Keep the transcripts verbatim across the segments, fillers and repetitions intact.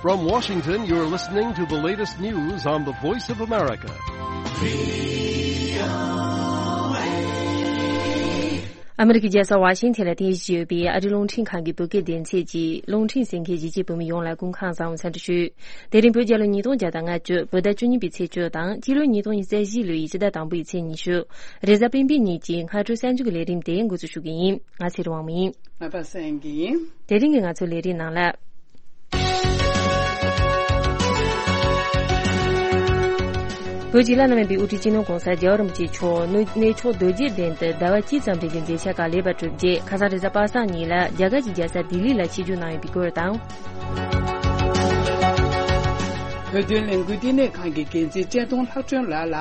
From Washington, you're listening to the latest news on the Voice of America. ཨ་མི་རི་ཀའི་རྒྱལ་ས་ཝ་ཤིང་ཐན་ལ་རྟེན་གཞི་བྱས་ཡོད་པའི་ཨ་རིའི་རླུང་འཕྲིན་ཁང་གི་བོད་སྐད་སྡེ་ཚན་གྱིས་རླུང་འཕྲིན་གསན་མཁན་གཞིས་བྱེས་བོད་མི་ཡོངས་ལ་སྐུ་ཁམས་བཟང་བའི་འཚམས་འདྲི་ཞུ། དེ་རིང་བོད་རྒྱལ་ལོ་ཉིས་སྟོང་བརྒྱ་དང་ལྔ་བཅུ་བོད་ཟླ་བཅུ་གཉིས་པའི་ཚེས་བཅུ་དང་སྤྱི་ལོ་ཉིས་སྟོང་ཉི་ཤུ་རྩ་བཞི་ལོའི་སྤྱི་ཟླ་དང་པོའི་ཚེས་ཉི་ཤུ། རེས་གཟའ་སྤེན་པའི་ཉིན་གྱི་སྔ་དྲོ་གསར་འགྱུར་གྱི་ལས་རིམ་དེ་འགོ་འཛུགས་ཞུ་གི་ཡིན། ང་ཚེ་རིང་དབང་མོ་ཡིན། ང་པ་སངས་སྐྱིད་ཡིན། དེ་རིང་གི་ང་ཚོའི་ལས་རིམ་ནང་ལ། བོད་ཀྱི་བླ་ན་མེད་པའི་དབུ་ཁྲིད་སྤྱི་ནོར་༸གོང་ས་༸རྒྱལ་བ་རིན་པོ་ཆེ་མཆོག་གནས་མཆོག་རྡོ་རྗེ་གདན་དུ་ཟླ་བ་གཅིག་ཙམ་རིང་གི་མཇལ་ཁ་ག་ལེགས་པར་གྲུབ་རྗེས་ཁ་སང་རེས་གཟའ་པ་སངས་ཉིན་ལ་རྒྱ་གར་གྱི་རྒྱལ་ས་ལྡི་ལི་ལ་ཆིབས་བསྒྱུར་གནང་ཡོད་པའི་སྐོར་དང་། བོད་དོན་ལས་འགུལ་བསྟི་གནས་ཁང་གི་འགན་འཛིན་བཀྲས་མཐོང་ལྷག་སྒྲོན་ལགས་ལ།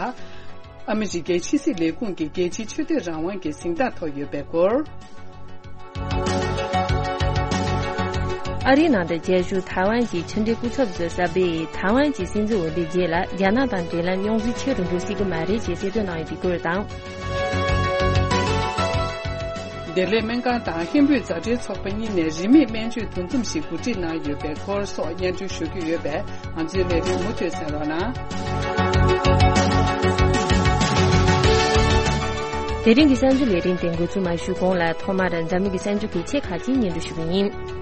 ཨ་མི་རི་ཀའི་ཕྱི་སྲིད་ལས་ཁུངས་ཀྱི་རྒྱལ་སྤྱིའི་ཆོས་དད་རང་དབང་གི་གཟེངས་རྟགས་ཐོབ་ཡོད་པའི་སྐོར། ཨ་རིའི་ནང་དུ་རྒྱལ་བཞུགས་ཐའེ་ཝན་གྱི་ཕྱི་འབྲེལ་སྐུ་ཚབ་ཚོས་གསར་པས་ཐའེ་ཝན་གྱི་སྲིད་འཛིན་འོས་འདེམས་རྗེས་ལ་རྒྱ་ནག་དང་འབྲེལ་ལམ་རྙོག་འཛིང་ཆེ་རུ་འགྲོ་སྲིད་ཀྱི་མ་རེད་ཅེས་གསལ་སྟོན་གནང་ཡོད་པའི་སྐོར་དང་། བདེ་ལེགས་སྨན་ཁང་དང་ཧིན་བོད་མཛའ་འབྲེལ་ཚོགས་པ་གཉིས་ནས་རིན་མེད་སྨན་བཅོས་འདུ་འཛོམས་ཤིག་གོ་སྒྲིག་གནང་ཡོད་པའི་སྐོར་སོགས་སྙན་སྒྲོན་ཞུ་རྒྱུ་ཡོད་པས། ང་ཚོའི་ལས་རིམ་མུ་མཐུད་གསན་རོགས་གནང་། དེ་རིང་གི་གསར་འགྱུར་ལས་རིམ་དེ་འགོ་འཛུགས་མ་ཞུས་གོང་ལ་ཐོག་མར་འཛམ་གླིང་གི་གསར་འགྱུར་གལ་ཆེ་ཁག་ཅིག་སྙན་སྒྲོན་ཞུ་གི་ཡིན།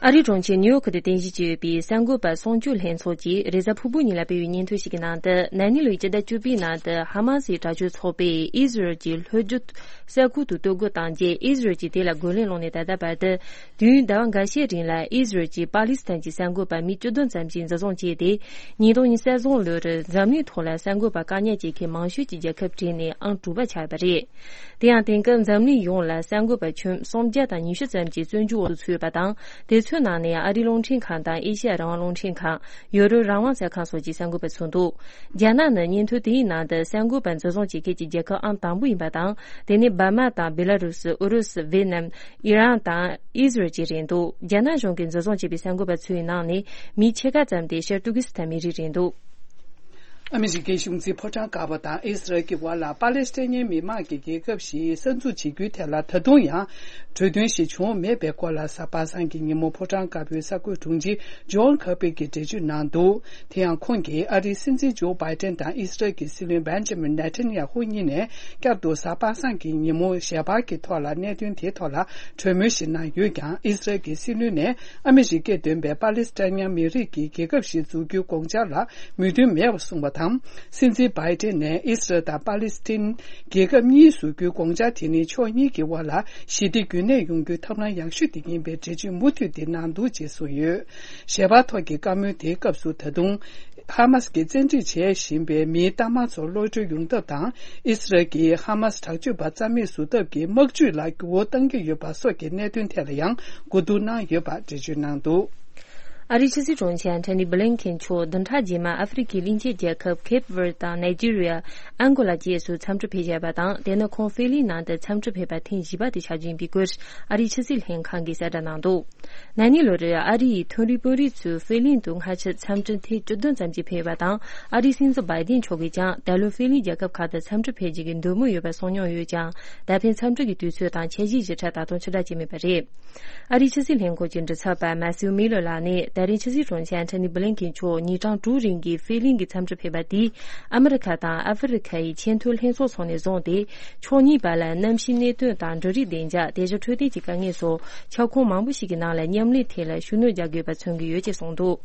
ཨ་རིའི་གྲོང་ཁྱེར་ནིའུ་ཡོག་དུ་རྟེན་གཞི་བྱས་ཡོད་པའི་གསར་འགོད་པ་སྲུང་སྐྱོབ་ལྷན་ཚོགས་ཀྱིས་རེས་གཟའ་ཕུར་བུ་ཉིན་ལ་སྤེལ་བའི་སྙན་ཐོ་ཞིག་གི་ནང་དུ། ན་ནིང་ལོའི་སྤྱི་ཟླ་བཅུ་པའི་ནང་དུ་ཧ་མ་སིའི་དྲག་སྤྱོད་ཚོགས་པས་ཨི་ཟི་རལ་གྱི་ལྷོ་རྒྱུད་ས་ཁུལ་དུ་གཏོར་རྒོལ་བཏང་རྗེས། ཨི་ཟི་རལ་གྱིས་དེ་ལ་རྒོལ་ལན་སློང་ནས་ད་ལྟ་བར་དུ། དུས་ཡུན་ཟླ་བ་འགའ་ཤས་རིང་ལ་ཨི་ཟི་རལ་གྱིས་པ་ལི་སི་ཐན་གྱི་གསར་འགོད་པ་མི་བཅུ་བདུན་ཙམ་ཞིག་འཛིན་བཟུང་བྱས་ཏེ། ཉིས་སྟོང་ཉི་ཤུ་རྩ་གསུམ་ལོར་འཛམ་གླིང་ཐོག་ལ་གསར་འགོད་པར་དཀའ་ཉེན་སྤྱད་མཁན་མང་ཤོས་ཀྱི་རྒྱལ་ཁབ་གྲས་ནས་ཨང་དྲུག་པ་ཆགས་ཡོད་པ་རེད། དེ་ཡང་དེང་སྐབས་འཛམ་གླིང་ཡོངས་ལ་གསར་འགོད་པ་ཁྱོན་སུམ་བརྒྱ་དང་ཉི་ཤུ་ཙམ་གྱིས་བཙོན་འཇུག་འོག་ཏུ་ཚུད་ཡོད་པ་དང་། དེ་ཚོའི་ནང་ནས་ཨ་རིའི་རླུང་འཕྲིན་ཁང་དང་ཨེ་ཤི་ཡ་རང་དབང་རླུང་འཕྲིན་ཁང་། ཡོ་རོབ་རང་དབང་གསར་ཁང་སོགས་ཀྱི་གསར་འགོད་པ་ཚུད་འདུག་རྒྱ་ནག་ནི་སྙན་ཐོ་དེའི་ནང་དུ་གསར་འགོད་པ་འཛིན་བཟུང་བྱེད་མཁན་གྱི་རྒྱལ་ཁབ་ཨང་དང་པོ་ཡིན་པ་དང་། དེ་ནི་འབར་མ་དང་བེ་ལ་རུ་སི། ཨུ་རུ་སུ། ཝེ་ནམ། ཨི་རན་དང་ཨི་ཟི་རལ་བཅས་རེད་འདུག་རྒྱ་ནག་གཞུང་གིས་འཛིན་བཟུང་བྱས་པའི་གསར་འགོད་པ་ཚོའི་ནང་ནས་མི་ཕྱེད་ཀ་ཙམ་དེ་ཤར་ཏུར་ཀི་སི་ཐན་མི་རིགས་རེད་འདུག་ཨ་མི་རི་ཀའི་གཞུང་འཛིན་ཕོ་བྲང་དཀར་པོ་དང་ཨི་སི་རལ་གྱི་བར་ལ་པ་ལེ་སི་ཐན་མི་དམངས་ཀྱི་རྒྱལ་ཁབ་ཞིག་གསར་འཛུགས་བྱེད་རྒྱུའི་ཐད་ལ་ད་དུང་ཡང་གྲོས་མཐུན་ཞིག་བྱུང་མེད་པའི་སྐོར་ལ་གཟའ་པ་སངས་ཀྱི་ཉིན་མོ་ཕོ་བྲང་དཀར་པོའི་གསར་འགོད་དྲུང་ཆེ་ཇོན་ཁར་པི་གིས་འགྲེལ་བརྗོད་གནང་འདུག་དེ་ཡང་ཁོང་གིས་ཨ་རིའི་སྲིད་འཛིན་ཇོ་བྷའི་ཏན་དང་ཨི་སི་རལ་གྱི་སྲིད་བློན་བན་ཇ་མིན་ནེ་ཐན་ཡ་ཧུ་གཉིས་ནས་བསྐྱར་དུ་གཟའ་པ་སངས་ཀྱི་ཉིན་མོ་ཞལ་པར་གྱི་ཐོག་ལ་གནད་དོན་དེའི་ཐོག་ལ་གྲོས་མོལ་ཞིག་གནང་ཡོད་ཀྱང་། ཨི་སི་རལ་གྱི་སྲིད་བློན་ནས་ཨ་མི་རི་ཀས་འདོན་པའི་པ་ལེ་སི་ཐན་མི་རིགས་ཀྱི་རྒྱལ་ཁབ་ཞིག་འཛུགས་རྒྱུའི་དགོངས་འཆར་ལ་མོས་མཐུན་མེད་པ་གསུངས་པ་དང་། སྲིད་འཛིན་བྷའི་ཏན་ནས་ཨི་སི་རལ་དང་པ་ལེ་སི་ཐན་རྒྱལ་ཁབ་གཉིས་བཟོ་རྒྱུའི་དགོངས་འཆར་དེ་ནི་ཕྱོགས་གཉིས་ཀྱི་དབར་ལ་ཞི་བདེ་རྒྱུན་གནས་ཡོང་རྒྱུའི་ཐབས་ལམ་ཡག་ཤོས་དེ་ཡིན་པའི་འགྲེལ་བརྗོད་མུ་མཐུད་དེ་གནང་འདུག་ཅེས་གསུངས་ཡོད། ཞལ་པར་ཐོག་གི་བཀའ་མོལ་དེའི་སྐབས་སུ། ད་དུང་ཧ་མ་སི་གིས་བཙན་ཁྲིད་བྱེད་བཞིན་པའི་མིའི་གཏའ་མ་ཚོ་གློད་གྲོལ་ཡོང་ཐབས་དང་། ཨི་སི་རལ་གྱིས་ཧ་མ་སི་དྲག་སྤྱོད་པ་རྩ་མེད་བཟོ་ཐབས་ཀྱི་དམག་ཇུས་ལ་འགྱུར་བ་གཏང་གི་ཡོད་པ་སོགས་ཀྱི་གནད་དོན་ཐད་ལ་ཡང་གོ་བསྡུར་གནང་ཡོད་པ་འགྲེལ་བརྗོད་གནང་འདུག་ཨ་རིའི་ཕྱི་སྲིད་དྲུང་ཆེ་ཨན་ཐོ་ནི་བྷི་ལིན་ཁེན་མཆོག་བདུན་ཕྲག་རྗེས་མར་ཨ་ཧྥེ་རི་ཁའི་གླིང་ཆེན་རྒྱལ་ཁབ་ཁེབ་ཝར་དང་ནཱི་ཇི་རི་ཡ། ཨང་གོ་ལ་བཅས་སུ་འཚམས་འདྲི་ཕེབས་བཞག་པ་དང་། དེ་ནི་ཁོང་ཧྥེ་གླིང་ནང་དུ་འཚམས་འདྲི་ཕེབས་པ་ཐེངས་བཞི་པ་དེ་ཆགས་རྒྱུ་ཡིན་པའི་སྐོར་ཨ་རིའི་ཕྱི་སྲིད་ལྷན་ཁང་གིས་གསལ་བསྒྲགས་གནང་འདུག་ན་ནིང་ལོར་ཨ་རི་ཡི་མཐོ་རིམ་དཔོན་རིགས་ཚོས་ཧྥེ་གླིང་དུ་སྔ་ཕྱིར་འཚམས་འདྲི་ཐེངས་བཅུ་བདུན་ཙམ་ཞིག་ཕེབས་པ་དང་། ཨ་རིའི་སྲིད་འཛིན་བྷའི་ཏིན་མཆོག་གིས་ཀྱང་ད་ལོ་ཧྥེ་གླིང་རྒྱལ་ཁབ་ཁག་ཏུ་འཚམས་འདྲི་ཕེབས་རྒྱུ་གི་འདོད་མོས་ཡོད་པ་གསུངས་མྱོང་ཡོད་ཀྱང་། ད་ཕན་འཚམས་འདྲི་གི་དུས་ཚོད་དང་འཆར་གཞིའི་གཞི་གྲངས་ད་དུང་ཕྱིར་བསྒྲགས་བྱས་མེད་པ་རེད། ཨ་རིའི་ཕྱི་སྲིད་ལྷན་ཁང་གི་མགྲིན་ཚབ་པ་མ་སིའུ་མི་ལོ་ལགས་ནས། ད་རེས་ཕྱི་སྲིད་དྲུང་ཆེ་ཨན་ཐོ་ནི་བྷི་ལིན་ཁེན་མཆོག་ཉིན་གྲངས་དྲུག་རིང་གི་ཧྥེ་གླིང་གི་འཚམས་འདྲི་ཕེབས་པ་དེས། ཨ་མི་རི་ཁ་དང་ཨ་ཧྥེ་རི་ཁ་ཡི་ཆེས་མཐོའི་ལྷན་ཚོགས་ཚོགས་ནས་བཟུང་སྟེ། ཕྱོགས་གཉིས་བར་ལ་གནམ་གཤིས་གནད་དོན་དང་འབྲུ་རིགས་བདེ་འཇགས། དེ་བཞིན་འཕྲོད་བསྟེན་གྱི་དཀའ་ངལ་སོགས་ཁྱབ་ཁོངས་མང་པོ་ཞིག་གི་ནང་ལ་མཉམ་ལས་ཐད་ལ་ཤུགས་སྣོན་རྒྱག་དགོས་པ་མཚོན་གྱི་ཡོད་ཅེས་གསུངས་འདུག་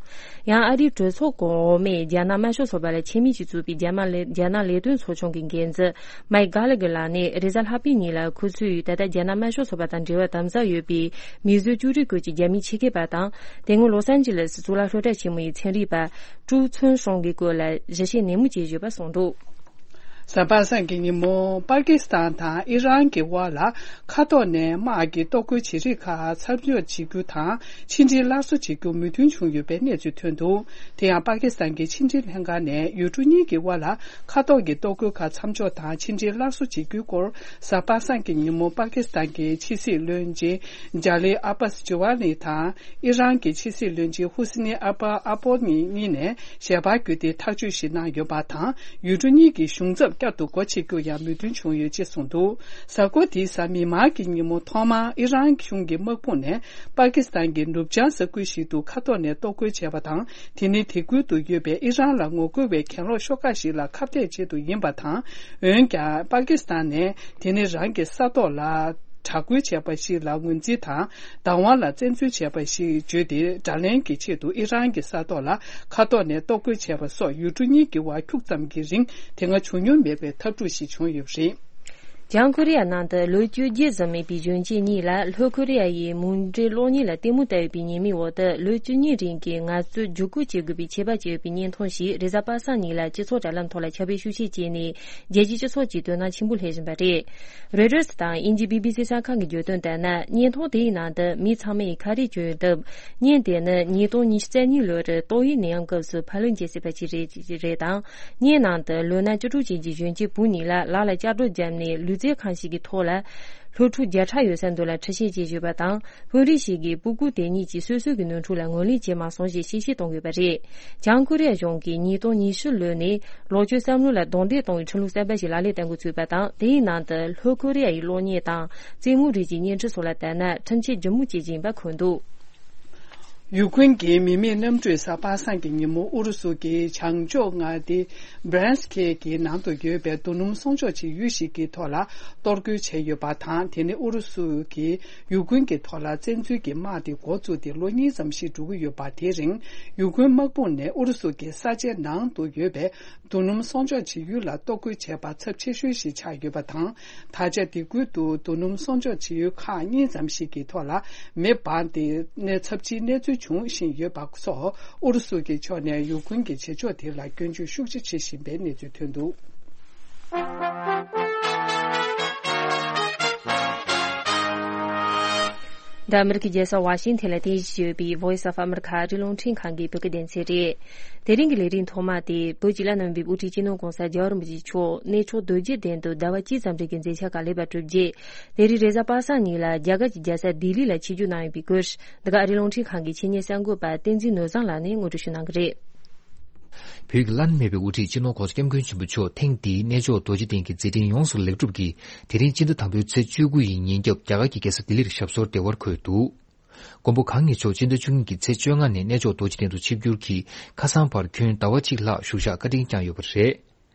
ཡང་ཨ་རིའི་གྲོས་ཚོགས་གོང་འོག་མའི་རྒྱ་ནག་དམར་ཤོག་ཚོགས་པ་ལ་ཆེད་དམིགས་ཀྱིས་བཙུགས་པའི་རྒྱ་དམར་ལས། རྒྱ་ནག་ལས་དོན་ཚོགས་ཆུང་གི་འགན་འཛིན་མའིག་གྷ་ལ་གྷེ་ལགས་ནས་རེས་གཟའ་ལྷག་པའི་ཉིན་ལ། ཁོ་ཚོས་ད་ལྟ་རྒྱ་ནག་དམར་ཤོག་ཚོགས་པ་དང་འབྲེལ་བ་དམ་ཟབ་ཡོད་པའི་མི་བཟོས་ཅུ་རིག་ཁུལ་གྱི་རྒྱ་མིའི་ཆེད་མཁས་པ་དང་། དེ་སྔོན་ལོ་སན་ཇི་ལེ་སི་གཙུག་ལག་སློབ་གྲྭ་ཆེན་མོ་ཡི་ཚན་རིག་པ་ཀྲུའུ་ཚུན་ཧྲུང་གི་སྐོར་ལ་ཞིབ་བཤེར་ནན་མོ་བྱས་ཡོད་པ་གསུངས་འདུག་གཟའ་པ་སངས་ཀྱི་ཉིན་མོ། པ་ཀི་སི་ཐན་དང་ཨི་རན་གྱི་དབར་ལ་མཁའ་ཐོག་ནས་དམག་གི་གཏོར་རྒོལ་བྱེད་རིགས་ཁག་མཚམས་འཇོག་བྱེད་རྒྱུ་དང་། ཕྱི་འབྲེལ་སླར་གསོ་བྱེད་རྒྱུར་མོས་མཐུན་བྱུང་ཡོད་པའི་གནས་ཚུལ་ཐོན་འདུག་དེ་ཡང་པ་ཀི་སི་ཐན་གྱི་ཕྱི་འབྲེལ་ལྷན་ཁང་ནས་ཡུལ་གྲུ་གཉིས་ཀྱི་དབར་ལ་མཁའ་ཐོག་གི་གཏོར་རྒོལ་ཁག་མཚམས་འཇོག་དང་ཕྱི་འབྲེལ་སླར་གསོ་བྱེད་རྒྱུའི་སྐོར། གཟའ་པ་སངས་ཀྱི་ཉིན་མོ་པ་ཀི་སི་ཐན་གྱི་ཕྱི་སྲིད་བློན་ཆེན་ཇཱ་ལི་ཨ་པཱ་སི་ཇུ་ཝ་ནི་དང་། ཨི་རན་གྱི་ཕྱི་སྲིད་བློན་ཆེན་ཧུ་སི་ནི་ཨ་པ་ཨ་པོ་ནི་གཉིས་ནས་ཞལ་པར་བརྒྱུད་དེ་ཐག་གཅོད་ཞིག་གནང་ཡོད་པ་དང་། ཡུལ་གྲུ་གཉིས་ཀྱི་གཞུང་ཚབ་ བསྐྱར་དུ་སྒོ་ཕྱེ་རྒྱུ་ཡང་མོས་མཐུན་བྱུང་ཡོད་ཅེས་གསུངས་འདུག་གཟའ་འཁོར་འདིའི་གཟའ་མིག་དམར་གྱི་ཉིན་མོ་ཐོག་མར་ཨི་རན་གཞུང་གི་དམག་དཔུང་ནས་པ་ཀི་སི་ཐན་གྱི་ནུབ་བྱང་ས་ཁུལ་ཞིག་ཏུ་མཁའ་ཐོག་ནས་གཏོར་རྒོལ་བྱས་པ་དང་། དེ་ནི་དེ་ཁུལ་དུ་ཡོད་པའི་ཨི་རན་ལ་ངོ་རྒོལ་བའི་གྱེན་ལོག་ཤོག་ཁག་ཞིག་ལ་ཁ་གཏད་ཆེད་དུ་ཡིན་པ་དང་། འོན་ཀྱང་པ་ཀི་སི་ཐན་ནས་དེ་ནི་རང་གི་ས་ཐོག་ལ་དྲག་རྒོལ་བྱས་པ་ཞིག་ལ་ངོས་འཛིན་དང་། བདག་དབང་ལ་བཙན་འཛུལ་བྱས་པ་ཞིག་བརྗོད་དེ། དགྲ་ལན་གྱི་ཆེད་དུ་ཨི་རན་གྱི་ས་ཐོག་ལ་མཁའ་ཐོག་ནས་གཏོར་རྒོལ་བྱས་པ་སོགས་ཡུལ་གྲུ་གཉིས་ཀྱི་དབར་འཁྱུག་ཙམ་གྱི་རིང་དེ་སྔ་བྱུང་མྱོང་མེད་པའི་འཐབ་འཁྲུག་ཞིག་བྱུང་ཡོད་པ་རེད། བྱང་ཀོ་རི་ཡ་ནང་དུ་ལོ་བཅོ་བརྒྱད་ཙམ་མིན་པའི་གཞོན་སྐྱེས་གཉིས་ལ་ལྷོ་ཀོ་རི་ཡ་ཡི་མུ་འབྲེལ་གློག་བརྙན་ལ་ལྟད་མོ་ལྟ་ཡོད་པའི་ཉེས་མིང་འོག་ཏུ་ལོ་བཅུ་གཉིས་རིང་གི་ངལ་རྩོལ་བརྒྱུད་སྐུལ་བྱེད་དགོས་པའི་ཆད་པ་བཅད་ཡོད་པའི་བརྙན་ཐུང་ཞིག་རེས་གཟའ་པ་སངས་ཉིན་ལ་སྤྱི་ཚོགས་དྲ་ལམ་ཐོག་ལ་ཁྱབ་སྤེལ་ཤུགས་ཆེ་བྱས་ནས། རྒྱལ་སྤྱིའི་སྤྱི་ཚོགས་ཀྱིས་དོ་སྣང་ཆེན་པོ་སླེབས་བཞིན་པ་རེད། རོའི་ཊར་སི་དང་དབྱིན་ཇིའི་བྷི་བྷི་སི་གསར་ཁང་གིས་བརྗོད་དོན་ལྟར་ན། བརྙན་ཐུང་དེའི་ནང་དུ་མི་ཚང་མས་ཁ་རས་གྱོན་ཡོད་སྟབས། བརྙན་དེ་ནི་ཉིས་སྟོང་ཉི་ཤུ་རྩ་གཉིས་ལོར་ཏོག་དབྱིབས་ནད་ཡམས་སྐབས་སུ་ཕབ་ལེན་བྱས་ཟིན་པ་ཞིག་རེད་རེད་དང་། བརྙན་ནང་དུ་ལོ་ན་བཅུ་དྲུག་ཅན་གྱི་གཞོན་སྐྱེས་བུ་གཉིས་ལ་ལག་ལ་ལྕགས་སྒྲོག་བརྒྱབ་ནས་ལུས་རྩལ་ཁང་ཞིག་གི་ཐོག་ལ། སློབ་ཕྲུག་བརྒྱ་ཕྲག་ཡོད་ས་འདི་ལ་འཁྲུག་ཆེན་བྱེད་བཞིན་པ་དང་། དཔོན་རིགས་ཤིག་གིས་སྤུ་གུ་དེ་གཉིས་ཀྱིས་སོ་སོ་གི་ནོར་འཁྲུལ་ལ་ངོས་ལེན་བྱས་མ་སོང་ཞེས་བཤད་གཞི་གཏོང་ཡོད་པ་རེད། བྱང་ཀོ་རི་ཡ་གཞུང་གིས་ཉིས་སྟོང་ཉི་ཤུ་ལོ་ནས་ལོ་བཅུའི་བསམ་བློ་ལ་རྡུང་རྡེག་གཏོང་བའི་ཁྲིམས་ལུགས་གསར་པ་ཞིག་ལག་ལེན་བསྟར་འགོ་ཚུགས་པ་དང་། དེའི་ནང་དུ་ལྷོ་ཀོ་རི་ཡ་ཡི་གློག་བརྙན་དང་རྩེད་མོ་རིགས་ཀྱི་བརྙན་འཕྲིན་སོགས་ལ་བལྟས་ན་ཁྲིམས་ཆད་ལྗིད་མོ་བཅད་ཀྱི་ཡིན་པ་འཁོད་འདུག་ཡུ་ཁུན་གྱི་མི་མེད་གནམ་གྲུས་གཟའ་པ་སངས་ཀྱི་ཉིན་མོ་ཨུ་རུ་སུ་གྱི་བྱང་ཕྱོགས་མངའ་སྡེ་བྷ་རན་སི་ཁེ་གི་ནང་དུ་ཡོད་པའི་རྡོ་སྣུམ་སྲུང་སྐྱོབ་བྱེད་ཡུལ་ཞིག་གི་ཐོག་ལ་གཏོར་རྒོལ་བྱས་ཡོད་པ་དང་། དེ་ནི་ཨུ་རུ་སུ་གྱིས་ཡུ་ཁུན་གྱི་ཐོག་ལ་བཙན་འཛུལ་གྱི་དམག་དེ་འགོ་བཙུགས་ཏེ་ལོ་གཉིས་ཙམ་ཞིག་འགྲོ་གི་ཡོད་པ། དེའི་རིང་ཡུ་ཁུན་དམག་དཔུང་ནས་ཨུ་རུ་སུ་གྱི་ས་ཆའི་ནང་དུ་ཡོད་པའི་རྡོ་སྣུམ་སྲུང་སྐྱོབ་བྱེད་ཡུལ་ལ་གཏོར་རྒོལ་བྱས་པ་ཚབས་ཆེ་ཤོས་ཤིག་ཆགས་ཡོད་པ་དང་། ད་ཆ་དེ་ཁུལ་དུ་རྡོ་སྣུམ་སྲུང་སྐྱོབ་བྱེད་ཡུལ་ཁག་གཉིས་ཙམ་ཞིག་གི་ཐོག་ལ་མེ་འབར་ཏེ་གནས་ཚབས་ཆེའི་གནས་ཚུལ་འབྱུང་བཞིན་ཡོད་པ་སོགས། ཨུ་རུ་སུ་གྱི་ཕྱོགས་ནས་ཡུ་ཁུན་གྱི་བྱེད་ཕྱོགས་དེ་ལ་སྐྱོན་བརྗོད་ཤུགས་ཆེ་བྱེད་བཞིན་པའི་གནས་ཚུལ་ཐོན་འདུག་འདི་ཨ་མི་རི་ཀའི་རྒྱལ་ས་ཝ་ཤིང་ཐན་ལ་རྟེན་གཞི་བྱས་ཡོད་པའི་Voice of America ཨ་རིའི་རླུང་འཕྲིན་ཁང་གི་བོད་སྐད་སྡེ་ཚན་རེད། དེ་རིང་གི་ལས་རིམ་ཐོག་མ་དེ་བོད་ཀྱི་བླ་ན་མེད་པའི་དབུ་ཁྲིད་སྤྱི་ནོར་༸གོང་ས་༸རྒྱལ་བ་རིན་པོ་ཆེ་མཆོག་གནས་མཆོག་རྡོ་རྗེ་གདན་དུ་ཟླ་བ་གཅིག་ཙམ་རིང་གི་མཛད་འཆར་ཁག་སླེབས་པ་གྲུབ་རྗེས། དེ་རིང་རེས་གཟའ་པ་སངས་ཉིན་ལ་རྒྱ་གར་གྱི་རྒྱལ་ས་ལྡི་ལི་ལ་ཆིབས་བསྒྱུར་གནང་ཡོད་པའི་སྐོར། འདི་ག་ཨ་རིའི་རླུང་འཕྲིན་ཁང་གི་ཆེད་གཉེར་གསར་འགོད་པ་བསྟན་འཛིན་ནོར་བཟང་ལགས་ནས་ངོ་སྤྲོད་ཞུ་གནང་གི་རེད། བོད་ཀྱི་བླ་ན་མེད་པའི་དབུ་ཁྲིད་སྤྱི་ནོར་༸གོང་ས་༸སྐྱབས་མགོན་ཆེན་པོ་མཆོག་ཐེངས་འདིའི་གནས་མཆོག་རྡོ་རྗེ་གདན་གྱི་མཛད་འཕྲིན་ཡོངས་སུ་ལེགས་གྲུབ་ཀྱིས། དེ་རིང་སྤྱི་ཟླ་དང་པོའི་ཚེས་བཅུ་དགུ་ཡི་ཉིན་རྒྱབ་རྒྱ་གར་གྱི་རྒྱལ་ས་ལྡི་ལིར་ཞབས་སོར་བདེ་བར་འཁོད་འདུག་མགོན་པོ་གང་ཉིད་མཆོག་སྤྱི་ཟླ་བཅུ་གཉིས་ཀྱི་ཚེས་བཅོ་ལྔ་ནས་གནས་མཆོག་རྡོ་རྗེ་གདན་དུ་ཆིབས་བསྒྱུར་གྱིས་ཁ་སང་བར་ཁྱོན་ཟླ་བ་གཅིག་ལྷག་བཞུགས་ཞག་བཀའ་དྲིན་བསྐྱངས་ཡོད་པ་རེད།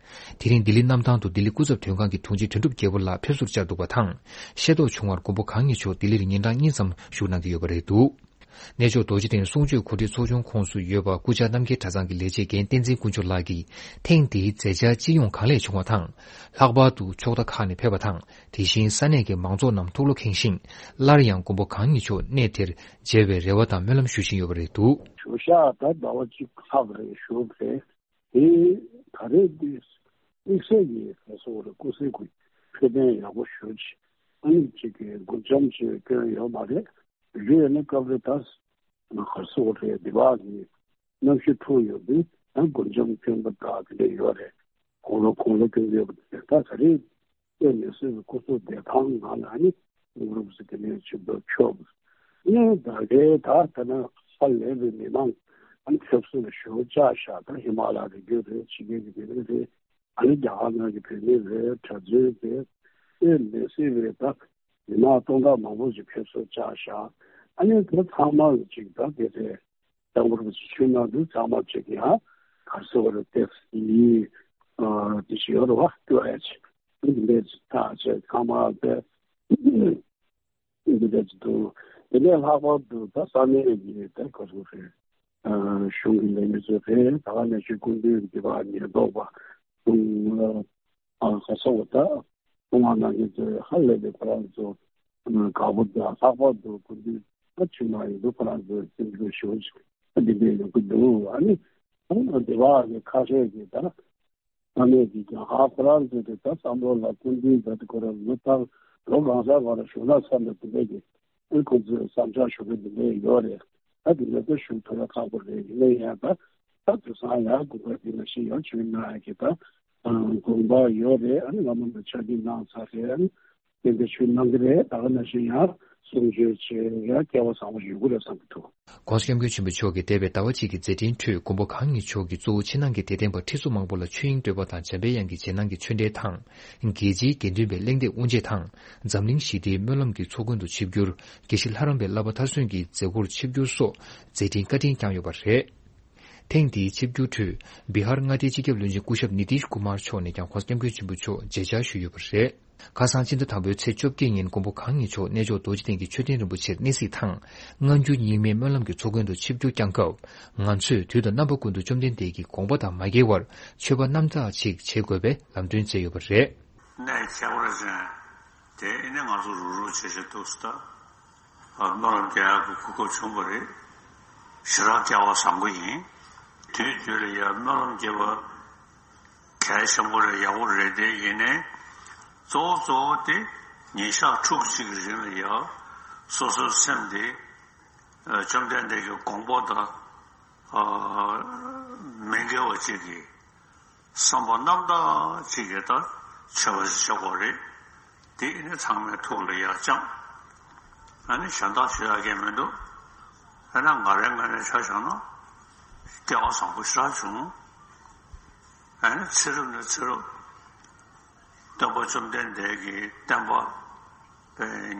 དེ་རིང་ལྡི་ལི་གནམ་ཐང་དུ་ལྡི་ལི་སྐུ་ཚབ་དོན་ཁང་གི་དྲུང་ཆེ་དོན་གྲུབ་རྒྱལ་པོ་ལགས་ཕེབས་བསུར་བཅར་འདུག་པ་དང་། ཤེས་རྟོགས་བྱུང་བར་མགོན་པོ་གང་ཉིད་མཆོག་ལྡི་ལིར་ཉིན་གྲངས་གཉིས་ཙམ་བཞུགས་གནང་གི་ཡོད་པ་རེད་འདུག་གནས་མཆོག་རྡོ་རྗེ་གདན་གསུང་ཆོས་གོ་སྒྲིག་ཚོགས་ཆུང་ཁོངས་སུ་ཡོད་པ་སྐུ་བཅར་རྣམ་རྒྱལ་གྲྭ་ཚང་གི་ལས་བྱེད་འགན་བསྟན་འཛིན་དཀོན་མཆོག་ལགས་ཀྱིས། ཐེངས་འདིའི་མཛད་འཆར་སྤྱི་ཡོངས་གང་ལེགས་བྱུང་བ་དང་། ལྷག་པར་དུ་ཕྱོགས་མཐའ་ཁག་ནས་ཕེབས་པ་དང་། དེ་བཞིན་ས་གནས་ཀྱི་མང་ཚོགས་རྣམས་ཐུགས་བློ་ཁེངས་ཤིང་། སླར་ཡང་མགོན་པོ་གང་ཉིད་མཆོག་གནས་དེར་མཇལ་བའི་རེ་བ་དང་སྨོན་ལམ་ཞུ་བཞིན་ཡོད་པ་རེད་འདུག་བཞུགས་ཞག་ད་ཟླ་བ་གཅིག་ལྷག་རེད་བཞུགས་རེད། དེ་ད་རེས་འདི་དམིགས་བསལ་གྱི་ག་སོགས་རེད། སྐུ་གཟུགས་ཀྱི་འཕྲོད་བསྟེན་ཡག་པོ་ཞུ་ཆེད་ཨ་ནི་གཅིག་གི་མགུར་འཆམ་ཅིག་སྐྱོན་ཡོད་མ་རེད། རེད་ནི་སྐབས་རེ་ད་ག་སོགས་རེད། འདི་བ་གི་གནམ་གཤིས་འཁྲུག་ཡོད་དུས་ད་མགུར་འཆམ་སྐྱོན་པ་དག་དེ་འདྲ་ཡོད་རེད། དགུང་ལོ་དགུང་ལོ་སྐྱོན་ཡོད་པ་དེ་ད་ག་རེད། དཔེ་མི་སྲིད་པའི་སྐུ་གཟུགས་བདེ་ཐང་ངང་ལ་ནི་གུ་རུབ་ཟེར་གྱི་ནས་ཆུ་བབ་ཆོག་ཨ་ནི་ད་གའི་ད་ད་ན་ཧ་ལས་པའི་མི་མང་ཨ་ནི་ཕེབས་བསུ་ལ་ཞུ་བཅར་ཤག་ད་ཧི་མ་ལ་རི་རྒྱུད་རེད། ཕྱི་རྒྱལ་གྱི་མི་རིགས་རེད། ཨ་ནི་རྒྱ་གར་ནང་གི་བོད་མི་རེད། གྲྭ་བཙུན་རེད། དཔེ་མི་སྲིད་པའི་ད་མི་མང་སྟོང་ཕྲག་མང་པོ་ཞིག་ཕེབས་བསུ་བཅར་ཤག་ཨ་ནི་ད་ཚང་མ་ཅིག་ད་དེ་རེད། ད་གུ་རུབ་ཆུ་ནང་དུ་ཚང་མ་ཅིག་ཡང་གར་སོ་བ་རེད། དེ་ཡི་དེ་ཞིག་ཡོད་རེད་བ། ཀྱོ་ཨེ་ཆི་འདི་འདྲས་ཐག་བཅད་ཚང་མ་དེ་འདི་འདྲས་འདུག་དེ་ནས་ལྷག་པར་དུ་ད་ས་གནས་ཀྱི་ད་ག་ཚོད་རེད། གཞུང་གི་ལས་མི་ཚོ་རེད། ད་ག་ནས་ཆོས་སྐུ་མདུན་གྱི་བ་ཉེན་རྟོག་པ་དང་ག་ཚོད་ད་ཐོག་མ་ནང་གི་ཚོ་ཧ་ལས་པའི་ཁོ་རང་ཚོ་དགའ་པོ་དང་ལྷག་པར་དུ་སྐུ་མདུན་ད་ཆུང་མ་ཡིན་འདུག་ཁོ་རང་ཚོ་སེམས་ཚོར་ཞུ་འདི་འདྲས་ཡོང་གི་འདུག་ཨ་ནི་ད་སྡེ་བ་གི་ཁ་ཤས་ཀྱིས་ད། ས་གནས་ཀྱི་རྒྱ་གར་ཁོ་རང་ཚོས་དེ་ལྟར་བསམ་བློ་ལ་སྐུ་མདུན་ཟེར་དེ་ཁོ་རང་ལོ་ལྟར་ལོ་གང་ས་ག་ར་བཞུགས་ན་བསམ་པའི་དེ་འདྲས་ཀྱི་ཨེ་ཁོ་ཚོས་བསམ་འཆར་ཞུ་གི་དེ་འདྲས་ཡོད་རེད། ད་དེ་འདྲ་ད་ཞུ་ཐུབ་ན་ཁག་པོ་རེད། ཡིན་ན་ཡང་ད་ད་དེང་སང་ཡང་དགོན་པ་དེ་ནང་བཞིན་ཡང་བྱུང་ན་ཡང་གི་ད་དགོན་པ་ཡོད་རེད། ཨ་ནི་བླ་མ་ལ་ཕྱག་ཕྱིད་གནང་ཚར་རེད། ཨ་ནི་ གཏན་འབེབས་ཞུ་གནང་གི་རེད། ད་ག་ནང་བཞིན་ཡང་གསུང་ཆོས་བྱེད་ཡ་སྐལ་བ་བཟང་པོ་ཞིག་ཡོང་གི་རེད་བསམ་གྱི་འདུག། ༸གོང་ས་༸སྐྱབས་མགོན་ཆེན་པོ་མཆོག་གིས་འདས་པའི་ཟླ་བ་གཅིག་གི་མཛད་འཕྲིན་ཁྲོད་མགོན་པོ་གང་ཉིད་མཆོག་གིས་གཙོ་བོ་ཕྱི་ནང་གི་དད་ལྡན་པ་ཁྲི་ཚོ་མང་པོ་ལ་ཆོས་དབྱིངས་སྤྲོས་པ་དང་འཇམ་པའི་དབྱངས་ཀྱི་རྗེས་གནང་གི་ཆོས་འབྲེལ་དང་། རྒྱལ་སྤྱིའི་དགེ་འདུན་པའི་གླེང་སྟེགས་དབུ་འབྱེད་དང་། འཛམ་གླིང་ཞི་བདེའི་སྨོན་ལམ་གྱི་ཚོགས་མགོན་དུ་ཆིབས་བསྒྱུར། དགེ་བཤེས་ལྷ་རམས་པའི་བསླབ་པ་མཐར་སོན་གྱི་མཛད་སྒོར་ཆིབས་བསྒྱུར་སོགས་མཛད་འཕྲིན་བཀའ་དྲིན་བསྐྱངས་ཡོད་པ་རེད། ཐེངས་འདིའི་ཆིབས་བསྒྱུར་ཁྲོད་བི་ཧར་མངའ་སྡེའི་སྤྱི་ཁྱབ་བློན་ཆེན་སྐུ་ཞབས་ནི་ཏིཤ་ཀུ་མར་མཆོག་ནས་ཀྱང་༸གོང་ས་༸སྐྱབས་མགོན་ཆེན་པོ་མཆོག་མཇལ་བཅར་ཞུས་ཡོད་པ་རེད། ཁ་སང་ཕྱི་ཟླ་དང་པོའི་ཚེས་བཅོ་བརྒྱད་ཉིན་མགོན་པོ་གང་ཉིད་མཆོག་གནས་མཆོག་རྡོ་རྗེ་གདན་གྱི་མཆོད་རྟེན་རིན་པོ་ཆེར་གནས་གཟིགས་དང་། སྔ་འགྱུར་རྙིང་མའི་སྨོན་ལམ་གྱི་ཚོགས་མགོན་དུ་ཆིབས་བསྒྱུར་བསྐྱངས་སྐབས། ང་ཚོས་དུས་དང་རྣམ་པ་ཀུན་ཏུ་བཅོམ་ལྡན་འདས་ཀྱི་དགོངས་པ་དང་མ་འགལ་བར་མཆོད་པ་རྣམ་དག་ཅིག་བྱེད་དགོས་པའི་ལམ་སྟོན་བྱས་ཡོད་པ་རེད། གནས་ཁྱད་པར་ཅན་དེ་ནི་ང་ཚོ་རུག་རུག་བྱེད་བྱེད་འདུག་ཟེར། ད་སྨོན་ལམ་རྒྱག་ཡག་གི་གོ་སྐབས་བྱུང་བ་རེད། ཞེ་དྲག་སྐལ་བ་བཟང་པོ་ཡིན། དུས་རྒྱུན་ལ་ཡང་སྨོན་ལམ་རྒྱག་པ་གལ་ཆེན་པོ་རེད། ཡག་པོ་རེད། དེ་ཡིན་ནའི་གཙོ་བོ་གཙོ་བོ་དེ་ཉིན་ཞག་ཕྲུགས་གཅིག་གི་རིང་ལ་ཡང་སོ་སོའི་སེམས་དེ་བཅོམ་ལྡན་འདས་ཀྱི་དགོངས་པ་དང་མི་འགལ་བ་ཅིག་གི་བསམ་པ་རྣམ་དག་ཅིག་གིས་ད་མཆོད་པ་ཞིག་བྱེད་དགོས་རེད། དེ་ནི་ཚང་མའི་ཐུགས་ལ་ཡར་བཅངས། ཨ་ནི་གཞན་དག་ཞུ་ཡག་གི་མི་འདུག། ཨ་ནི་ང་རའི་ངོས་ནས་ཆ་བཞག་ན་སྐལ་བ་བཟང་པོ་ཞེ་དྲག་བྱུང་། ཨ་ནི་ཚེ་རབས་ནས་ཚེ་རབས་སྟོན་པ་བཅོམ་ལྡན་འདས་ཀྱི་བསྟན་པ་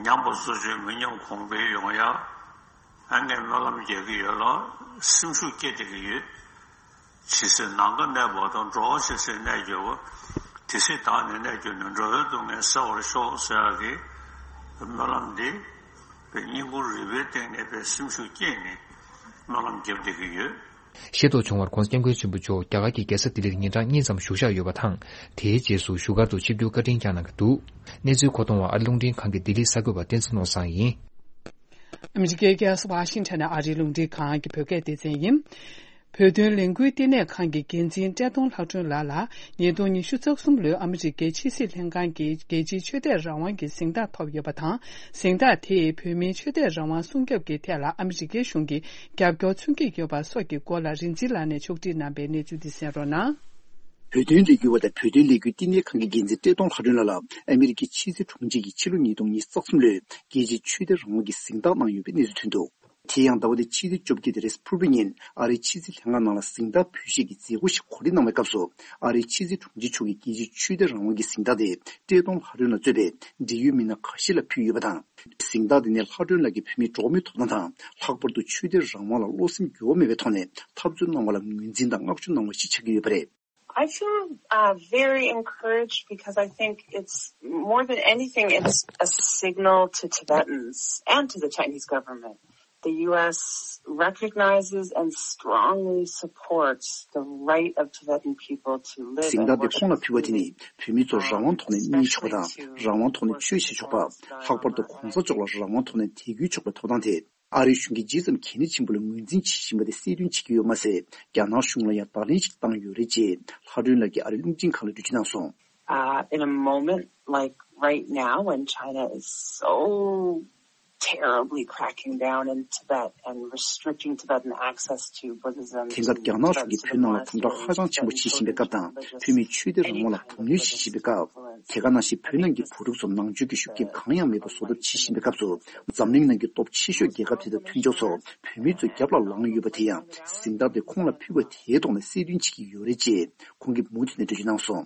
ཉམས་པ་གཙོ་ཆེ་མི་ཉམས་གོང་འཕེལ་ཡོང་ཡག་ཨ་ངས་སྨོན་ལམ་རྒྱག་གི་ཡོད་ལ་སེམས་ཤུགས་སྐྱེད་བསྡད་ཀྱི་ཡོད། ཇི་སྲིད་ནམ་མཁའ་གནས་པ་དང་། འགྲོ་བ་ཇི་སྲིད་གནས་གྱུར་པ། དེ་སྲིད་བདག་ནི་གནས་གྱུར་ནས། འགྲོ་བའི་སྡུག་བསྔལ་སེལ་བར་ཤོག་ཟེར་ཡག་གི་སྨོན་ལམ་འདི་སྙིང་ཁུང་རུས་པའི་གཏིང་ནས་དཔེ་སེམས་ཤུགས་སྐྱེད་ནས་སྨོན་ལམ་བརྒྱབ་བསྡད་ཀྱི་ཡོད། ཤེས་རྟོགས་བྱུང་བར་༸གོང་ས་༸སྐྱབས་མགོན་ཆེན་པོ་མཆོག་རྒྱ་གར་གྱི་རྒྱལ་ས་ལྡི་ལིར་ཉིན་གྲངས་གཉིས་ཙམ་བཞུགས་བཞག་ཡོད་པ་དང་། དེའི་རྗེས་སུ་བཞུགས་སྒར་དུ་ཆིབས་བསྒྱུར་བཀའ་དྲིན་བསྐྱངས་གནང་གི་འདུག། གནས་ཚུལ་མཁོ་གཏོང་བ་ཨ་རིའི་རླུང་འཕྲིན་ཁང་གི་ལྡི་ལི་གསར་འགོད་པ་བསྟན་འཛིན་ནོར་བཟང་ཡིན། ཨ་མི་རི་ཀའི་རྒྱལ་ས་ཝ་ཤིང་ཊོན་ནས་ཨ་རིའི་རླུང་འཕྲིན་ཁང་གི་བོད་སྐད་སྡེ་ཚན་ཡིན། བོད་དོན་ལས་འགུལ་བསྟི་གནས་ཁང་གི་འགན་འཛིན་བཀྲས་མཐོང་ལྷ་སྒྲོན་ལགས་ལ་ཉིས་སྟོང་ཉི་ཤུ་རྩ་གསུམ་ལོའི་ཨ་མི་རི་ཀའི་ཕྱི་སྲིད་ལྷན་ཁང་གིས་རྒྱལ་སྤྱིའི་ཆོས་དད་རང་དབང་གི་གཟེངས་རྟགས་ཐོབ་ཡོད་པ་དང་། གཟེངས་རྟགས་དེས་བོད་མིའི་ཆོས་དད་རང་དབང་སྲུང་སྐྱོབ་ཀྱི་ཐད་ལ་ཨ་མི་རི་ཀའི་གཞུང་གིས་རྒྱབ་སྐྱོར་མཚོན་གྱི་ཡོད་པ་སོགས་ཀྱི་སྐོར་ལ་རིན་ཆེན་ལགས་ནས་ཕྱོགས་སྒྲིག་གནང་པའི་གནས་ཚུལ་འདི་གསན་རོགས་གནང་། བོད་དོན་ལས་འགུལ་བ་དང་བོད་དོན་ལས་འགུལ་བསྟི་གནས་ཁང་གི་འགན་འཛིན་བཀྲས་མཐོང་ལྷ་སྒྲོན་ལགས་ལ་ཨ་མི་རི་ཀའི་ཕྱི་སྲིད་དྲུང་ཆེ་གིས་ཕྱི་ལོ་ཉིས་སྟོང་ཉི་ཤུ་རྩ་གསུམ་ལོའི་རྒྱལ་སྤྱིའི་ཆོས་དད་རང་དབང་གི་གཟེངས་རྟགས་གནང་ཡོད་པའི་གནས་ཚུལ་ཐོན་འདུག། དེ་ཡང་ཟླ་བ་འདིའི་ཕྱི་ཚེས་བཅོ་བརྒྱད་དེ་རེས་ཕུར་བུ་ཉིན་ཨ་རིའི་ཕྱི་སྲིད་ལྷན་ཁང་ནང་ལ་གཟེངས་རྟགས་འབུལ་བཞེས་ཀྱི་མཛད་སྒོ་ཞིག་གོ་སྒྲིག་གནང་བའི་སྐབས་སུ། ཨ་རིའི་ཕྱི་སྲིད་དྲུང་ཆེ་མཆོག་གིས་རྒྱལ་སྤྱིའི་ཆོས་དད་རང་དབང་གི་གཟེངས་རྟགས་དེ་བཀྲས་མཐོང་ལྷ་སྒྲོན་ལ་གཙོས་པའི་འབྲེལ་ཡོད་མི་སྣ་ཁ་ཤས་ལ་ཕུལ་ཡོད་པ་དང་། གཟེངས་རྟགས་དེ་ནི་ལྷ་སྒྲོན་ལགས་ཀྱིས་བོད་མིའི་འགྲོ་བ་མིའི་ཐོབ་ཐང་དང་། ལྷག་པར་དུ་ཆོས་དད་རང་དབང་ལ་བློ་སེམས་འགྱུར་བ་མེད་པའི་ཐོག་ནས་འཐབ་རྩོད་གནང་བ་ལ་ངོས་འཛིན་དང་བསྔགས་བརྗོད་གནང་བ་ཞིག་ཆགས་ཀྱི་ཡོད་པ་རེད། I feel uh, very encouraged because I think it's more than anything, it's a signal to Tibetans and to the Chinese government. The U S recognizes and strongly supports the right of Tibetan people to live and worship freely. གཟེངས་རྟགས་དེ་ཁོང་ལ་ཕུལ་བ་དེ་ནི་བོད་མི་ཚོར་རང་དབང་ཐོག་ནས་གནས་ཆོག་པ་དང་། རང་དབང་ཐོག་ནས་ཆོས་བྱེད་ཆོག་པ། ལྷག་པར་དུ་གོང་ས་མཆོག་ལ་རང་དབང་ཐོག་ནས་དད་གུས་ཆོག་པའི་ཐོབ་ཐང་དེ། ཨ་རིའི་གཞུང་གིས་ཇི་ཙམ་གལ་གནད་ཆེན་པོ་ལ་ངོས་འཛིན་བྱེད་བཞིན་པ་དེ་གསལ་སྟོན་བྱེད་ཀྱི་ཡོད་མ་ཟད། རྒྱ་ནག་གཞུང་ལ་ཡང་བརྡ་ལན་ཞིག་བཏང་ཡོད་རེད་ཅེས་ལྷ་སྒྲོན་ལགས་ཀྱིས་ཨ་རིའི་རླུང་འཕྲིན་ཁང་ལ་འགྲེལ་བརྗོད་གནང་སོང་། Uh, in a moment like right now, when China is so terribly cracking down in Tibet and restricting Tibetan access to Buddhism, དེང་སྐབས་རྒྱ་ནག་གཞུང་གིས་བོད་ནང་ལ་དམ་དྲག་ཧ་ཅང་ཆེན་པོ་བྱེད་བཞིན་པའི་སྐབས་དང་། བོད་མིའི་ཆོས་དད་རང་དབང་ལ་དམ་ལུགས་བྱེད་བཞིན་པའི་སྐབས། དེ་ག་ནང་བཞིན་བོད་ནང་གི་བུ་ཕྲུག་ཚོ་ནང་ཆོས་ཀྱི་ཤུགས་རྐྱེན་གང་ཡང་མེད་པར་བཟོ་ཐབས་བྱེད་བཞིན་པའི་སྐབས་སུ། འཛམ་གླིང་ནང་གི་སྟོབས་ཆེ་ཤོས་རྒྱལ་ཁབ་དེ་དང་མཐུན་ཕྱོགས་ཚོ་བོད་མི་ཚོའི་རྒྱབ་ལ་ལངས་ཡོད་པ་དེ་ཡང་གཟེངས་རྟགས་དེ་ཁོང་ལ་ཕུལ་བ་དེའི་ཐོག་ནས་གསལ་སྟོན་བྱེད་ཀྱི་ཡོད་རེད་ཅེས་ཁོང་གིས་མུ་མཐུད་ནས་འགྲེལ་བརྗོད་གནང་སོང་།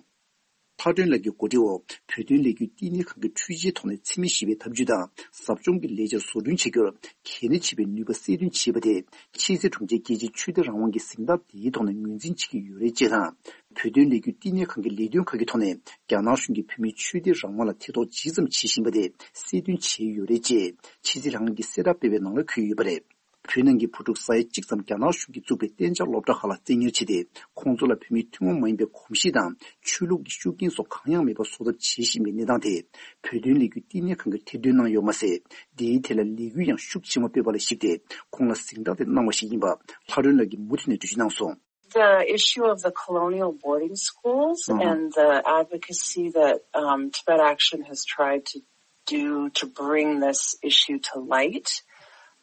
ལྷ་སྒྲོན་ལགས་ཀྱི་གོ་སྒྲིག་འོག་བོད་དོན་ལས་འགུལ་བསྟི་གནས་ཁང་གི་འཕྲུལ་ཆས་ཐོག་ནས་འཚེ་མེད་ཞི་བའི་འཐབ་ཇུས་དང་ཟབ་སྦྱོང་གི་ལས་འཆར་བཟོ་སྐྲུན་བྱེད་རྒྱུར་གལ་གནད་ཆེ་བའི་ནུས་པ་གསལ་སྟོན་བྱས་པ་དེ། ཕྱི་སྲིད་དྲུང་ཆེས་རྒྱལ་སྤྱིའི་ཆོས་དད་རང་དབང་གི་གཟེངས་རྟགས་འདིའི་ཐོག་ནས་ངོས་འཛིན་བྱེད་ཀྱི་ཡོད་རེད་ཅེས་དང་། བོད་དོན་ལས་འགུལ་བསྟི་གནས་ཁང་གི་ལས་དོན་ཁག་གི་ཐོག་ནས་རྒྱ་ནག་གཞུང་གིས་བོད་མིའི་ཆོས་དད་རང་དབང་ལ་ཐེ་གཏོགས་ཇི་ཙམ་བྱེད་བཞིན་པ་དེ་གསལ་སྟོན་བྱས་ཡོད་རེད་ཅེས་ཕྱི་སྲིད་ལྷན་ཁང་གིས་གསལ་བསྒྲགས་སྤེལ་བའི་ནང་ལ་འཁོད་ཡོད་པ་རེད། བོད་ནང་གི་བུ་ཕྲུག་ས་ཡ་གཅིག་ཙམ་རྒྱ་ནག་གཞུང་གིས་བཙུགས་པའི་གཏན་འཇགས་སློབ་གྲྭ་ཁག་ལ་བཙན་ཉར་བྱས་ཏེ། ཁོང་ཚོ་ལ་བོད་མིའི་ཐུན་མོང་མ་ཡིན་པའི་གོམས་གཤིས་དང་ཆོས་ལུགས་ཀྱི་ཤུགས་རྐྱེན་སོགས་གང་ཡང་མེད་པ་བཟོ་ཐབས་བྱེད་བཞིན་པའི་གནས་སྟངས་དེ། བོད་དོན་ལས་འགུལ་བསྟི་གནས་ཁང་གིས་ཐེར་འདོན་གནང་ཡོད་མ་ཟད། འདིའི་ཐད་ལ་ལས་འགུལ་ཡང་ཤུགས་ཆེན་པོ་སྤེལ་བ་ལ་གཞིགས་ཏེ། ཁོང་ལ་གཟེངས་རྟགས་དེ་གནང་བ་ཞིག་ཡིན་པ་ལྷ་སྒྲོན་ལགས་ཀྱིས་མུ་མཐུད་ནས་འགྲེལ་བརྗོད་གནང་སོང་། The issue of the colonial boarding schools and the advocacy that um, Tibet Action has tried to do to bring this issue to light.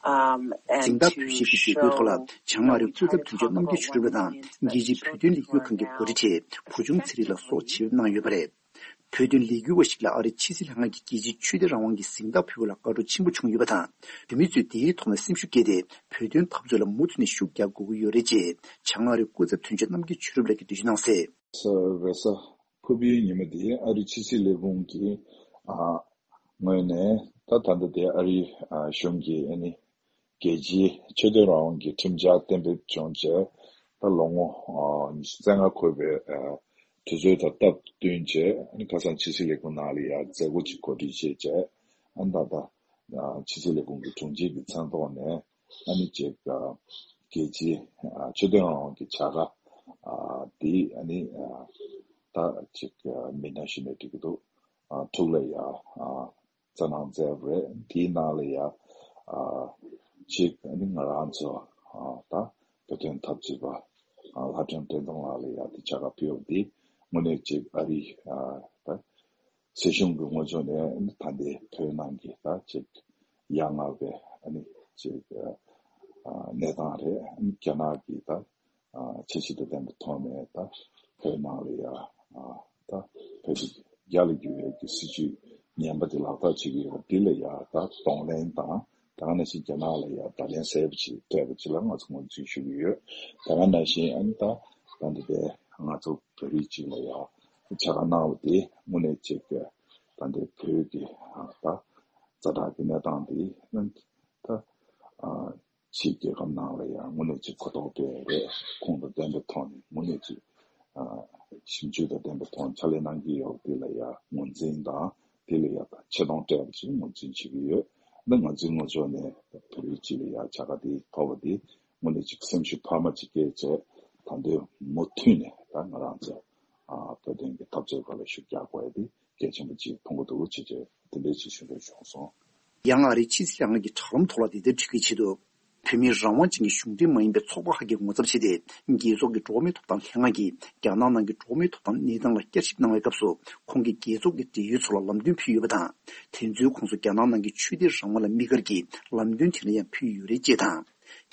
Um, and གཟེངས་རྟགས་ཕུལ་བཞེས་ཀྱི་མཛད་སྒོའི་ཐོག་ལ་བྱང་ཨ་རིའི་སྐུ་ཚབ་དོན་གཅོད་རྣམ་རྒྱལ་ཆོས་སྒྲོན་ལགས་དང་། རྒྱལ་སྤྱིའི་བོད་དོན་ལས་འགུལ་ཁང་གི་འགོ་ཁྲིད་ཆེ་བུ་ཆུང་ཚེ་རིང་ལགས་སོགས་ཆེད་ཕེབས་གནང་ཡོད་པ་རེད། བོད་དོན་ལས་འགུལ་བ་ཞིག་ལ་ཨ་རིའི་ཕྱི་སྲིད་ལྷན་ཁང་གིས་རྒྱལ་སྤྱིའི་ཆོས་དད་རང་དབང་གི་གཟེངས་རྟགས་ཕུལ་བ་ལ་དགའ་སྤྲོ་ཆེན་པོ་བྱུང་ཡོད་པ་དང་། བོད་མི་ཚོས་དེའི་ཐོག་ནས་སེམས་ཤུགས་བསྐྱེད་དེ། བོད་དོན་འཐབ་རྩོད་ལ་མུ་མཐུད་ནས་ཤུགས་རྒྱག་དགོས་ཀྱི་ཡོད་རེད་ཅེས། བྱང་ཨ་རིའི་སྐུ་ཚབ་དོན་གཅོད་རྣམ་རྒྱལ་ཆོས་གྲུབ་ལགས་ཀྱིས་འགྲེལ་བརྗོད་གནང་གསལ། ས་རེས་གཟའ་ཕུར་བུའི་ཉིན་མོ་དེ་ཨ་རིའི་ཕྱི་སྲིད་ལས་ཁུངས་ཀྱི་ཨ་ངོས་ནས་ད་ད་ལྟ་དེ་ཨ་རིའི་ཨ་གཞུང་གིས་ཨ་ནི་རྒྱལ་སྤྱིའི་ཆོས་དད་རང་དབང་གི་ཁྲིམས་འཆར་གཏན་འབེབས་བྱུང་རྗེས་ད་ལོ་ངོ་ཨ་ཉི་ཤུ་རྩ་ལྔ་འཁོར་བའི་ཨ་དུས་ཚོད་དང་སྟབས་བསྟུན་བྱས་ཨ་ནི་ཁ་སང་ཕྱི་སྲིད་ལས་ཁུངས་ནང་ལ་ཡང་མཛད་སྒོ་ཅིག་གོ་སྒྲིག་བྱས་རྗེས་ཨ་ནི་ད་ལྟ་ཨ་ཕྱི་སྲིད་ལས་ཁུངས་ཀྱི་དྲུང་ཆེ་གི་མཚན་ཐོག་ནས། ཨ་ནི་ཅིག་ཨ་རྒྱལ་སྤྱིའི་ཨ་ཆོས་དད་རང་དབང་གི་བྱ་དགའ་ཨ་དེ་ཨ་ནི་ཨ་ད་ཅིག་ཨ་མི་སྣ་ཞིག་ནས་འགྲིག་གི་འདུག་ཨ་ཐུགས་ལ་ཡ་ཨ་བཙན་གནང་མཛད་པ་རེད། དེའི་ནང་ལ་ཡ་ཨ་ཅིག་ཨ་ནི་ང་རང་ཚོ་ཨ་ད་བོད་དོན་འཐབ་རྩོད་པ་ཨ་ལྷ་སྒྲོན་བསྟན་འཛིན་ལགས་ལ་ཡ་དེ་བྱ་དགའ་ཕུལ་བ་དེ་དངོས་གནས་ཅིག་ཨ་རི་ཨ་ད། སྲིད་གཞུང་གི་ངོས་ཕྱོགས་ནས་ད་ལྟའི་བོད་ནང་གི་ད་ཅིག་ཡ་ང་བའི་ཨ་ནི་ཅིག་ཨ་གནས་སྟངས་རེད། ཨ་ནི་རྒྱ་ནག་གི་ད་ཨ་ཁྱད་ཆོས་དང་ལྡན་པའི་ཐོག་ནས་ད་བོད་ནང་ལ་ཡ་ཨ་ད་བོད་ཀྱི་རྒྱ་ལ་བསྒྱུར་བའི་གི་སྲིད་བྱུས་ངན་པ་དེ་ལག་བསྟར་བྱེད་ཀྱི་ཡོད་པ་འདི་ལ་ཡ་ད་གདོང་ལེན་དང་། ད་ག་ནང་བཞིན་རྒྱ་ནག་ལ་ཡང་བརྡ་ལན་གསལ་པོ་ཅིག་སྤྲད་པ་ཅིག་ལ་ང་ཚོ་ངོས་འཛིན་ཞུ་གི་ཡོད། ད་ག་ནང་བཞིན་ཨ་ནི་ད་ད་འདི་པའི་ང་ཚོ་བོད་རིགས་ཅིག་ལ་ཡང་བྱ་དགའ་གནང་བ་དེ་དངོས་གནས་ཅིག་ད་འདི་བོད་ཀྱི་ད་ཛ་དྲག་གི་གནས་སྟངས་དེ་ཨ་ནི་ད་ཕྱིའི་རྒྱལ་ཁབ་ནང་ལ་ཡང་དངོས་གནས་ཅིག་གོ་རྟོགས་སྤེལ་རེད། ཁུངས་དང་ལྡན་པའི་ཐོག་ནས་དངོས་གནས་ཅིག་ཞིབ་འཇུག་དང་ལྡན་པའི་ཐོག་ནས་ཕྱག་ལས་གནང་གི་ཡོད་པ་དེ་ལ་ཡང་ངོས་འཛིན་དང་། དེ་ལ་ཡང་ད་ཆེ་མཐོང་སྤྲད་པ་ཞིག་ངོས་འཛིན་བྱེད་ཀྱི་ཡོད། འདི་ང་ཚོའི་ངོས་ཕྱོགས་ནས་བོད་རིགས་སྤྱི་ལ་ཡང་བྱ་དགའ་དེ་ཐོབ་པ་དེ་དངོས་གནས་ཅིག་སེམས་ཤུགས་འཕར་མ་ཅིག་སྐྱེས་བྱས། ད་དུང་མུ་མཐུད་ནས་ད་ང་རང་ཚོ་ཨ་བོད་དོན་གྱི་འཐབ་རྩོད་སྐོར་ལ་ཤུགས་རྒྱག་དགོས་ཡ་དེ་གལ་ཆེན་པོ་ཅིག་མཐོང་གི་འདུག་ཅེས་བྱས་དེ་འདྲའི་ཅིག་ཞུ་འདོད་བྱུང་སོང་། ཡང་ཨ་རིའི་ཕྱི་སྲིད་ལྷན་ཁང་གི་དྲ་ལམ་ཐོག་ལ་འདི་ལྟར་བྲིས་ཀྱི་ཆེད་དུ། བོད་མིའི་རང་དབང་ཅན་གྱི་གཞུང་འབྲེལ་མ་ཡིན་པའི་ཚོགས་པ་ཁག་གིས་ངོ་ཚབ་བྱས་ཏེ། རྒྱལ་ཚོགས་ཀྱི་འགྲོ་བ་མིའི་ཐོབ་ཐང་ལྷན་ཁང་གིས་རྒྱ་ནག་ནང་གི་འགྲོ་བ་མིའི་ཐོབ་ཐང་གནས་སྟངས་ལ་བསྐྱར་ཞིབ་གནང་བའི་སྐབས་སུ། ཁོང་གིས་རྒྱལ་ཚོགས་ཀྱི་འབྲེལ་ཡོད་ཚོ་ལ་ལམ་སྟོན་ཕུལ་ཡོད་པ་དང་། དེ་ཚོའི་ཁོངས་སུ་རྒྱ་ནག་ནང་གི་ཆོས་དད་རང་དབང་ལ་དམིགས་བཀར་གྱིས་ལམ་སྟོན་དེ་འདྲ་ཡང་ཕུལ་ཡོད་རེད་ཅེས་དང་།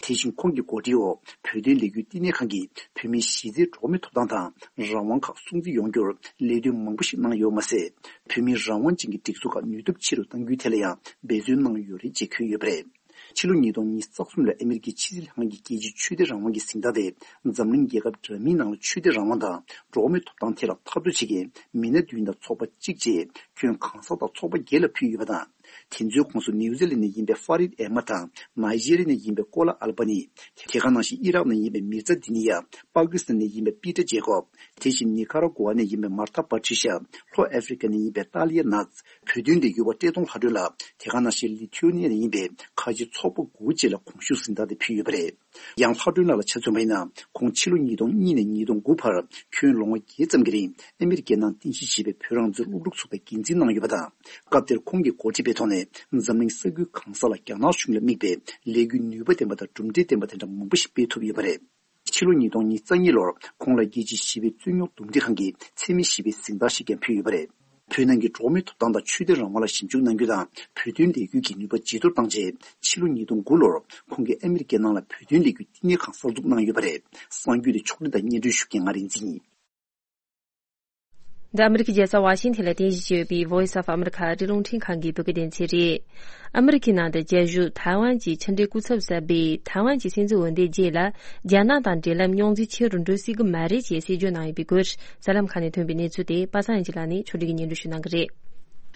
དེ་བཞིན་ཁོང་གི་འགོ་ཁྲིད་འོག་བོད་དོན་ལས་འགུལ་བསྟི་གནས་ཁང་གིས་བོད་མིའི་གཞི་རྩའི་འགྲོ་བ་མིའི་ཐོབ་ཐང་དང་རང་དབང་ཁག་སྲུང་བརྩི་ཡོང་རྒྱུར་ལས་དོན་མང་པོ་ཞིག་གནང་ཡོད་མ་ཟད། བོད་མིའི་རང་དབང་ཅན་གྱི་སྒྲིག་འཛུགས་ཁག་ནུས་སྟོབས་ཆེ་རུ་གཏང་རྒྱུའི་ཐད་ལ་ཡང་འབད་བརྩོན་གནང་ཡོད་རེད་ཅེས་འཁོད་ཡོད་པ་རེད། ཕྱི་ལོ་ཉིས་སྟོང་ཉི་ཤུ་རྩ་གསུམ་ལ་ཨ་མི་རི་ཀའི་ཕྱི་སྲིད་ལྷན་ཁང་གིས་རྒྱལ་སྤྱིའི་ཆོས་དད་རང་དབང་གི་གཟེངས་རྟགས་དེ་འཛམ་གླིང་རྒྱལ་ཁབ་འདྲ་མིན་ནང་ལ་ཆོས་དད་རང་དབང་དང་འགྲོ་བ་མིའི་ཐོབ་ཐང་ཐད་ལ་འཐབ་རྩོད་བྱེད་མཁན་མི་སྣ་བདུན་དང་ཚོགས་པ་གཅིག་བཅས་ཁྱོན་གང་ས་དང་ཚོགས་པ་བརྒྱད་ལ་ཕུལ་ཡོད་པ་དང་། དེ་ཚོའི་ཁོངས་སུ་ནིའུ་ཛི་ལེན་ནས་ཡིན་པའི་ཧྥ་རིད་ཨེ་མ་དང་། ནཱི་ཇེ་རི་ཡ་ནས་ཡིན་པའི་ཀོ་ལ་ཨལ་པ་ནི། དེ་ག་ནང་བཞིན་ཨི་རག་ནས་ཡིན་པའི་མིར་ཛ་དི་ནི་ཡ། པ་ཀི་སི་ཐན་ནས་ཡིན་པའི་པི་ཏྲ་ཇེ་ཀོབ། དེ་བཞིན་ནི་ཁ་ར་གོ་ཝ་ནས་ཡིན་པའི་མར་ཐ་པ་ཁྲི་ཤ། ལྷོ་ཨ་ཧྥེ་རི་ཀ་ནས་ཡིན་པའི་ཏཱ་ལི་ཡ་ནཱ་ཛི། བོད་དོན་ལས་འགུལ་བ་བཀྲས་མཐོང་ལྷ་སྒྲོན་ལགས། དེ་ག་ནང་བཞིན་ལི་ཐུ་ནི་ཡ་ནས་ཡིན་པའི་ཁ་ཆེ་ཚོགས་པ་དགུ་བཅས་ལ་གོང་ཞུས་གཟེངས་རྟགས་དེ་ཕུལ་ཡོད་པ་རེད། ཡང་ལྷ་སྒྲོན་ལགས་ལ་ཆ་མཚོན་པ་ཡིན་ན། ཁོང་ཕྱི་ལོ་ཉིས་སྟོང་གཉིས་ནས་ཉིས་སྟོང་དགུ་བར་ཁྱོན་ལོ་ངོ་བརྒྱད་ཙམ་གྱི་རིང་ཨ་མི་རི་ཀའི་ནང་རྟེན་གཞི་བྱས་པའི་བོད་རང་བཙན་སློབ་ཕྲུག་ཚོགས་པའི་འགན་འཛིན་གནང་ཡོད་པ་དང་། སྐབས་དེར་ཁོང་གི་འགོ་ཁྲིད་པའི་ཐོག་ནས་འཛམ་གླིང་ས་ཁུལ་གང་ས་ལ་རྒྱ་ནག་གཞུང་ལ་དམིགས་པའི་ལས་འགུལ་ནུས་པ་ལྡན་པ་དང་གྲུབ་འབྲས་ལྡན་པ་དེ་འདྲ་མང་པོ་ཞིག་སྤེལ་ཐུབ་ཡོད་པ་རེད། ཕྱི་ལོ་ཉིས་སྟོང་ཉི་ཤུ་རྩ་གཉིས་ལོར་ཁོང་ལ་རྒྱལ་སྤྱིའི་ཞི་བའི་རྩོད་རྙོག་འདུམ་འགྲིག་ཁང་གི་འཚེ་མེད་ཞི་བའི་གཟེངས་རྟགས་ཤིག་ཀྱང་ཕུལ་ཡོད་པ་རེད། བོད་ནང་གི་འགྲོ་བ་མིའི་ཐོབ་ཐང་དང་ཆོས་དད་རང་དབང་ལ་ཞིབ་འཇུག་གནང་རྒྱུ་དང་བོད་དོན་ལས་འགུལ་གྱི་ནུས་པ་ཇེ་མཐོར་བཏང་རྗེས། ཕྱི་ལོ་ཉིས་སྟོང་དགུ་ལོར་ཁོང་གིས་ཨ་མི་རི་ཀའི་ནང་ལ་བོད་དོན་ལས་འགུལ་བསྟི་གནས་ཁང་གསར་འཛུགས་གནང་ཡོད་པ་རེད། གསར་འགྱུར་དེ་ཕྱོགས་སྒྲིག་དང་སྙན་སྒྲོན་ཞུ་མཁན་ང་རིག་འཛིན་ཡིན། འདི་ཨ་མི་རི་ཀའི་རྒྱལ་ས་ཝ་ཤིང་ཐན་ལ་རྟེན་གཞི་བྱས་ཡོད་པའི་Voice of America ཨ་རིའི་རླུང་འཕྲིན་ཁང་གི་བོད་སྐད་སྡེ་ཚན་རེད། ཨ་མི་རི་ཀའི་ནང་དུ་རྒྱལ་བཞུགས་ཐའེ་ཝན་གྱི་ཕྱི་འབྲེལ་སྐུ་ཚབ་གསར་པས་ཐའེ་ཝན་གྱི་སྲིད་འཛིན་འོས་འདེམས་རྗེས་ལ་རྒྱ་ནག་དང་འབྲེལ་ལམ་རྙོག་འཛིང་ཆེ་རུ་འགྲོ་སྲིད་ཀྱི་མ་རེད་ཅེས་གསལ་བརྗོད་གནང་ཡོད་པའི་སྐོར་གསར་ལམ་ཁག་ནས་ཐོན་པའི་གནས་ཚུལ་དེ་པ་སངས་ཡེ་ལགས་ནས་ཕྱོགས་སྒྲིག་གིས་སྙན་སྒྲོན་ཞུ་གནང་གི་རེད།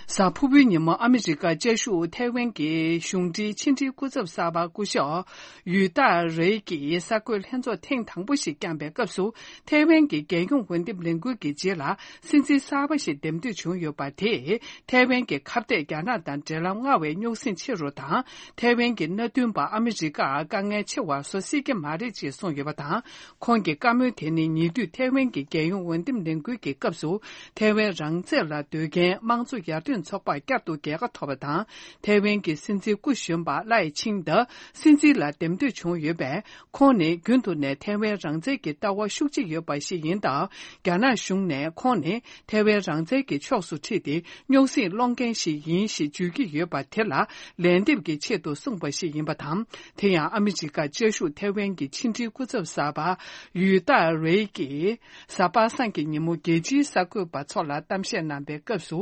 གཟའ་ཕུར་བུའི་ཉིན་མོ་ཨ་མི་རི་ཀ་བཅའ་བཞུགས་ཐའེ་ཝན་གྱི་གཞུང་འབྲེལ་ཕྱི་འབྲེལ་སྐུ་ཚབ་གསར་པ་སྐུ་ཞབས་ཡུས་ཏཱ་རེ་གིས་གསར་འགོད་ལྷན་ཚོགས་ཐེངས་དང་པོ་ཞིག་བསྐྱངས་པའི་སྐབས་སུ། ཐའེ་ཝན་གྱི་རྒྱལ་ཡོངས་འོས་འདེམས་ལས་འགུལ་གྱི་རྗེས་ལ་སྲིད་འཛིན་གསར་པ་ཞིག་འདེམས་ཐོན་བྱུང་ཡོད་པ་དེས། ཐའེ་ཝན་གྱི་ཁ་གཏད་རྒྱ་ནག་དང་འབྲེལ་ལམ་སྔར་བས་རྙོག་ཟིང་ཆེ་རུ་དང་། ཐའེ་ཝན་གྱི་མནའ་མཐུན་པ་ཨ་མི་རི་ཀར་དཀའ་ངལ་ཆེ་བ་བཟོ་སྲིད་ཀྱི་མ་རེད་ཅེས་གསུངས་ཡོད་པ་དང་། ཁོང་གི་བཀའ་མོལ་དེ་ནི་ཉེ་དུས་ཐའེ་ཝན་གྱི་རྒྱལ་ཡོངས་འོས་འདེམས་ལས་འགུལ་གྱི་སྐབས་སུ། ཐའེ་ཝན་རང་བཙན་ལ་འདོད་མཁན་དམངས་གཙོ་ཡར་ཐོན། ཚོགས་པར་བསྐྱར་དུ་རྒྱལ་ཁ་ཐོབ་པ་དང་། ཐའེ་ཝན་གྱི་སྲིད་འཛིན་སྐུ་གཞོན་པ་ལའེ་ཆིང་ཏེ་སྲིད་འཛིན་ལ་འདེམས་ཐོན་བྱུང་ཡོད་པས། ཁོང་ནི་རྒྱུན་དུ་ནས་ཐའེ་ཝན་རང་བཙན་གྱི་ལྟ་བ་ཤུགས་ཆེ་ཡོད་པ་ཞིག་ཡིན་སྟབས། རྒྱ་ནག་གཞུང་ནས་ཁོང་ནི་ཐའེ་ཝན་རང་བཙན་གྱི་ཕྱོགས་སུ་ཁྲིད་དེ་རྙོག་ཟིང་སློང་མཁན་ཞིག་ཡིན་ཞེས་བརྗོད་ཀྱི་ཡོད་པ་དེ་ལ་ལན་འདེབས་ཀྱི་ཆེད་དུ་གསུངས་པ་ཞིག་ཡིན་པ་དང་། དེ་ཡང་ཨ་མི་རི་ཀ་བཅའ་བཞུགས་ཐའེ་ཝན་གྱི་ཕྱི་འབྲེལ་སྐུ་ཚབ་གསར་པ་ཡུས་ཏཱ་རེ་གིས། གཟའ་པ་སངས་ཀྱི་ཉིན་མོ་རྒྱལ་སྤྱིའི་གསར་འགོད་པ་ཚོ་ལ་གཏམ་བཤད་གནང་པའི་སྐབས་སུ།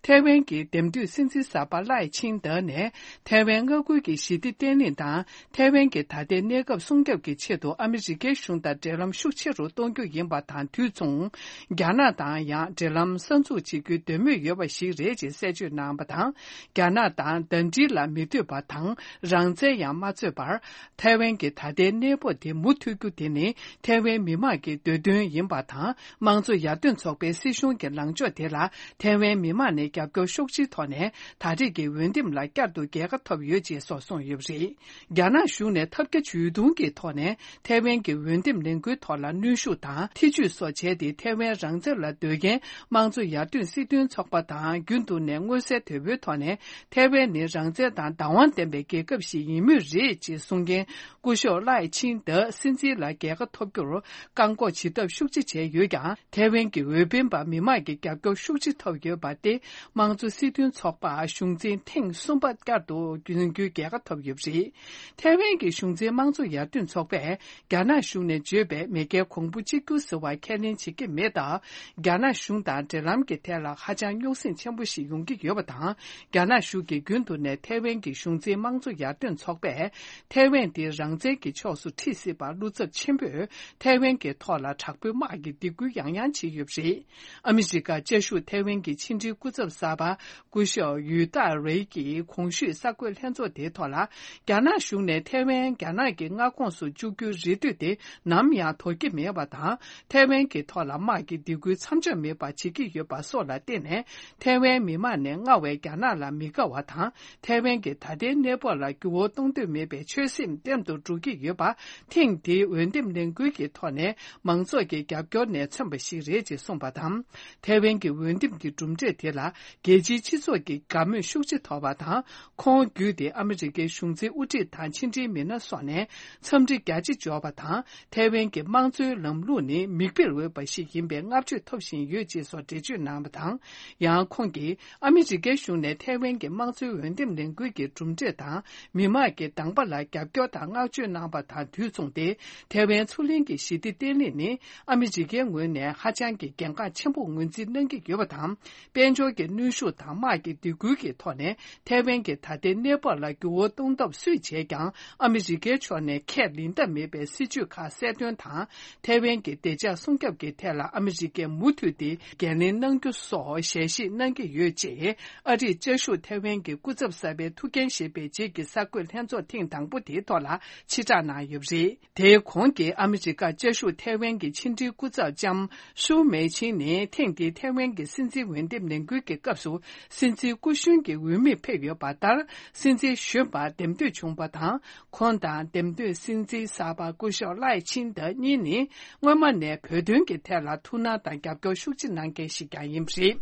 ཐའེ་ཝན་གྱི་འདེམས་ཐོན་སྲིད་འཛིན་གསར་པ་ལའེ་ཆིང་ཏེ་ནས་ཐའེ་ཝན་མངའ་ཁུལ་གྱི་ཞི་བདེ་བརྟན་ལྷིང་དང་ཐའེ་ཝན་གྱི་ད་ལྟའི་གནས་སྐབས་སྲུང་སྐྱོབ་ཀྱི་ཆེད་དུ་ཨ་མི་རི་ཀའི་གཞུང་དང་འབྲེལ་ལམ་ཤུགས་ཆེ་རུ་གཏོང་རྒྱུ་ཡིན་པ་དང་དུས་མཚུངས། རྒྱ་ནག་དང་ཡང་འབྲེལ་ལམ་གསར་འཛུགས་བྱེད་རྒྱུའི་འདོད་མོས་ཡོད་པ་ཞིག་རེད་ཅེས་གསལ་བརྗོད་གནང་བ་དང་། རྒྱ་ནག་དང་ཟླ་སྒྲིལ་ལ་མི་འདོད་པ་དང་རང་བཙན་ཡང་མ་རྩོད་པར། ཐའེ་ཝན་གྱི་ད་ལྟའི་གནས་བབ་དེ་མུ་མཐུད་རྒྱུ་དེ་ནི་ཐའེ་ཝན་མི་དམངས་ཀྱི་འདོད་དོན་ཡིན་པ་དང་། དམངས་གཙོ་ཡར་ཐོན་ཚོགས་པའི་སྲིད་གཞུང་གི་ལངས་ཕྱོགས་དེ་ལ་ཐའེ་ཝན་མི་དམངས་ནས་རྒྱབ་སྐྱོར་ཤུགས་ཆེའི་ཐོག་ནས་ད་རེས་ཀྱི་འོས་འདེམས་ལ་བསྐྱར་དུ་རྒྱལ་ཁ་ཐོབ་ཡོད་ཅེས་སོགས་གསུངས་ཡོད་པ་རེད། རྒྱ་ནག་གཞུང་ནས་ཐབས་བརྒྱ་ཇུས་སྟོང་གི་ཐོག་ནས་ཐའེ་ཝན་གྱི་འོས་འདེམས་ལས་འགུལ་ཐོག་ལ་གནོན་ཤུགས་དང་ཐེ་ཇུས་སོགས་བྱས་ཏེ་ཐའེ་ཝན་རང་བཙན་ལ་འདོད་མཁན་དམངས་གཙོ་ཡར་ཐོན་སྲིད་དོན་ཚོགས་པ་དང་རྒྱུན་དུ་ནས་མངོན་གསལ་དོད་པོའི་ཐོག་ནས། ཐའེ་ཝན་ནི་རང་བཙན་དང་བདག་དབང་ལྡན་པའི་རྒྱལ་ཁབ་ཞིག་ཡིན་མུས་རེད་ཅེས་གསུང་མཁན་སྐུ་ཞབས་ལའེ་ཆིང་ཏེ་སྲིད་འཛིན་ལ་རྒྱལ་ཁ་ཐོབ་རྒྱུར་བཀག་འགོག་བྱེད་ཐབས་ཤུགས་ཆེ་བྱས་ཡོད་ཀྱང་། ཐའེ་ཝན་གྱི་འོས་འཕེན་པ་མི་མང་གི་རྒྱབ་སྐྱོར་ཤུགས་ཆེ་ཐོབ་ཡོད་པ་སྟེ། དམངས་གཙོ་སྲིད་དོན་ཚོགས་པ་གཞུང་འཛིན་ཐེངས་གསུམ་པ་བསྐྱར་དུ་འཛིན་རྒྱུའི་རྒྱལ་ཁ་ཐོབ་ཡོད་པ་རེད། ཐའེ་ཝན་གྱི་གཞུང་འཛིན་དམངས་གཙོ་ཡར་ཐོན་ཚོགས་པས། རྒྱ་ནག་གཞུང་ནས་བརྗོད་པའི་མེས་རྒྱལ་གོང་བུ་གཅིག་གྱུར་ཟེར་བ་ཁས་ལེན་བྱེད་ཀྱི་མེད་སྟབས། རྒྱ་ནག་གཞུང་དང་འབྲེལ་ལམ་གྱི་ཐད་ལ་ཧ་ཅང་རྙོག་ཟིང་ཆེན་པོ་ཞིག་ཡོང་གི་ཡོད་པ་དང་། རྒྱ་ནག་གཞུང་གིས་རྒྱུན་དུ་ནས་ཐའེ་ཝན་གྱི་གཞུང་འཛིན་དམངས་གཙོ་ཡར་ཐོན་ཚོགས་པས། ཐའེ་ཝན་དེ་རང་བཙན་གྱི་ཕྱོགས་སུ་ཁྲིད་སྲིད་པར་བློ་འཚབ་ཆེན་པོས་ཐའེ་ཝན་གྱི་ཐོག་ལ་དྲག་པོའི་དམག་གི་སྡིགས་སྐུལ་ཡང་ཡང་བྱས་ཡོད་པ་རེད། ཨ་མི་རི་ཀ་བཅའ་བཞུགས་ཐའེ་ཝན་གྱི་ཕྱི་འབྲེལ་སྐུ་ཚབ་གསར་པ། སྐུ་ཞབས་ཡུས་ཏཱ་རེ་གྱིས་གོང་ཞུས་གསར་འགོད་ལྷན་ཚོགས་དེའི་ཐོག་ལ། རྒྱ་ནག་གཞུང་ནས་ཐའེ་ཝན་རྒྱ་ནག་གི་མངའ་ཁོངས་སུ་བཅུག་རྒྱུའི་རེ་འདུན་དེ་ནམ་ཡང་དོར་གྱི་མེད་པ་དང་། ཐའེ་ཝན་གྱི་ཐོག་ལ་དམག་གི་སྡིགས་སྐུལ་མཚམས་འཇོག་མེད་པ་བྱེད་ཀྱི་ཡོད་པ་སོགས་ལ་བརྟེན་ནས། ཐའེ་ཝན་མི་དམངས་ནས་སྔར་བས་རྒྱ་ནག་ལ་མི་དགའ་བ་དང་། ཐའེ་ཝན་གྱི་ད་ལྟའི་གནས་བབ་ལ་འགྱུར་བ་གཏོང་འདོད་མེད་པའི་ཆོད་སེམས་ལྟེམ་དུ་འགྲོ་གི་ཡོད་པ། ཐེངས་འདིའི་འོས་འདེམས་ལས་འགུལ་གྱི་ཐོག་ནས་མང་ཚོགས་ཀྱི་རྒྱབ་སྐྱོར་ནས་མཚོན་པ་ཞིག་རེད་ཅེས་གསུངས་པ་དང་། ཐའེ་ཝན་གྱི་འོས་འདེམས་ཀྱི་གྲུབ་འབྲས་དེ་ལ། རྒྱལ་སྤྱིའི་སྤྱི་ཚོགས་ཀྱི་དགའ་མོས་ཤུགས་ཆེ་ཐོབ་པ་དང་། ཁོང་བརྒྱུད་དེ་ཨ་མི་རི་ཀའི་གཞུང་འཛིན་དབུ་ཁྲིད་དང་ཕྱི་འབྲེལ་མི་སྣ་སོགས་ནས་འཚམས་འདྲི་རྒྱ་ཆེ་འབྱོར་བ་དང་། ཐའེ་ཝན་གྱི་དམངས་གཙོའི་ལམ་ལུགས་ནི་མིག་དཔེར་འོས་པ་ཞིག་ཡིན་པའི་བསྔགས་བརྗོད་ཐོབ་བཞིན་ཡོད་ཅེས་སོགས་འགྲེལ་བརྗོད་གནང་བ་དང་། ཡང་ཁོང་གིས་ཨ་མི་རི་ཀའི་གཞུང་ནས་ཐའེ་ཝན་གྱི་དམངས་གཙོའི་འོས་འདེམས་ལས་འགུལ་གྱི་གྲུབ་འབྲས་དང་། མི་དམངས་ཀྱི་དང་པ་ལ་རྒྱབ་སྐྱོར་དང་བསྔགས་བརྗོད་གནང་བ་དང་དུས་མཚུངས་ཏེ། ཐའེ་ཝན་མཚོ་གླིང་གི་ཞི་བདེ་བརྟན་ལྷིང་ནི་ཨ་མི་རི་ཀའི་ངོས་ནས་ཧ་ཅང་གི་གལ་འགངས་ཆེན་པོ་ངོས་འཛིན་གནང་གི་ཡོད་པ་དང་། དཔལ་འབྱོར་གྱི་གནོན་ཤུགས་དང་དམག་གི་སྡིགས་སྐུལ་གྱི་ཐོག་ནས་ཐའེ་ཝན་གྱི་ད་ལྟའི་གནས་བབ་ལ་འགྱུར་བ་གཏོང་ཐབས་སུས་བྱས་ཀྱང་ཨ་མི་རི་ཀའི་ཕྱོགས་ནས་ཁས་ལེན་ཐབས་མེད་པའི་སྲིད་ཇུས་ཁག་གསལ་སྟོན་དང་། ཐའེ་ཝན་གྱི་བདེ་འཇགས་སྲུང་སྐྱོབ་ཀྱི་ཐད་ལ་ཨ་མི་རི་ཀས་མུ་མཐུད་དེ་འགན་ལེན་གནང་རྒྱུ་སོགས་ཞལ་བཞེས་གནང་གི་ཡོད་ཅེས། ཨ་རིར་བཅའ་བཞུགས་ཐའེ་ཝན་གྱི་སྐུ་ཚབ་གསར་པའི་ཐུགས་འགན་བཞེས་པའི་རྗེས་ཀྱི་གསར་འགོད་ལྷན་ཚོགས་ཐེངས་དང་པོ་དེའི་ཐོག་ལ་ཕྱིར་བསྒྲགས་གནང་ཡོད་པ་རེད། དེའི་གོང་གི་ཨ་མི་རི་ཀ་བཅའ་བཞུགས་ཐའེ་ཝན་གྱི་ཕྱི་འབྲེལ་སྐུ་ཚབ་ལྕམ་ཧྲུའུ་མེ་ཆིང་ནི་ཐེངས་འདིའི་ཐའེ་ཝན་གྱི་སྲིད་འཛིན་འོས་འདེམས་ལས་འགུལ་གྱི་སྐབས་སུ་སྲིད་འཛིན་སྐུ་གཞོན་གྱི་འོས་མིར་ཕེབས་ཡོད་པ་ལྟར། སྲིད་འཛིན་གཞོན་པར་འདེམས་ཐོན་བྱུང་བ་དང་། ཁོང་དང་འདེམས་ཐོན་སྲིད་འཛིན་གསར་པ་སྐུ་ཞབས་ལའེ་ཆིང་ཏེ་གཉིས་ནི་སྔོན་མ་ནས་བོད་དོན་གྱི་ཐད་ལ་ཐུགས་སྣང་དང་རྒྱབ་སྐྱོར་ཤུགས་ཆེ་གནང་མཁན་ཞིག་ཀྱང་ཡིན་པ་རེད།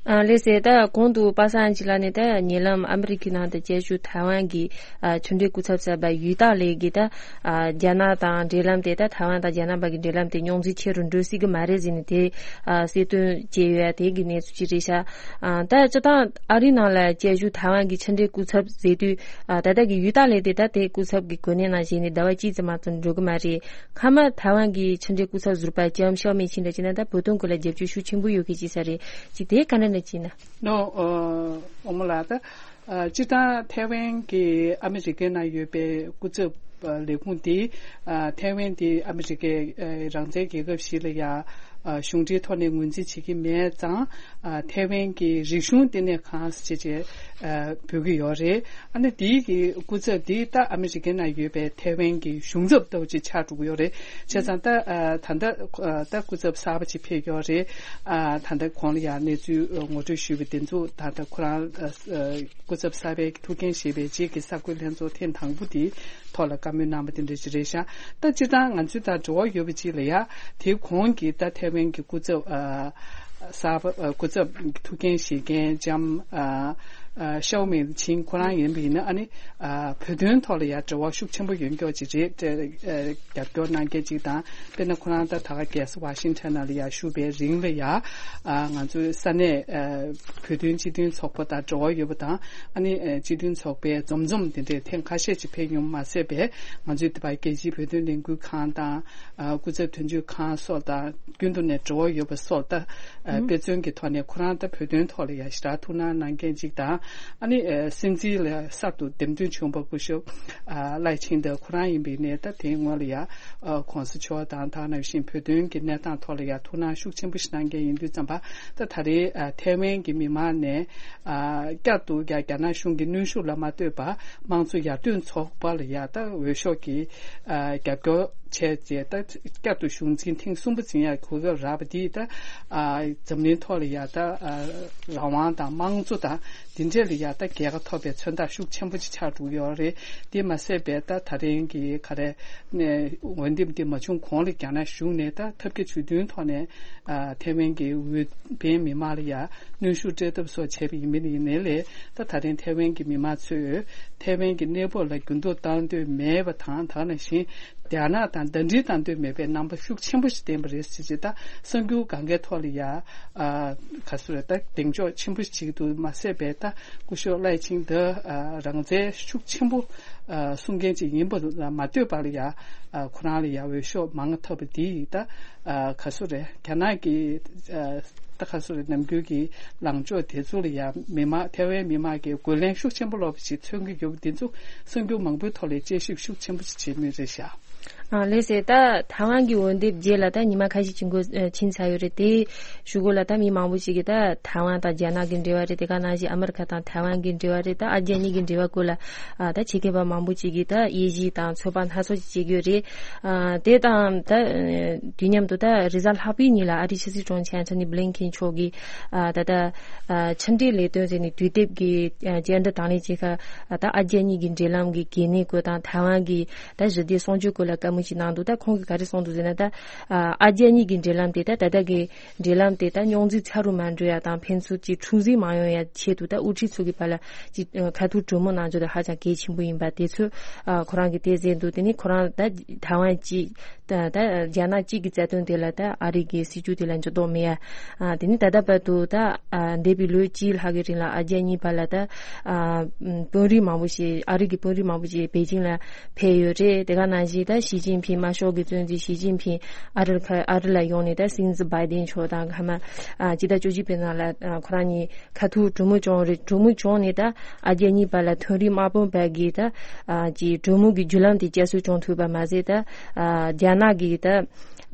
ཨ་ལགས་སོ། ད་གོང་དུ་པ་སངས་སྐྱིད་ལགས་ནས་ད་ཉེ་ལམ་ཨ་མི་རི་ཀའི་ནང་དུ་བཅའ་བཞུགས་ཐའེ་ཝན་གྱི་ཨ་ཕྱི་འབྲེལ་སྐུ་ཚབ་གསར་པ་ཡུས་ཏཱ་ལེ་གིས་ད་ཨ་རྒྱ་ནག་དང་འབྲེལ་ལམ་དེ། ད་ཐའེ་ཝན་དང་རྒྱ་ནག་བར་གྱི་འབྲེལ་ལམ་དེ་རྙོག་འཛིང་ཆེ་རུ་འགྲོ་སྲིད་ཀྱི་མ་རེད་ཟེར་ནས་དེ་ཨ་གསལ་སྟོན་བྱས་ཡོད་ཡ། དེ་གི་གནས་ཚུལ་ཅིག་རེད་ཤག་ཨ་ད་སྤྱིར་བཏང་ཨ་རིའི་ནང་ལ་བཅའ་བཞུགས་ཐའེ་ཝན་གྱི་ཕྱི་འབྲེལ་སྐུ་ཚབ་ཟེར་དུས། ཨ་ད་ལྟ་གི་ཡུས་ཏཱ་ལེ་དེ་ད་དེ་སྐུ་ཚབ་ཀྱི་གོ་གནས་ནང་བཞེས་ནས་ཟླ་བ་གཅིག་ཙམ་མ་གཏོགས་འགྲོ་གི་མ་རེད། མཐའ་མ་ཐའེ་ཝན་གྱི་ཕྱི་འབྲེལ་སྐུ་ཚབ་ཟུར་པ་ལྕམ་ཤའོ་མེ་ཆིང་འདྲ་བྱས་ན་ད་བོད་དོན་སྐོར་ལ་རྒྱབ་སྐྱོར་ཤུགས་ཆེན་པོ་ཡོད་མཁན་ཅིག་ས་རེད། ཅིག་དེ་ག་འདྲ་འདྲ་བྱས་ན། ནོ། ཨོ་མོ་ལགས། ད་ཨ་སྤྱིར་བཏང་ཐའེ་ཝན་གྱི་ཨ་མི་རི་ཀའི་ནང་ཡོད་པའི་སྐུ་ཚབ་ལས་ཁུངས་དེ། ཨ་ཐའེ་ཝན་དེ་ཨ་མི་རི་ཀའི་ཨ་རང་བཙན་རྒྱལ་ཁབ་ཞིག་ལ་ཡ་ཨ་གཞུང་འབྲེལ་ཐོག་ནས་ངོས་འཛིན་བྱེད་ཀྱི་མེད་ཙང་། ཨ་ཐའེ་ཝན་གྱི་རིག་གཞུང་ལྟེ་གནས་ཁང་ཟེར་བྱས་ཨ་འབོད་ཀྱི་ཡོད་རེད། ཨ་ནི་དེའི་གི་སྐུ་ཚབ་དེ་ད་ཨ་མི་རི་ཀའི་ནང་ཡོད་པའི་ཐའེ་ཝན་གྱི་གཞུང་ཚབ་ལྟ་བུ་ཅིག་ཆགས་འགྲོ་གི་ཡོད་རེད། བྱས་ཙང་ད་ཨ་ད་ལྟ་ད་སྐུ་ཚབ་གསར་པ་ཅིག་ཕེབས་ཡོད་རེད། ཨ་ད་ལྟ་གོང་ལ་ཡང་གནས་ཚུལ་ངོ་སྤྲོད་ཞུས་པ་དེ་ཚོ་ད་ལྟ་ཁོ་རང་ཨ་སྐུ་ཚབ་གསར་པའི་ཐུགས་འགན་བཞེས་པའི་རྗེས་ཀྱི་གསར་འགོད་ལྷན་ཚོགས་ཐེངས་དང་པོ་དེའི་ཐོག་ལ་བཀའ་མོལ་གནང་བ་དེ་འདྲ་ཅིག་རེད་ཤག་ད་སྤྱིར་བཏང་ང་ཚོའི་ད་འབྲེལ་བ་ཡོད་པ་ཅིག་ལ་ཡ་དེའི་གོང་གི་ད་ཐའེ་ཝན་གྱི་སྐུ་ཚབ་ཨ་ གསར་པ་སྐུ་ཚབ་ཐུགས་འགན་བཞེས་མཁན་ལྕམ་ཤའོ་མིང་ཆིང་ཁོ་རང་ཡིན་པ་ཡིན་ན། ཨ་ནི་བོད་དོན་ཐོག་ལ་ཡང་འབྲེལ་བ་ཤུགས་ཆེན་པོ་ཡོད་མཁན་ཅིག་རེད། རྒྱབ་སྐྱོར་གནང་མཁན་ཅིག་དང་། དཔེར་ན་ཁོ་རང་ད་ད་ག་རྒྱལ་ས་ཝ་ཤིང་ཊོན་ནང་ལ་ཡང་བཞུགས་པའི་རིང་ལ་ཡང་ང་ཚོའི་ས་གནས་བོད་དོན་སྤྱི་མཐུན་ཚོགས་པ་དང་འབྲེལ་བ་ཡོད་པ་དང་། ཨ་ནི་སྤྱི་མཐུན་ཚོགས་པའི་འཛོམས་འཛོམས་དེ་འདྲའི་ཐེངས་ཁ་ཤས་ཅིག་ཕེབས་མྱོང་མ་ཟད་པའི། ང་ཚོའི་དེ་བར་རྒྱལ་སྤྱིའི་བོད་དོན་ལས་འགུལ་ཁང་དང་། སྐུ་ཚབ་དོན་གཅོད་ཁང་སོགས་དང་རྒྱུན་དུ་ནས་འབྲེལ་བ་ཡོད་པ་སོགས་དང་། དཔེ་མཚོན་གྱི་ཐོག་ནས་ཁོ་རང་ད་བོད་དོན་ཐོག་ལ་ཡང་ཞེ་དྲག་ཐུགས་སྣང་གནང་མཁན་ཅིག་དང་། ཨ་ནི་སྲིད་འཛིན་ལ་གསར་དུ་འདེམས་ཐོན་བྱུང་བ་སྐུ་ཞབས་ལའེ་ཆིང་ཏེ་ཁོ་རང་ཡིན་པའི་ནས། ད་དེའི་སྔོན་ལ་ཡང་གོང་ས་མཆོག་དང་། ད་ག་ནང་བཞིན་བོད་དོན་གྱི་གནས་སྟངས་ཐོག་ལ་ཡང་ཐུགས་སྣང་ཤུགས་ཆེན་པོ་ཞིག་གནང་མཁན་ཡིན་དུས་ཙམ་པ། ད་ད་རེས་ཐའེ་ཝན་གྱི་མི་མང་ནས་བསྐྱར་དུ་རྒྱ་རྒྱ་ནག་གཞུང་གི་གནོན་ཤུགས་ལ་མ་ལྟོས་པར་དམངས་གཙོ་ཡར་ཐོན་ཚོགས་པ་ལ་ཡང་ད་འོས་ཤོག་གི་རྒྱབ་སྐྱོར་བྱས་རྗེས། ད་བསྐྱར་དུ་གཞུང་འཛིན་ཐེངས་གསུམ་པ་འཛིན་ཡག་གོ་སྐབས་རག་པ་འདིས། ད་འཛམ་གླིང་ཐོག་ལ་ཡང་ད་རང་དབང་དང་དམངས་གཙོ་དང་འདི་འདྲས་ལ་ཡང་ད་རྒྱལ་ཁ་ཐོབ་པའི་མཚོན་རྟགས་ཤུགས་ཆེན་པོ་ཅིག་ཆགས་འགྲོ་གི་ཡོད་རེད། དེ་མ་ཟད་པའི་ད་ད་རིང་གི་ག་རེ་འོས་འདེམས་དེ་མ་བྱུང་གོང་ལ་རྒྱ་ནག་གཞུང་ནས་ད་ཐབས་བརྒྱ་ཇུས་སྟོན་ཐོག་ནས་ཐའེ་ཝན་གྱི་འོས་འཕེན་མི་མང་ལ་ཡང་གནོན་ཤུགས་སྤྲད་ཐབས་སོགས་བྱས་པ་ཡིན་མིན་ཡིན་ནའི་ལས། ད་ད་རིང་ཐའེ་ཝན་གྱི་མི་མང་ཚོས་ཐའེ་ཝན་གྱི་གནས་བབ་ལ་འགྱུར་ལྡོག་བཏང་འདོད་མེད་པ་དང་། ད་ག་ནང་བཞིན་རྒྱ་ནག་དང་ཟླ་སྒྲིལ་བཏང་འདོད་མེད་པའི་རྣམ་པ་ཤུགས་ཆེན་པོ་ཞིག་བསྟན་པ་རེད་ཟེར་རྗེས། ད་གསར་འགྱུར་སྒང་གའི་ཐོག་ལ་ཡང་ག་ཚོད་རེད། ད་གདེང་འཇོག་ཆེན་པོ་ཞིག་བྱེད་ཀྱི་འདུག་མ་ཟད་པའི་ད་སྐུ་ཞབས་ལའེ་ཆིང་ཏེ་རང་བཙན་ཤུགས་ཆེན་པོ་གསུང་མཁན་ཅིག་ཡིན་པ་ལ་མ་ལྟོས་པར་ཡང་ཁོ་རང་ལ་ཡང་འོས་ཤོག་མང་ཐོབ་པ་འདིས། ད་ག་ཚོད་རེད། རྒྱ་ནག་གི་ད་ག་ཚོད་རེད། ནམ་རྒྱུན་གྱི་ལངས་ཕྱོགས་དེ་ཚོ་ལ་ཡང་མི་མང་ཐའེ་ཝན་མི་མང་གིས་རྒོལ་ལན་ཤུགས་ཆེན་པོ་སློག་པ་ཞིག་མཚོན་གྱི་ཡོད་པ་འདི་ཚོ་གསར་འགྱུར་མང་པོའི་ཐོག་ལ་དཔྱད་ཞིབ་ཤུགས་ཆེན་པོ་ཞིག་བྱེད་མུས་རེད་ཤག་ཨ་ལགས་སེ། ད་ཐའེ་ཝན་གྱི་འོས་འདེམས་རྗེས་ལ་ད་ཉི་མ་ཁ་ཤས་ཅིག་འགོར་ཕྱིན་ཚར་ཡོད་རེད། དེའི་གཞུག་གུ་ལ་ད་མི་མང་པོ་ཞིག་གིས་ད་ཐའེ་ཝན་དང་རྒྱ་ནག་གི་འབྲེལ་བ་རེད། དེ་ག་ནང་བཞིན་ཨ་མི་རི་ཀ་དང་ཐའེ་ཝན་གྱི་འབྲེལ་བ་རེད། ད་ཨ་རྒྱ་གཉིས་ཀྱི་འབྲེལ་བ་སྐོར་ལ་ཨ་ད་ཆེད་མཁས་པ་མང་པོ་ཅིག་གིས་ད་དབྱེ་ཞིབ་དང་ཚོད་དཔག་སྣ་ཚོགས་ཅིག་བྱེད་ཀྱི་ཡོད་རེད། ཨ་དེ་དང་ད་དུས་མཉམ་དུ་ད་རེས་གཟའ་ལྷག་པའི་ཉིན་ལ་ཨ་རིའི་ཕྱི་སྲིད་དྲུང་ཆེ་ཨན་ཐོ་ནི་བྷི་ལིན་ཁེན་མཆོག་གིས་ཨ་ད་ད་ཨ་ཕྱི་འབྲེལ་ལས་དོན་ཟེར་ནས་དུས་དེབ་ཀྱི་ཨ་བཅར་འདྲི་དང་ལེན་བྱེད་ཁར། ཨ་ད་ཨ་རྒྱ་གཉིས་ཀྱི་འབྲེལ་ལམ་གྱི་གལ་གནད་སྐོར་དང་ཐའེ་ཝན་གྱི་ད་ཞི་བདེ་སྲུང་སྐྱོབ་སྐོར་ལ་བཀའ་མོལ་ཅིག་གནང་འདུག་ད་ཁོང་གིས་ག་རེ་གསུངས་འདུག་ཟེར་ན། ད་ཨ་ཨ་རྒྱ་གཉིས་ཀྱི་འབྲེལ་ལམ་དེ་ད་ད་ལྟ་གི་འབྲེལ་ལམ་དེ་ད་རྙོག་འཛིང་ཚ་རུ་མ་འགྲོ་ཡ་དང་ཕན་ཚུན་གྱི་འཁྲུག་འཛིང་མ་ཡོང་ཡ་ཆེད་དུ་ད་དབུ་ཁྲིད་ཚོ་གི་བར་ལ་ཅིག་ཁ་ཐུག་གྲོས་མོལ་གནང་རྒྱུ་དེ་ཧ་ཅང་གལ་ཆེན་པོ་ཡིན་པ་དེ་ཚོ་ཨ་ཁོ་རང་གིས་དེ་ཟེར་འདུག་དེ་ནི་ཁོ་རང་ད་ཐའེ་ཝན་གཅིག་ད་ད་རྒྱ་ནག་གཅིག་གི་རྩ་དོན་དེ་ལ་ད་ཨ་རི་གི་སྲིད་ཇུས་དེ་ལ་འགྱུར་ལྡོག་མེད་ཡ། ཨ་དེ་ནི་ད་ལྟ་བར་དུ་ད་ཨ་འདས་པའི་ལོ་གཅིག་ལྷག་གི་རིང་ལ་ཨ་རྒྱ་གཉིས་བར་ལ་ད་ཨ་དཔོན་རིགས་མང་པོ་ཞིག་ཨ་རི་གི་དཔོན་རིགས་མང་པོ་ཞིག་པེ་ཅིང་ལ་ཕེབས་ཡོད་རེད། དེ་ག་ནང་བཞིན་ད་ཞི་ཅིན་ཕིང་དམར་ཤོག་གི་གཙོ་འཛིན་ཞི་ཅིན་ཕིང་ཨ་རི་ཁ་ཨ་རི་ལ་ཡོང་ནས་ད་སྲིད་འཛིན་བྷའི་ཏིན་མཆོག་དང་ཁ་མ་ཨ་སྤྱི་ཟླ་བཅུ་གཅིག་པའི་ནང་ལ་ཨ་ཁོ་རང་གཉིས་ཁ་ཐུག་གྲོས་མོལ་བྱུང་རེད། གྲོས་མོལ་བྱུང་ནས་ད་ཨ་རྒྱ་གཉིས་བར་ལ་དོན་རིག་དམག་དཔོན་བར་གྱི་ད་ཨ་ཀྱི་གྲོས་མོལ་གྱི་བརྒྱུད་ལམ་དེ་བསྐྱར་གསོ་བྱུང་ཐུབ་པ་མ་ཟད། ད་ཨ་རྒྱ་ནག་གི་ད་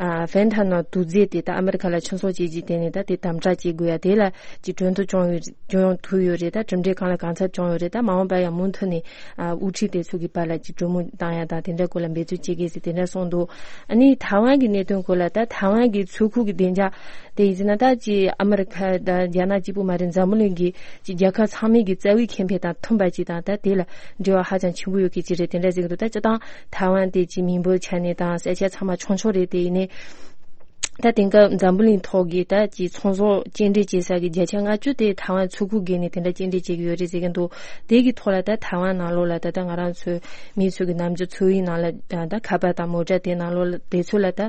ཨ་ཧྥན་ཐ་ནོ་དུག་རྫས་དེ་ད་ཨ་མི་རི་ཀ་ལ་ཕྱིན་ཚོང་བྱེད་རྒྱུ་དེ་ནས་ད་དེ་དམ་དྲག་བྱེད་དགོས་ཡ་དེ་ལ་ཀྱི་གྲོས་མཐུན་བྱུང་ཡོད་བྱུང་ཐུབ་ཡོད་རེད། ད་གྲུབ་འབྲས་གང་ལ་གང་འཚམ་བྱུང་ཡོད་རེད། ད་མ་འོངས་པ་ཡང་མུ་མཐུད་ནས་ཨ་དབུ་ཁྲིད་དེ་ཚོ་གི་བར་ལ་ཀྱི་གྲོས་མོལ་བཏང་ཡ་དང་དེ་འདྲ་སྐོར་ལ་འབད་བརྩོན་བྱེད་དགོས་ཟེར་དེ་འདྲ་གསུངས་འདུག་ཨ་ནི་ཐའེ་ཝན་གྱི་གནད་དོན་སྐོར་ལ་ད་ཐའེ་ཝན་གྱི་ཚོགས་ཁུར་གྱི་བདེ་འཇགས་དེ་ཡིན་ཟེར་ན། ད་ཅི་ཨ་མི་རི་ཁ་དང་རྒྱ་ནག་གཅིག་པུ་མ་རེད། འཛམ་བུ་གླིང་གི་ཅི་རྒྱལ་ཁབ་ཚང་མའི་གི་རྩ་བའི་ཁེ་ཕན་དང་མཐུན་པ་ཅིག་དང་། ད་དེ་ལ་འབྲེལ་བ་ཧ་ཅང་ཆེན་པོ་ཡོད་མཁན་ཅིག་རེད། དེ་འདྲ་ཟེར་གི་འདུག་ད་སྤྱིར་བཏང་ཐའེ་ཝན་དེ་ཅི་མི་འབོར་ཆ་ནས་དང་ས་ཆ་ཚང་མ་ཆུང་ཆུང་རེད། དེ་ཡིན་ནའི་ད་དེང་སྐབས་འཛམ་བུ་གླིང་ཐོག་གི་ད་ཅི་ཚོང་ཟོག་སྐྱེལ་འདྲེན་བྱེད་ས་གི་བརྒྱ་ཆ་ལྔ་བཅུ་དེ་ཐའེ་ཝན་ཚོགས་ཁུར་བརྒལ་ནས་དེ་འདྲ་སྐྱེལ་འདྲེན་བྱེད་ཀྱི་ཡོད་རེད་ཟེར་གི་འདུག་དེ་གི་ཐོག་ལ་ད་ཐའེ་ཝན་ནང་ལོགས་ལ་ད་ད་ང་རང་ཚོའི་མི་ཚོ་གི་ནམ་རྒྱུན་འཚོ་བའི་ནང་ལ་ད་ཁ་པར་དང་མོ་ཊ་དེ་ནང་ལོགས་ལ་དེ་ཚོ་ལ་ད་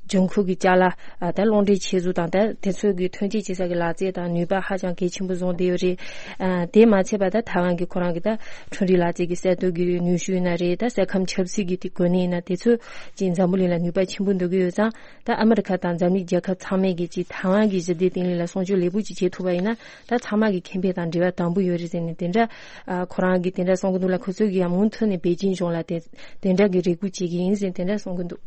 འབྱུང་ཁུངས་ཀྱི་ཅ་ལག་ཨ་ད་གློག་འདྲེན་ཆེད་དུ་དང་ད་དེ་ཚོ་གི་ཐོན་སྐྱེད་བྱེད་ས་གི་ལག་རྩལ་དང་ནུས་པ་ཧ་ཅང་གལ་ཆེན་པོ་བཟུང་བསྡད་ཡོད་རེད། ཨ་དེ་མ་ཚད་པ་ད་ཐའེ་ཝན་གི་ཁོ་རང་གི་ད་ཁྲུང་རིགས་ལག་རྩལ་གི་གསར་གཏོད་ཀྱི་ནུས་ཤུགས་ཡིན་ན་རེད། ད་ས་ཁམས་ཆབ་སྲིད་ཀྱི་དེ་གོ་གནས་ཡིན་ན་དེ་ཚོ་ཅིག་འཛམ་བུ་གླིང་ལ་ནུས་པ་ཆེན་པོ་འདོན་གི་ཡོད་ཙང་། ད་ཨ་མི་རི་ཁ་དང་འཛམ་གླིང་རྒྱལ་ཁབ་ཚང་མས་ཀྱི་ཅིག་ཐའེ་ཝན་གི་ཞི་བདེ་བརྟན་ལྷིང་ལ་སྲུང་སྐྱོབ་ལེགས་པོ་ཅིག་བྱེད་ཐུབ་པ་ཡིན་ན། ད་ཚང་མ་གི་ཁེ་ཕན་དང་འབྲེལ་བ་དམ་པོ་ཡོད་རེད་ཟེར་ནས་དེ་འདྲ་ཨ་ཁོ་རང་གིས་དེ་འདྲ་གསུང་གི་འདུག་ལ། ཁོ་ཚོས་ཀྱི་ཡང་མུ་མཐུད་ནས་པེ་ཅིན་གཞུང་ལ་དེ་དེ་འདྲ་གི་རེ་སྐུལ་བྱེད་ཀྱི་ཡིན་ཟེར་དེ་འདྲ་གསུང་གི་འདུག་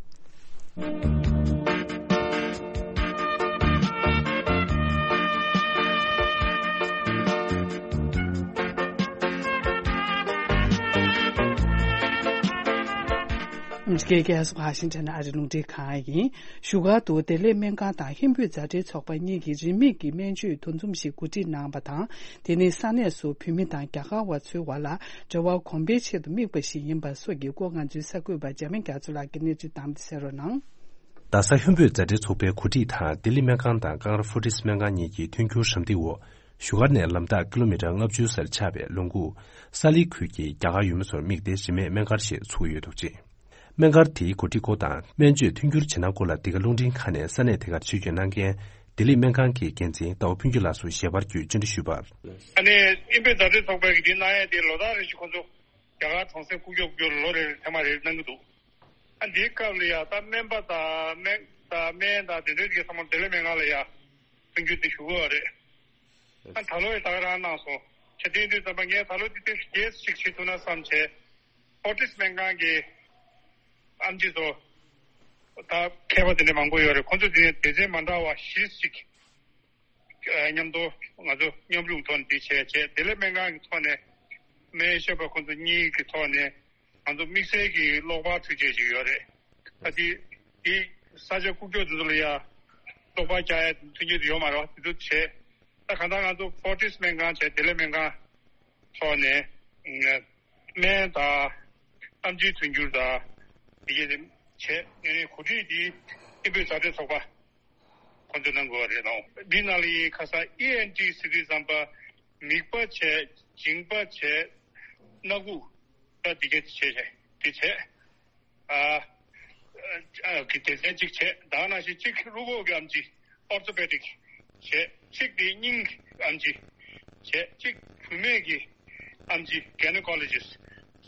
སྐད་སྐད་སོགས་ཧ་ཤིང་ཐན་ཨ་རི་རླུང་འཕྲིན་ཁང་ཡིན། བཞུགས་སྒར་དུ་བདེ་ལེགས་སྨན་ཁང་དང་ཧིན་བོད་མཛའ་འབྲེལ་ཚོགས་པ་གཉིས་ཀྱིས་རིན་མེད་ཀྱི་སྨན་བཅོས་འདུ་འཛོམས་ཤིག་གོ་སྒྲིག་གནང་བ་དང་། དེ་ནི་ས་གནས་སུ་བོད་མི་དང་རྒྱ་གར་བ་ཚོའི་བར་ལ་འབྲེལ་བ་གོང་འཕེལ་ཆེད་དུ་དམིགས་པ་ཞིག་ཡིན་པ་སོགས་ཀྱི་སྐོར། ང་ཚོའི་གསར་འགོད་པ་འཇར་མན་རྒྱ་མཚོ་ལགས་ཀྱིས་གནས་ཚུལ་བཏང་སྟེ་གསན་རོགས་གནང་། རྡ་ས་ཧོན་བོད་མཛའ་འབྲེལ་ཚོགས་པའི་གོ་སྒྲིག་དང་ལྡི་ལི་སྨན་ཁང་དང་ཀང་ར་ཧྥོར་ཊིས་སྨན་ཁང་གཉིས་ཀྱི་མཐུན་འགྱུར་ཧྲམ་སྟེགས་འོག་བཞུགས་སྒར་ནས་ལམ་ཐག་ཀི་ལོ་མི་ཊར་ལྔ་བཅུ་སར་ཆགས་པའི་ལུང་ཁུག་ས་ལི་ཁུལ་གྱི་རྒྱ་གར་ཡུལ་མི་ཚོར་དམིགས་ཏེ་རིན་མེད་སྨན་སྒར་ཞིག་ཚུགས་ཡོད་འདུག་ཅིང་། སྨན་སྒར་དེའི་གོ་སྒྲིག་སྐོར་དང་སྨན་བཅོས་མཐུན་འགྱུར་བྱེད་སྟངས་སྐོར་ལ་འདི་ག་རླུང་འཕྲིན་ཁང་ནས་ས་གནས་དེ་གར་ཆེད་བསྐྱོད་གནང་མཁན་ལྡི་ལི་སྨན་ཁང་གི་འགན་འཛིན་ཏའོ་ཕུན་སྐྱིད་ལགས་སུ་ཞལ་པར་བརྒྱུད་བཅར་འདྲི་ཞུས་པར། ཨ་ནི་ཨིན་བོད་མཛའ་འབྲེལ་ཚོགས་པས་འདི་གནང་ཡས་དེ་ལོ་ལྟར་རེ་བཞིན་ཁོང་ཚོ་རྒྱ་གར་གྲོང་གསེབ་ཁུག་ཀྱོག་ཁུག་ཀྱོག་ལོ་རེ་རེ་ཐེངས་མ་རེ་རེ་གནང་གི་འདུག་ཨ་འདིའི་སྐབས་ལ་ཡ་ད་སྨན་པ་དང་སྨན་དང་སྨན་དང་དེ་འདྲའི་གི་ཚང་མ་ལྡི་ལི་སྨན་ཁང་ལ་ཡ་མཐུན་འགྱུར་དེ་ཞུ་གི་ཡོད་རེད། ཨ་ད་ལོ་ཡི་ད་ག་རང་གནང་སོང་། ཆ་རྐྱེན་དུས་ཙམ་པ་ངས་ད་ལོ་འདི་ཏོག་ཙམ་རྒྱས་སུ་ཅིག་བྱེད་ཐུབ་ན་བསམ་བྱས། ཧྥོར་ཊིས་སྨན་ཁང་གི་ཨེམ་ཆི་ཚོ་ད་མཁས་པ་དེ་འདྲ་མང་པོ་ཡོད་རེད། ཁོང་ཚོ་དེ་ནས་སྡེ་ཚན་མ་འདྲ་བ་བཞི་ཅིག་མཉམ་དུ་ང་ཚོ་མཉམ་རུབ་ཐོག་ནས་འདི་བྱས་བྱས་ལྡི་ལི་སྨན་ཁང་གི་ཐོག་ནས་སྨན་ཞབས་པ་ཁོང་ཚོ་གཉིས་ཀྱི་ཐོག་ནས་ང་ཚོ་དམིགས་བསལ་གྱི་གློག་པར་འཕྲུལ་ཆས་ཅིག་ཡོད་རེད། ད་དེ་དེ་ས་ཆ་ཁུག་ཀྱོག་དེ་ཚོ་ལ་ཡ་གློག་པར་རྒྱག་ཡ་མཐུན་རྐྱེན་དེ་ཡོད་མ་རེད་བ། དེ་ཚོ་བྱས། ད་གང་ལྟར་ང་ཚོ་ཧྥོར་ཊིས་སྨན་ཁང་བྱས་ལྡི་ལི་སྨན་ཁང་ཐོག་ནས་སྨན་དང་ཨེམ་ཆིའི་མཐུན་འགྱུར་དང་དེ་གས་དེ་བྱས། ངས་གོ་སྒྲིག་འདི་ཨིན་བོད་མཛའ་འབྲེལ་ཚོགས་པ་ཁོང་ཚོས་གནང་དགོས་པ་རེད་ལགས། འདི་ནང་ལ་ཡིན་ཁ་སང་ཨི་ཨེན་ཊི་ཟེར་དུས་ཙམ་པ་མིད་པ་བྱས། མཇིང་པ་བྱས། སྣ་ཁུག་ད་འདི་གས་བྱས་བྱས་འདི་བྱས། ཨ་ཨ་གི་སྡེ་ཚན་གཅིག་བྱས། ད་ནང་བཞིན་གཅིག་རུས་ཁོག་གི་ཨེམ་ཆི་ཨོར་ཐོ་པེ་ཌིག་བྱས། གཅིག་དེ་སྙིང་གི་ཨེམ་ཆི་བྱས། གཅིག་བུད་མེད་ཀྱི་ཨེམ་ཆི་གའི་ནོ་ཀོ་ལོ་ཇི་སི་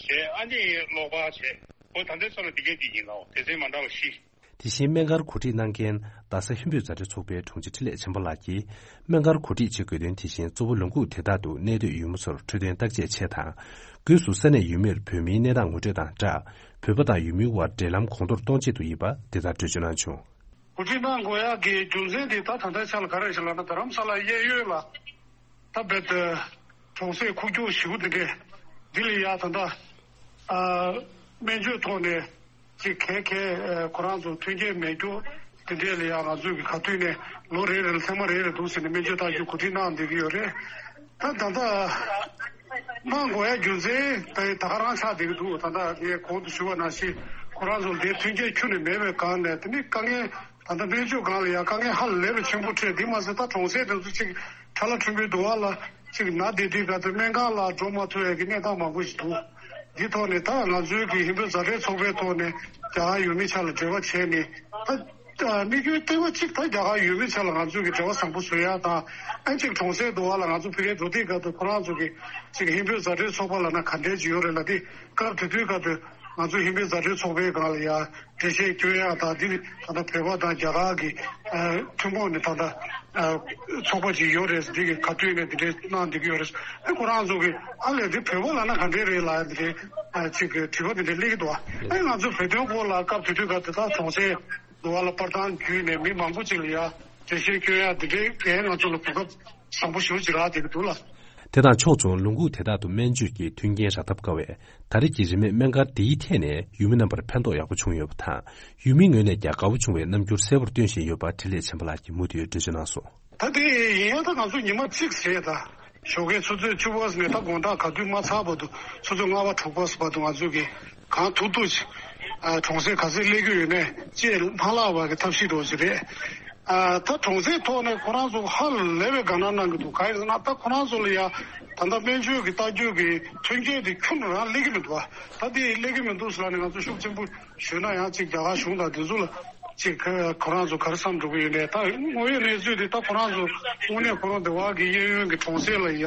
བྱས། ཨ་ནི་གློག་པར་བྱས། འོ་ད་ལྟའི་ཚོ་ལ་འདི་གས་འདི་ཡིན་ལགས། སྡེ་ཚན་མ་འདྲ་བ་བཞི། དེ་བཞིན་སྨན་སྒར་གོ་སྒྲིག་གནང་མཁན་རྡ་ས་ཧིན་བོད་མཛའ་འབྲེལ་ཚོགས་པའི་དྲུང་ཆེ་འཕྲིན་ལས་བྱམས་པ་ལགས་ཀྱིས། སྨན་སྒར་གོ་སྒྲིག་བྱེད་དགོས་དོན་དེ་བཞིན་གཙོ་བོ་ལུང་ཁུག་དེ་དག་ཏུ་གནས་སྡོད་ཡུལ་མི་ཚོར་འཕྲོད་བསྟེན་བརྟག་དཔྱད་ཆེད་དང་། སྒོས་སུ་ས་གནས་ཡུལ་མིར་བོད་མིའི་གནས་སྟངས་ངོ་སྤྲོད་དང་སྦྲགས། བོད་པ་དང་ཡུལ་མིའི་དབར་འབྲེལ་ལམ་གོང་མཐོར་གཏོང་ཆེད་དུ་ཡིན་པ་འདི་ལྟར་འགྲེལ་བརྗོད་གནང་བྱུང་། གོ་སྒྲིག་གནང་དགོས་ཡག་གི་རྒྱུ་མཚན་དེ་ད་ད་ལྟའི་ཆ་ལ་ག་རེ་ཞིག་ལབ་ན། རྡ་རམ་ས་ལ་གཡས་གཡོན་ལ་ད་རྦད་དེ་གྲོང་གསེབ་ཁུག་ཀྱོག་ཞེ་པོ་དེ་འདྲས་འདི་ལ་ཡ་ད་ལྟ་ཨ་སྨན་བཅོས་ཐོག་ནས་ཅིག་གལ་གལ་ཨ་ཁོ་རང་ཚོ་མཐུན་རྐྱེན་མེད་རྒྱུ་དེ་འདྲས་ལ་ཡ་ང་ཚོས་ཀྱི་ག་དུས་ནས་ལོ་རེ་རེ་ལ་ཐེངས་མ་རེ་རེ་འདུག་ཟེར་ནས་སྨན་བཅོས་བཏང་རྒྱུ་གོ་སྒྲིག་གནང་བསྡད་ཀྱི་ཡོད་རེད། ད་ད་ལྟ་གནང་དགོས་ཡ་རྒྱུ་མཚན་ད་ད་ག་རང་ཆགས་བསྡད་ཀྱི་འདུག་ད་ལྟ་ངས་གོང་དུ་ཞུ་བ་ནང་བཞིན་ཁོ་རང་ཚོ་ལ་དེ་མཐུན་རྐྱེན་ཁྱོན་ནས་མེད་པའི་སྒང་ནས། དེ་ནི་དཀའ་ངལ་ད་ལྟ་སྨན་བཅོས་སྒང་ལ་ཡང་དཀའ་ངལ་ཧ་ལས་པའི་ཆེན་པོ་འཕྲད། འདི་མ་ཟད་ད་གྲོང་གསེབ་དེ་ཚོ་གཅིག་ཁྲ་ལ་ཁྲོན་པོའི་དུ་བ་ལ་གཅིག་ན་བསྡད་དུས་ག་ཚོད་སྨན་ཁང་ལ་འགྲོ་མ་ཐུབ་ཡ་གི་གནས་སྟངས་མང་པོ་ཞིག་འདུག་འདི་ཐོག་ནས་ད་ང་ཚོའི་གི་ཧིན་བོད་མཛའ་འབྲེལ་ཚོགས་པའི་ཐོག་ནས་རྒྱ་གར་ཡུལ་མི་ཆ་ལ་འབྲེལ་བ་བྱས་ནས། ད་དམིགས་ཡུལ་ལྟེ་བ་གཅིག་ད་རྒྱ་གར་ཡུལ་མི་ཆ་ལ་ང་ཚོའི་གི་འབྲེལ་བ་བཟང་པོ་བཟོ་ཡ་དང་། ཨ་གཅིག་གྲོང་གསེབ་དུ་བ་ལ་ང་ཚོ་ཕ་གིར་འགྲོ་དུས་ག་ཚོད་ཁོ་རང་ཚོ་གི་གཅིག་ཧིན་བོད་མཛའ་འབྲེལ་ཚོགས་པ་ལབ་ན་ག་འདྲས་ཅིག་ཡོད་རེད་ལབ་དུས། སྐབས་དེ་དུས་ག་ཚོད་ང་ཚོ་ཧིན་བོད་མཛའ་འབྲེལ་ཚོགས་པའི་སྒང་ལ་ཡ་འགྲེལ་བཤད་སྐྱོན་ཡ་དང་། འདི་ནི་ད་ལྟ་བོད་པ་དང་རྒྱ་གར་གྱི་ཨ་ཐུན་མོང་ནས་ད་ལྟ་ཨ་ཚོགས་པ་ཅིག་ཡོད་རེད། འདི་གི་ག་དུས་ནས་འདི་འདྲའི་གནང་བསྡད་ཀྱི་ཡོད་རེད། ཨ་ཁོ་རང་ཚོ་གི་ཨ་ལས་འདི་བོད་པ་ལབ་ན་ག་འདྲས་རེད་ལབ་ཡ་འདི་འདྲའི་ཨ་ཅིག་གི་དྲི་བ་འདི་འདྲའི་སླེབས་ཀྱི་འདུག་ཨ་ཨེ་ང་ཚོ་བོད་དོན་སྐོར་ལ་སྐབས་དེ་དུས་ག་དེ་དག་གྲོང་གསེབ་དུ་བ་ལ་པར་ཐང་བརྒྱུད་ནས་མི་མང་པོ་ཅིག་ལ་ཡ་འགྲེལ་བཤད་སྐྱོན་ཡ་འདི་འདྲའི་གས་ང་ཚོ་ལ་གོ་སྐབས་བཟང་པོ་ཞེ་པོ་ཅིག་རག་བསྡད་ཀྱི་འདུག་ལ། དེ་དང་ཕྱོགས་མཚུངས་ལུང་ཁུག་དེ་དག་ཏུ་སྨན་བཅོས་ཀྱི་མཐུན་རྐྱེན་རག་ཐབས་དཀའ་བས། ད་རེས་ཀྱི་རིན་མེད་སྨན་སྒར་འདིའི་ཐད་ནས་ཡུལ་མི་རྣམ་པར་ཕན་ཐོགས་ཡག་པོ་བྱུང་ཡོད་པ་དང་། ཡུལ་མིའི་ངོས་ནས་ཀྱང་དགའ་བོ་བྱུང་བའི་རྣམ་འགྱུར་གསལ་པོར་སྟོན་བཞིན་ཡོད་པ་འཕྲིན་ལས་ཆེན་པོ་ལགས་ཀྱིས་མུ་མཐུད་འགྲེལ་བརྗོད་གནང་སོང་། ད་དེ་ཡིན་ཡང་ད་ང་ཚོ་ཉི་མ་གཅིག་བྱས། ད་ཞོགས་ཀའི་ཆུ་ཚོད་བཅུ་པ་ནས་ད་དགོང་དག་ག་དུས་མ་ཚར་བར་དུ་ཆུ་ཚོད་ལྔ་པ་དྲུག་པ་བར་དུ་ང་ཚོ་གིས་གང་ཐུབ་ཐུབ་ཅིག་ཨ་གྲོང་གསེབ་ག་ཚོད་སླེབས་ཀྱི་ཡོད་མེད་ཅེས་མ་བརླག་པ་གི་ཐབས་ཤེས་འདྲ་བོ་ཅིག་རེད། ཨ་ད་གྲོང་གསེབ་ཐོག་ནས་ཁོ་རང་ཚོ་ཧ་ལས་པའི་དགའ་སྣང་གནང་གི་འདུག་གང་ཡིན་ཟེར་ན་ད་ཁོ་རང་ཚོ་ལ་ཡ་ད་ལྟ་སྨན་བཅོས་ཀྱི་ལྟ་སྐྱོང་གི་མཐུན་རྐྱེན་དེ་ཁྱོན་ནས་རང་སླེབས་ཀྱི་མི་འདུག་ད་དེ་སླེབས་ཀྱི་མི་འདུག་ཟེར་ནས་ང་ཚོ་ཤུགས་ཆེན་པོ་ཞུས་ན་ཡང་ཅིག་རྒྱ་གར་གཞུང་དང་དེ་ཚོ་ལ་ཅིག་ཁོ་རང་ཚོ་ག་རེ་བསམ་འགྲོ་གི་ཡོད་མེད། ད་དངོས་ཡོད་གནས་ཚུལ་དེ་ད་ཁོ་རང་ཚོ་དངོས་གནས་ཁོ་རང་དེ་བ་གི་གཡས་གཡོན་གྱི་གྲོང་གསེབ་ལ་ཡ་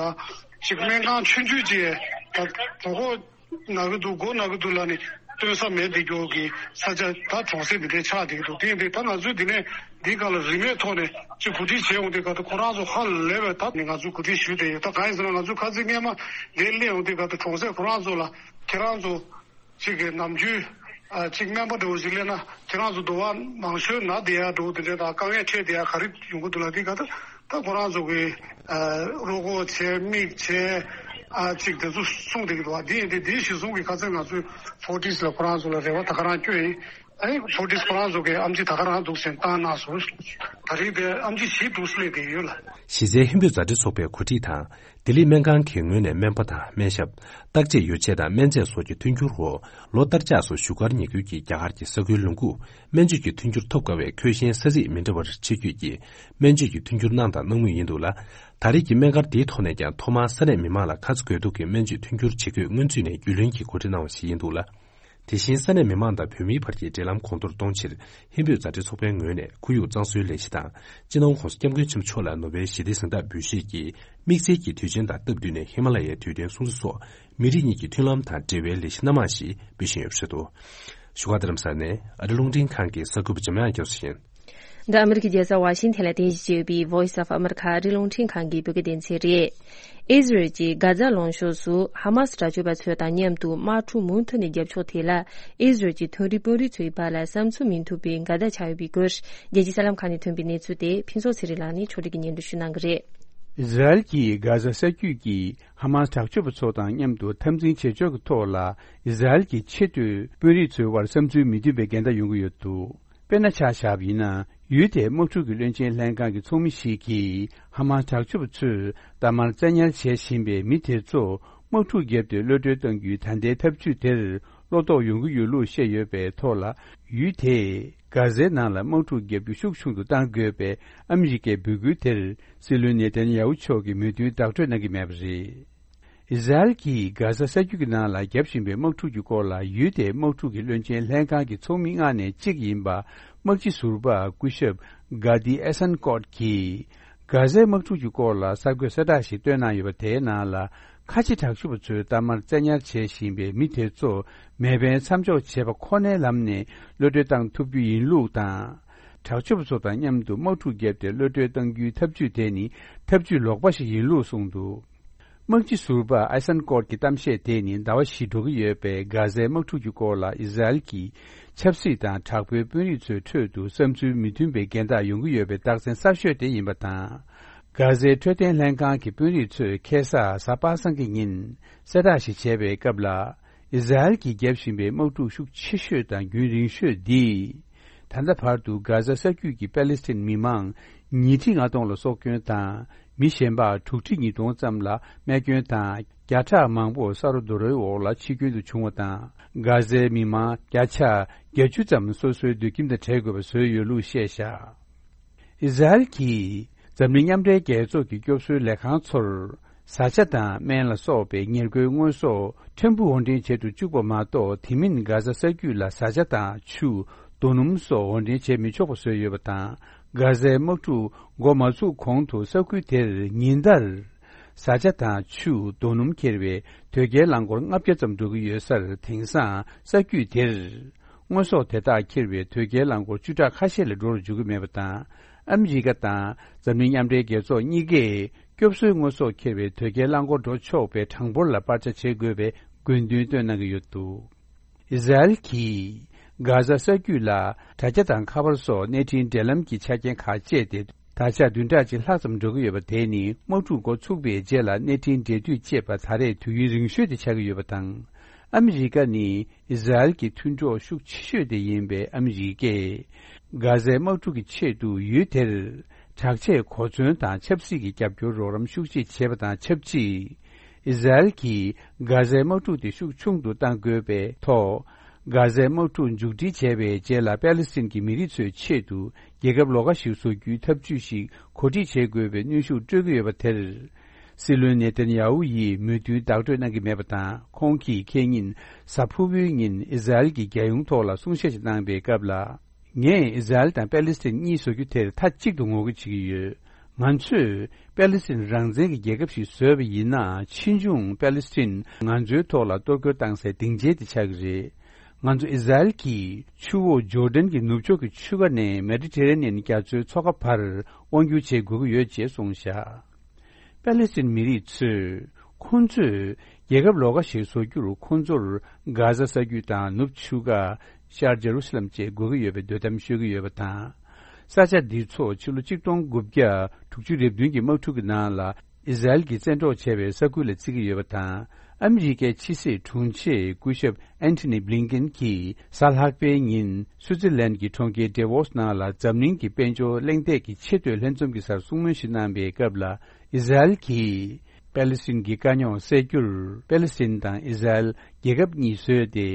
ཅིག་སྨན་ཁང་ཆུང་ཆུང་ཅིག་ད་གྲོད་ཁོག་ན་གི་འདུག་མགོ་ན་གི་འདུག་ལབ་ནས་སྟོན་ས་མེད་དེ་འགྱོ་གི་ས་ཆ་ད་གྲོང་གསེབ་འདི་འདྲའི་ཆགས་བསྡད་ཀྱི་འདུག་དེ་ཡིན་དུས་ད་ང་ཚོས་འདི་ནས་འདི་སྒང་ལ་རིན་མེད་ཐོག་ནས་ཅིག་གོ་སྒྲིག་བྱས་ཡོང་དུས་ག་ད་ཁོ་རང་ཚོ་ཧ་ལས་པའི་ད་ནས་ང་ཚོས་གོ་སྒྲིག་ཞུས་བསྡད་ཡོད། ད་གང་ཡིན་ཟེར་ན་ང་ཚོས་ཁ་སང་སྔས་མ་འདིར་སླེབས་ཡོང་དུས་ག་ད་གྲོང་གསེབ་ཁོ་རང་ཚོ་ལ་ཁྱེད་རང་ཚོ་ཅིག་གི་ནམ་རྒྱུན་ཨ་ཅིག་སྨན་པ་འདྲ་བོ་ཞིག་སླེབས་ན་ཁྱེད་རང་ཚོ་དུ་བ་མང་ཤོས་ན་བསྡད་ཡ་འདྲ་བོ་དེ་འདྲ་དང་དཀའ་ངལ་འཕྲད་བསྡད་ཡ་ག་རེ་ཡོང་གི་འདུག་ལབ་དུས་ག་ད། ད་ཁོ་རང་ཚོ་གི་ཨ་རོ་ཁོག་བྱས་མིག་བྱས་ཨ་ཅིག་དེ་ཚོ་གསུངས་བསྡད་ཀྱི་འདུག་བ། འདི་ཡིན་དུས་འདི་གཞི་བཟུང་གི་ཁ་སང་ང་ཚོས་ཧྥོར་ཊིས་ལ་ཁོ་རང་ཚོ་ལ་རེ་བ་ད་ག་རང་བསྐྱོན་ཡིན། ཨ་ནི་ཕོར་ཊིས་ཁོ་རང་ཚོ་གི་ཨེམ་ཆི་ད་ག་རང་འདུག་ཟེར་བཏང་གནང་སོང་། ད་རེས་དེ་ཨེམ་ཆི་བཞི་འདུག་སླེབས་བསྡད་ཡོད་ལ། གཞི་རྩའི་ཧིན་བོད་མཛའ་འབྲེལ་ཚོགས་པའི་གོ་སྒྲིག་དང་། ལྡི་ལི་སྨན་ཁང་གི་ངོས་ནས་སྨན་པ་དང་སྨན་ཞབས། བརྟག་དཔྱད་ཡོ་བྱད་དང་སྨན་རྫས་སོགས་ཀྱི་མཐུན་འགྱུར་འོག་ལོ་ལྟར་ཆགས་སུ་བཞུགས་སྒར་ཉེ་ཁུལ་གྱི་རྒྱ་གར་གྱི་ས་ཁུལ་ལུང་ཁུག་སྨན་བཅོས་ཀྱི་མཐུན་འགྱུར་ཐོབ་དཀའ་བའི་ཁྱོ་ཤེས་ས་ཚིགས་མི་འདྲ་བར་ཕྱིར་སྐྱོད་ཀྱིས་སྨན་བཅོས་ཀྱི་མཐུན་འགྱུར་གནང་དང་གནང་མུས་ཡིན་འདུག་ལ། ད་རེས་ཀྱི་སྨན་སྒར་འདིའི་ཐོག་ནས་ཀྱང་ཐོག་མར་ས་གནས་མི་མང་ལ་ཁ་ཚ་དགོས་གཏུགས་ཀྱི་སྨན་བཅོས་མཐུན་འགྱུར་བྱེད་དགོས་སྔོན་ཚུད་ནས་རྒྱུས་ལོན་གྱིས་གོ་སྒྲིག་གནང་བ་ཞིག་ཡིན་འདུག་ལ། དེ་བཞིན་ས་གནས་མི་མང་དང་བོད་མིའི་བར་གྱི་འབྲེལ་ལམ་གོང་མཐོར་གཏོང་ཕྱིར། ཧིན་བོད་མཛའ་འབྲེལ་ཚོགས་པའི་ངོས་ནས་ཁོར་ཡུག་གཙང་བཟོའི་ལས་གཞི་དང་། སྤྱི་ནོར་༧གོང་ས་༧སྐྱབས་མགོན་ཆེན་པོ་མཆོག་ལ་ནོ་བེལ་ཞི་བདེའི་གཟེངས་རྟགས་འབུལ་བཞེས་ཀྱིས་དམིགས་བསལ་གྱི་དུས་ཆེན་དང་སྟབས་བསྟུན་ནས་ཧི་མ་ལ་ཡའི་དུས་སྟོན་སྲུང་བརྩི་སོགས་མི་རིགས་གཉིས་ཀྱི་མཐུན་ལམ་དང་འབྲེལ་བའི་ལས་གཞི་སྣ་མང་ཞིག་སྤེལ་བཞིན་ཡོད་པ་རེད་འདུག་བཞུགས་སྒར་རྡ་རམ་ས་ལ་ནས་ཨ་རི་རླུང་འཕྲིན་ཁང་གི་གསར་འགོད་པ་འཇམ་དབྱངས་རྒྱ་མཚོ་ཡིན། འདི་ཨ་མི་རི་ཀའི་རྒྱལ་ས་ཝ་ཤིང་ཐན་ལ་རྟེན་གཞི་བྱས་ཡོད་པའི་Voice of America ཨ་རིའི་རླུང་འཕྲིན་ཁང་གི་བོད་སྐད་སྡེ་ཚན་རེད། ཨི་ཟི་རལ་གྱིས་གྷ་ཛ་ལུང་ཕྱོགས་སུ་ཧ་མ་སི་དྲག་སྤྱོད་པ་ཚོ་དང་མཉམ་དུ་དམག་འཁྲུག་མུ་མཐུད་ནས་རྒྱབ་ཕྱོགས་དེ་ལ་ཨི་ཟི་རལ་གྱི་མཐོ་རིམ་དཔོན་རིགས་ཚོའི་བར་ལ་བསམ་ཚུལ་མི་མཐུན་པའི་འགལ་ཟླ་ཆགས་ཡོད་པའི་སྐོར་རྒྱལ་སྤྱིའི་གསར་ལམ་ཁག་ནས་ཐོན་པའི་གནས་ཚུལ་དེ་ཕུན་ཚོགས་ཚེ་རིང་ལགས་ནས་ཕྱོགས་སྒྲིག་གིས་སྙན་སྒྲོན་ཞུ་གནང་གི་རེད། ཨི་ཟི་རལ་གྱིས་གྷ་ཛ་ས་རྒྱུད་ཀྱི་ཧ་མ་སི་དྲག་སྤྱོད་པ་ཚོ་དང་མཉམ་དུ་འཐབ་འཛིང་བྱེད་ཕྱོགས་ཀྱི་ཐོག་ལ་ཨི་ཟི་རལ་གྱི་ཆེས་མཐོའི་དཔོན་རིགས་ཚོའི་བར་བསམ་ཚུལ་མི་མཐུན་པའི་འགལ་ཟླ་ཡོང་གི་ཡོད་འདུག་དཔེར་ན་ཆ་བཞག་པ་ཡིན་ན། ཡུལ་དེའི་དམག་འཁྲུག་གི་བློན་ཆེན་ལྷན་ཁང་གི་ཚོགས་མི་ཞིག་གིས་ཧ་མ་སི་དྲག་སྤྱོད་པ་ཚོས་གཏའ་མར་བཙན་ཉར་བྱེད་བཞིན་པའི་མི་དེ་ཚོ་དམག་འཁྲུག་བརྒྱབ་སྟེ་གློད་གྲོལ་གཏང་རྒྱུའི་ད་ལྟའི་ཐབས་ཇུས་དེར་བློ་དོགས་ཡོང་གི་ཡོད་ལུགས་བཤད་ཡོད་པའི་ཐོག་ལ། ཡུལ་དེས་གྷ་ཛའི་ནང་ལ་དམག་འཁྲུག་བརྒྱབ་རྒྱུ་ཤུགས་ཆུང་དུ་གཏང་དགོས་པའི་ཨ་མི་རི་ཀའི་འབོད་སྐུལ་དེར་སྲིད་བློན་ནེ་ཐན་ཡ་ཧུ་མཆོག་གིས་མོས་མཐུན་བདག་སྤྲོད་གནང་གི་མེད་པ་རེད། ཨི་ཟི་རལ་གྱིས་གྷ་ཟ་ས་རྒྱུད་ཀྱི་ནང་ལ་བརྒྱབ་བཞིན་པའི་དམག་འཁྲུག་གི་སྐོར་ལ་ཡུལ་དེའི་དམག་འཁྲུག་གི་བློན་ཆེན་ལྷན་ཁང་གི་ཚོགས་མི་ལྔ་ནས་གཅིག་ཡིན་པ་དམག་སྤྱི་ཟུར་པ་སྐུ་ཞབས་གྷ་དི་ཨེ་སན་ཀོད་ཀྱིས་གྷ་ཟའི་དམག་འཁྲུག་གི་སྐོར་ལ་གསར་འགོད་གསལ་བསྒྲགས་ཤིག་བཏོན་གནང་ཡོད་པ་དེའི་ནང་ལ། ཁ་ཆེ་དྲག་ཤུགས་པ་ཚོས་གཏའ་མར་བཙན་ཉར་བྱེད་བཞིན་པའི་མི་དེ་ཚོ་མེ་འཕེན་མཚམས་འཇོག་བྱེད་པ་ཁོ་ནའི་ལམ་ནས་གློད་གྲོལ་བཏང་ཐུབ་རྒྱུ་ཡིན་ལུགས་དང་། དྲག་སྤྱོད་པ་ཚོ་དང་མཉམ་དུ་དམག་འཁྲུག་བརྒྱབ་སྟེ་གློད་གྲོལ་གཏང་རྒྱུའི་ཐབས་ཇུས་དེ་ནི་ཐབས་ཇུས་ལོག་པ་ཞིག་ཡིན་ལུགས་གསུངས་འདུག་དམག་སྤྱི་ཟུར་པ་ཨེ་སན་ཀོད་ཀྱི་གཏམ་བཤད་དེ་ནི་ཟླ་བ་བཞི་འགྲོ་གི་ཡོད་པའི་གྷ་ཟའི་དམག་འཁྲུག་གི་སྐོར་ལ་ཨི་ཟི་རལ་གྱི་ཆབ་སྲིད་དང་དྲག་པོའི་དཔོན་རིགས་ཚོའི་ཁྲོད་དུ་བསམ་ཚུལ་མི་མཐུན་པའི་འགལ་ཟླ་ཡོང་གི་ཡོད་པའི་རྟགས་མཚན་གསར་ཤོས་དེ་ཡིན་པ་དང་། གྷ་ཟའི་འཕྲོད་བསྟེན་ལྷན་ཁང་གི་དཔོན་རིགས་ཚོས་ཁ་སང་གཟའ་པ་སངས་ཀྱི་ཉིན་གསལ་བསྒྲགས་ཤིག་བྱས་པའི་སྐབས་ལ། ཨི་ཟི་རལ་གྱིས་བརྒྱབ་བཞིན་པའི་དམག་འཁྲུག་ཤུགས་ཆེ་ཤོས་དང་རྒྱུན་རིང་ཤོས་འདིས། ད་ལྟ་བར་དུ་གྷ་ཟ་ས་རྒྱུད་ཀྱི་པེ་ལེ་སི་ཐན་མི་མང་ཉིས་ཁྲི་ལྔ་སྟོང་ལ་སྲོག་སྐྱོན་དང་། མི་གཞན་པ་དྲུག་ཁྲི་ཉིས་སྟོང་ཙམ་ལ་རྨས་སྐྱོན་དང་། བརྒྱ་ཕྲག་མང་པོ་ས་རོ་རྡོ་རོའི་འོག་ལ་འཆི་སྐྱོན་དུ་བྱུང་བ་དང་། གྷ་ཟའི་མི་མང་བརྒྱ་ཆ་བརྒྱད་ཅུ་ཙམ་སོ་སོའི་སྡོད་ཁྱིམ་དང་བྲལ་དགོས་པ་བཟོས་ཡོད་ལུགས་བཤད་བཞག་ཨི་ཟི་རལ་གྱིས་འཛམ་གླིང་མཉམ་འབྲེལ་རྒྱལ་ཚོགས་ཀྱི་སྐྱོབ་གསོའི་ལས་ཁང་ཚོར། བཟའ་བཅའ་དང་སྨན་ལ་སོགས་པའི་ཉེར་མཁོའི་དངོས་ཟོག་ཕྲན་བུ་དབོར་འདྲེན་བྱེད་དུ་བཅུག་པ་མ་གཏོགས། དེ་མིན་གྷ་ཟ་ས་རྒྱུད་ལ་བཟའ་བཅའ་དང་ཆུ། རྡོ་སྣུམ་སོགས་དབོར་འདྲེན་བྱེད་མི་ཆོག་པ་བཟོས་ཡོད་པ་དང་། གྷ་ཟའི་དམག་འཁྲུག་འགོ་མ་ཚུགས་གོང་དུ་ས་ཁུལ་དེར་ཉིན་ལྟར། བཟའ་བཅའ་དང་ཆུ། རྡོ་སྣུམ་འཁྱེར་བའི་དོས་སྐྱེལ་རླངས་འཁོར་ལྔ་བརྒྱ་ཙམ་འགྲོ་གི་ཡོད་སར། དེང་སང་ས་རྒྱུད་དེར། དངོས་ཟོག་དེ་དག་འཁྱེར་བའི་དོས་སྐྱེལ་རླངས་འཁོར་བཅུ་ཕྲག་ཁ་ཤས་ལས་འགྲོ་རུ་འཇུག་གི་མེད་པ་དང་། ཨ་མི་རི་ཀ་དང་འཛམ་གླིང་མཉམ་འབྲེལ་རྒྱལ་ཚོགས་གཉིས་ཀས་སྐྱོབ་གསོའི་དངོས་ཟོག་འཁྱེར་བའི་དོས་སྐྱེལ་རླངས་འཁོར་འགྲོ་ཆོག་པའི་གྲངས་འབོར་ལ་སྤར་ཆ་བྱེད་དགོས་པའི་དགོས་འདུན་བཏོན་གནང་གི་ཡོད་འདུག་ཨི་ཟི་རལ་གྱིས་གྷ་ཟ་ས་རྒྱུད་ལ་དྲ་རྒྱ་དང་ཁ་པར་སོགས་གནས་འཕྲིན་འབྲེལ་ལམ་གྱི་ཆ་རྐྱེན་ཁག་སྤྱད་དེ། ད་ཆ་བདུན་ཕྲག་གཅིག་ལྷག་ཙམ་འགྲོ་གི་ཡོད་པ་དེ་ནི་དམག་འཁྲུག་འགོ་ཚུགས་པའི་རྗེས་ལ་གནས་འཕྲིན་འབྲེལ་མཐུད་ཅེས་པ་ད་རེས་དུས་ཡུན་རིང་ཤོས་དེ་ཆགས་ཀྱི་ཡོད་པ་དང་། ཨ་མི་རི་ཀ་ནི་ཨི་ཟི་རལ་གྱི་མཐུན་གྲོགས་ཤུགས་ཆེ་ཤོས་དེ་ཡིན་པས། ཨ་མི་རི་ཀས་གྷ་ཟའི་དམག་འཁྲུག་གི་ཆེད་དུ་ཡུལ་དེར་དྲག་ཆས་གོ་མཚོན་དང་ཆབ་སྲིད་ཀྱི་རྒྱབ་སྐྱོར་རོགས་རམ་ཤུགས་ཆེ་བྱས་པ་དང་ཆབས་ཅིག་ཨི་ཟི་རལ་གྱིས་གྷ་ཟའི་དམག་འཁྲུག་དེ་ཤུགས་ཆུང་དུ་གཏང་དགོས་པའི་ཐོག་གྷ་ཟའི་དམག་འཁྲུག་མཇུག་སྒྲིལ་བྱས་པའི་རྗེས་ལ་པེ་ལེ་སི་ཐན་གྱི་མི་རིགས་ཚོའི་ཆེད་དུ་རྒྱལ་ཁབ་ལོགས་ཀ་ཞིག་བཟོ་རྒྱུའི་ཐབས་ཇུས་ཤིག་གོ་སྒྲིག་བྱེད་དགོས་པའི་གནོན་ཤུགས་སྤྲོད་ཀྱི་ཡོད་པ་དེར། སྲིད་བློན་ནེ་ཐན་ཡ་ཧུ་ཡིས་མོས་མཐུན་བདག་སྤྲོད་གནང་གི་མེད་པ་དང་། ཁོང་གིས་ཁེ་ཉིན་གཟའ་ཕུར་བུའི་ཉིན་ཨི་ཟི་རལ་གྱི་རྒྱལ་ཡོངས་ཐོག་ལ་གསུང་བཤད་ཅིག་གནང་པའི་སྐབས་ལ། ངས་ཨི་ཟི་རལ་དང་པེ་ལེ་སི་ཐན་གཉིས་བཟོ་རྒྱུ་དེར་མཐའ་གཅིག་ཏུ་ངོ་རྒོལ་བྱེད་ཀྱི་ཡོད། ང་ཚོས་པེ་ལེ་སི་ཐན་རང་བཙན་གྱི་རྒྱལ་ཁབ་ཞིག་བཟོས་པ་ཡིན་ན། ཕྱིས་འབྱུང་པེ་ལེ་སི་ཐན་ང་ཚོའི་ཐོག་ལ་གཏོར་རྒོལ་བཏང་སའི་སྡིངས་ཆའི་དེ་ཆགས་ཀྱི་རེད། ང་ཚོ་ཨི་ཟི་རལ་གྱིས་ཆུ་བོ་ཇོར་ཌན་གྱི་ནུབ་ཕྱོགས་ཀྱི་ཆུ་ཁ་ནས་མེ་ཌི་ཊེ་རེ་ནི་ཡན་རྒྱ་མཚོའི་མཚོ་ཁ་བར་དབང་སྒྱུར་བྱེད་དགོས་ཀྱི་ཡོད་ཅེས་གསུངས་བཞག་པེ་ལེ་སི་ཐན་མི་རིགས་ཚོས་ཁོང་ཚོས་རྒྱལ་ཁབ་ལོགས་ཀ་ཞིག་བཟོ་རྒྱུར། ཁོང་ཚོར་གྷ་ཟ་ས་རྒྱུད་དང་ནུབ་ཆུ་ཁ། ཤར་ཇེ་རུ་སི་ལམ་བཅས་དགོས་ཀྱི་ཡོད་པའི་འདོད་གཏམ་ཤོད་ཀྱི་ཡོད་པ་དང་། ས་ཆ་འདི་ཚོ་ཕྱི་ལོ་ཆིག་སྟོང་དགུ་བརྒྱ་དྲུག་ཅུ་རེ་བདུན་གྱི་དམག་འཁྲུག་གི་ནང་ལ། ཨི་ཟ་རེལ་གྱིས་བཙན་འཕྲོག་བྱས་པའི་ས་ཁུལ་ལ་བརྩི་གི་ཡོད་པ་དང་། ཨ་མི་རི་ཀའི་ཕྱི་སྲིད་དྲུང་ཆེ་སྐུ་ཞབས་ཨན་ཐོ་ནི་བྷི་ལིན་ཀེན་གྱིས་གཟའ་ལྷག་པའི་ཉིན་སུའུ་ཙི་ལན་གྱི་གྲོང་ཁྱེར་ཏྲེ་ཝོ་སི་ནང་ལ་འཛམ་གླིང་གི་དཔལ་འབྱོར་གླེང་སྟེགས་ཀྱི་ཆེས་མཐོའི་ལྷན་འཛོམས་ཀྱི་སར་གསུང་མོལ་ཞིག་གནང་བའི་སྐབས་ལ། ཨི་ཟ་རེལ་གྱིས་པེ་ལི་སི་ཐན་གྱི་དཀའ་རྙོག་སེལ་རྒྱུར་པེ་ལི་སི་ཐན་དང་ཨི་ཟ་རེལ་རྒྱལ་ཁབ་གཉིས་བཟོས་ཏེ།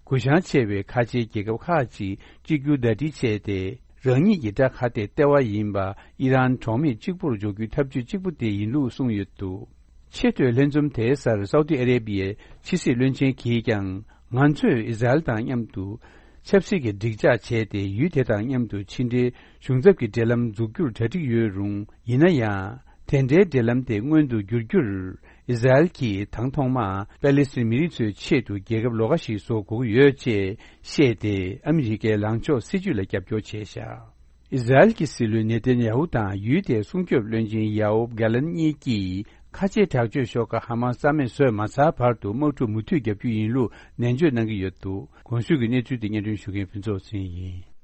གུ་བཤངས་ཆེ་བའི་ཁ་ཆེའི་རྒྱལ་ཁབ་ཁག་ཅིག་གཅིག་གྱུར་ཟླ་སྒྲིལ་བྱས་ཏེ། རང་ཉིད་ཀྱི་དགྲ་ཁ་གཏད་ལྟེ་བ་ཡིན་པ་ཨི་རན་གྲོགས་མེད་གཅིག་པུར་འཇོག་རྒྱུའི་ཐབས་ཇུས་གཅིག་པུ་དེ་ཡིན་ལུགས་གསུངས་ཡོད་འདུག་ཆེས་མཐོའི་ལྷན་འཛོམས་དེའི་སར་སའུ་ཏི་ཨ་རེ་བྷི་ཡའི་ཕྱི་སྲིད་བློན་ཆེན་གྱིས་ཀྱང་། ང་ཚོས་ཨི་ཟ་རེལ་དང་མཉམ་དུ་ཆབ་སྲིད་ཀྱི་འགྲིག་འཇགས་བྱས་ཏེ། ཡུལ་དེ་དང་མཉམ་དུ་ཕྱི་འབྲེལ་གཞུང་ཚབ་ཀྱི་འབྲེལ་ལམ་འཛུགས་རྒྱུར་གྲ་སྒྲིག་ཡོད་རུང་། ཡིན་ན་ཡང་། དེ་འདྲའི་འབྲེལ་ལམ་དེ་མངོན་དུ་འགྱུར་རྒྱུར། ཨི་ཟ་རེལ་གྱིས་དང་ཐོག་མར་པེ་ལི་སི་ཐན་མི་རིགས་ཚོའི་ཆེད་དུ་རྒྱལ་ཁབ་ལོགས་ཀ་ཞིག་བཟོ་དགོས་ཀྱི་ཡོད་ཅེས་བཤད་དེ། ཨ་མི་རི་ཀའི་ལངས་ཕྱོགས་སྲིད་ཇུས་ལ་རྒྱབ་སྐྱོར་བྱས་བཞག་ཨི་ཟ་རེལ་གྱི་སྲིད་བློན་ནེ་ཐན་ཡ་ཧུ་དང་ཡུལ་དེའི་སྲུང་སྐྱོབ་བློན་ཆེན་ཡ་ཨོབ་གྷ་ལན་གཉིས་ཀྱིས་ཁ་ཆེའི་དྲག་སྤྱོད་ཤོག་ཁག་ཧ་མ་སི་རྩ་མེད་བཟོས་མ་ཚར་བར་དུ་དམག་འཁྲུག་མུ་མཐུད་བརྒྱབ་རྒྱུ་ཡིན་ལུགས་ནན་བརྗོད་གནང་གི་ཡོད་འདུག་གོང་ཞུས་ཀྱི་གནས་ཚུལ་དེ་སྙན་སྒྲོན་ཞུ་མཁན་ཕུན་ཚོགས་ཚེ་རིང་ཡིན།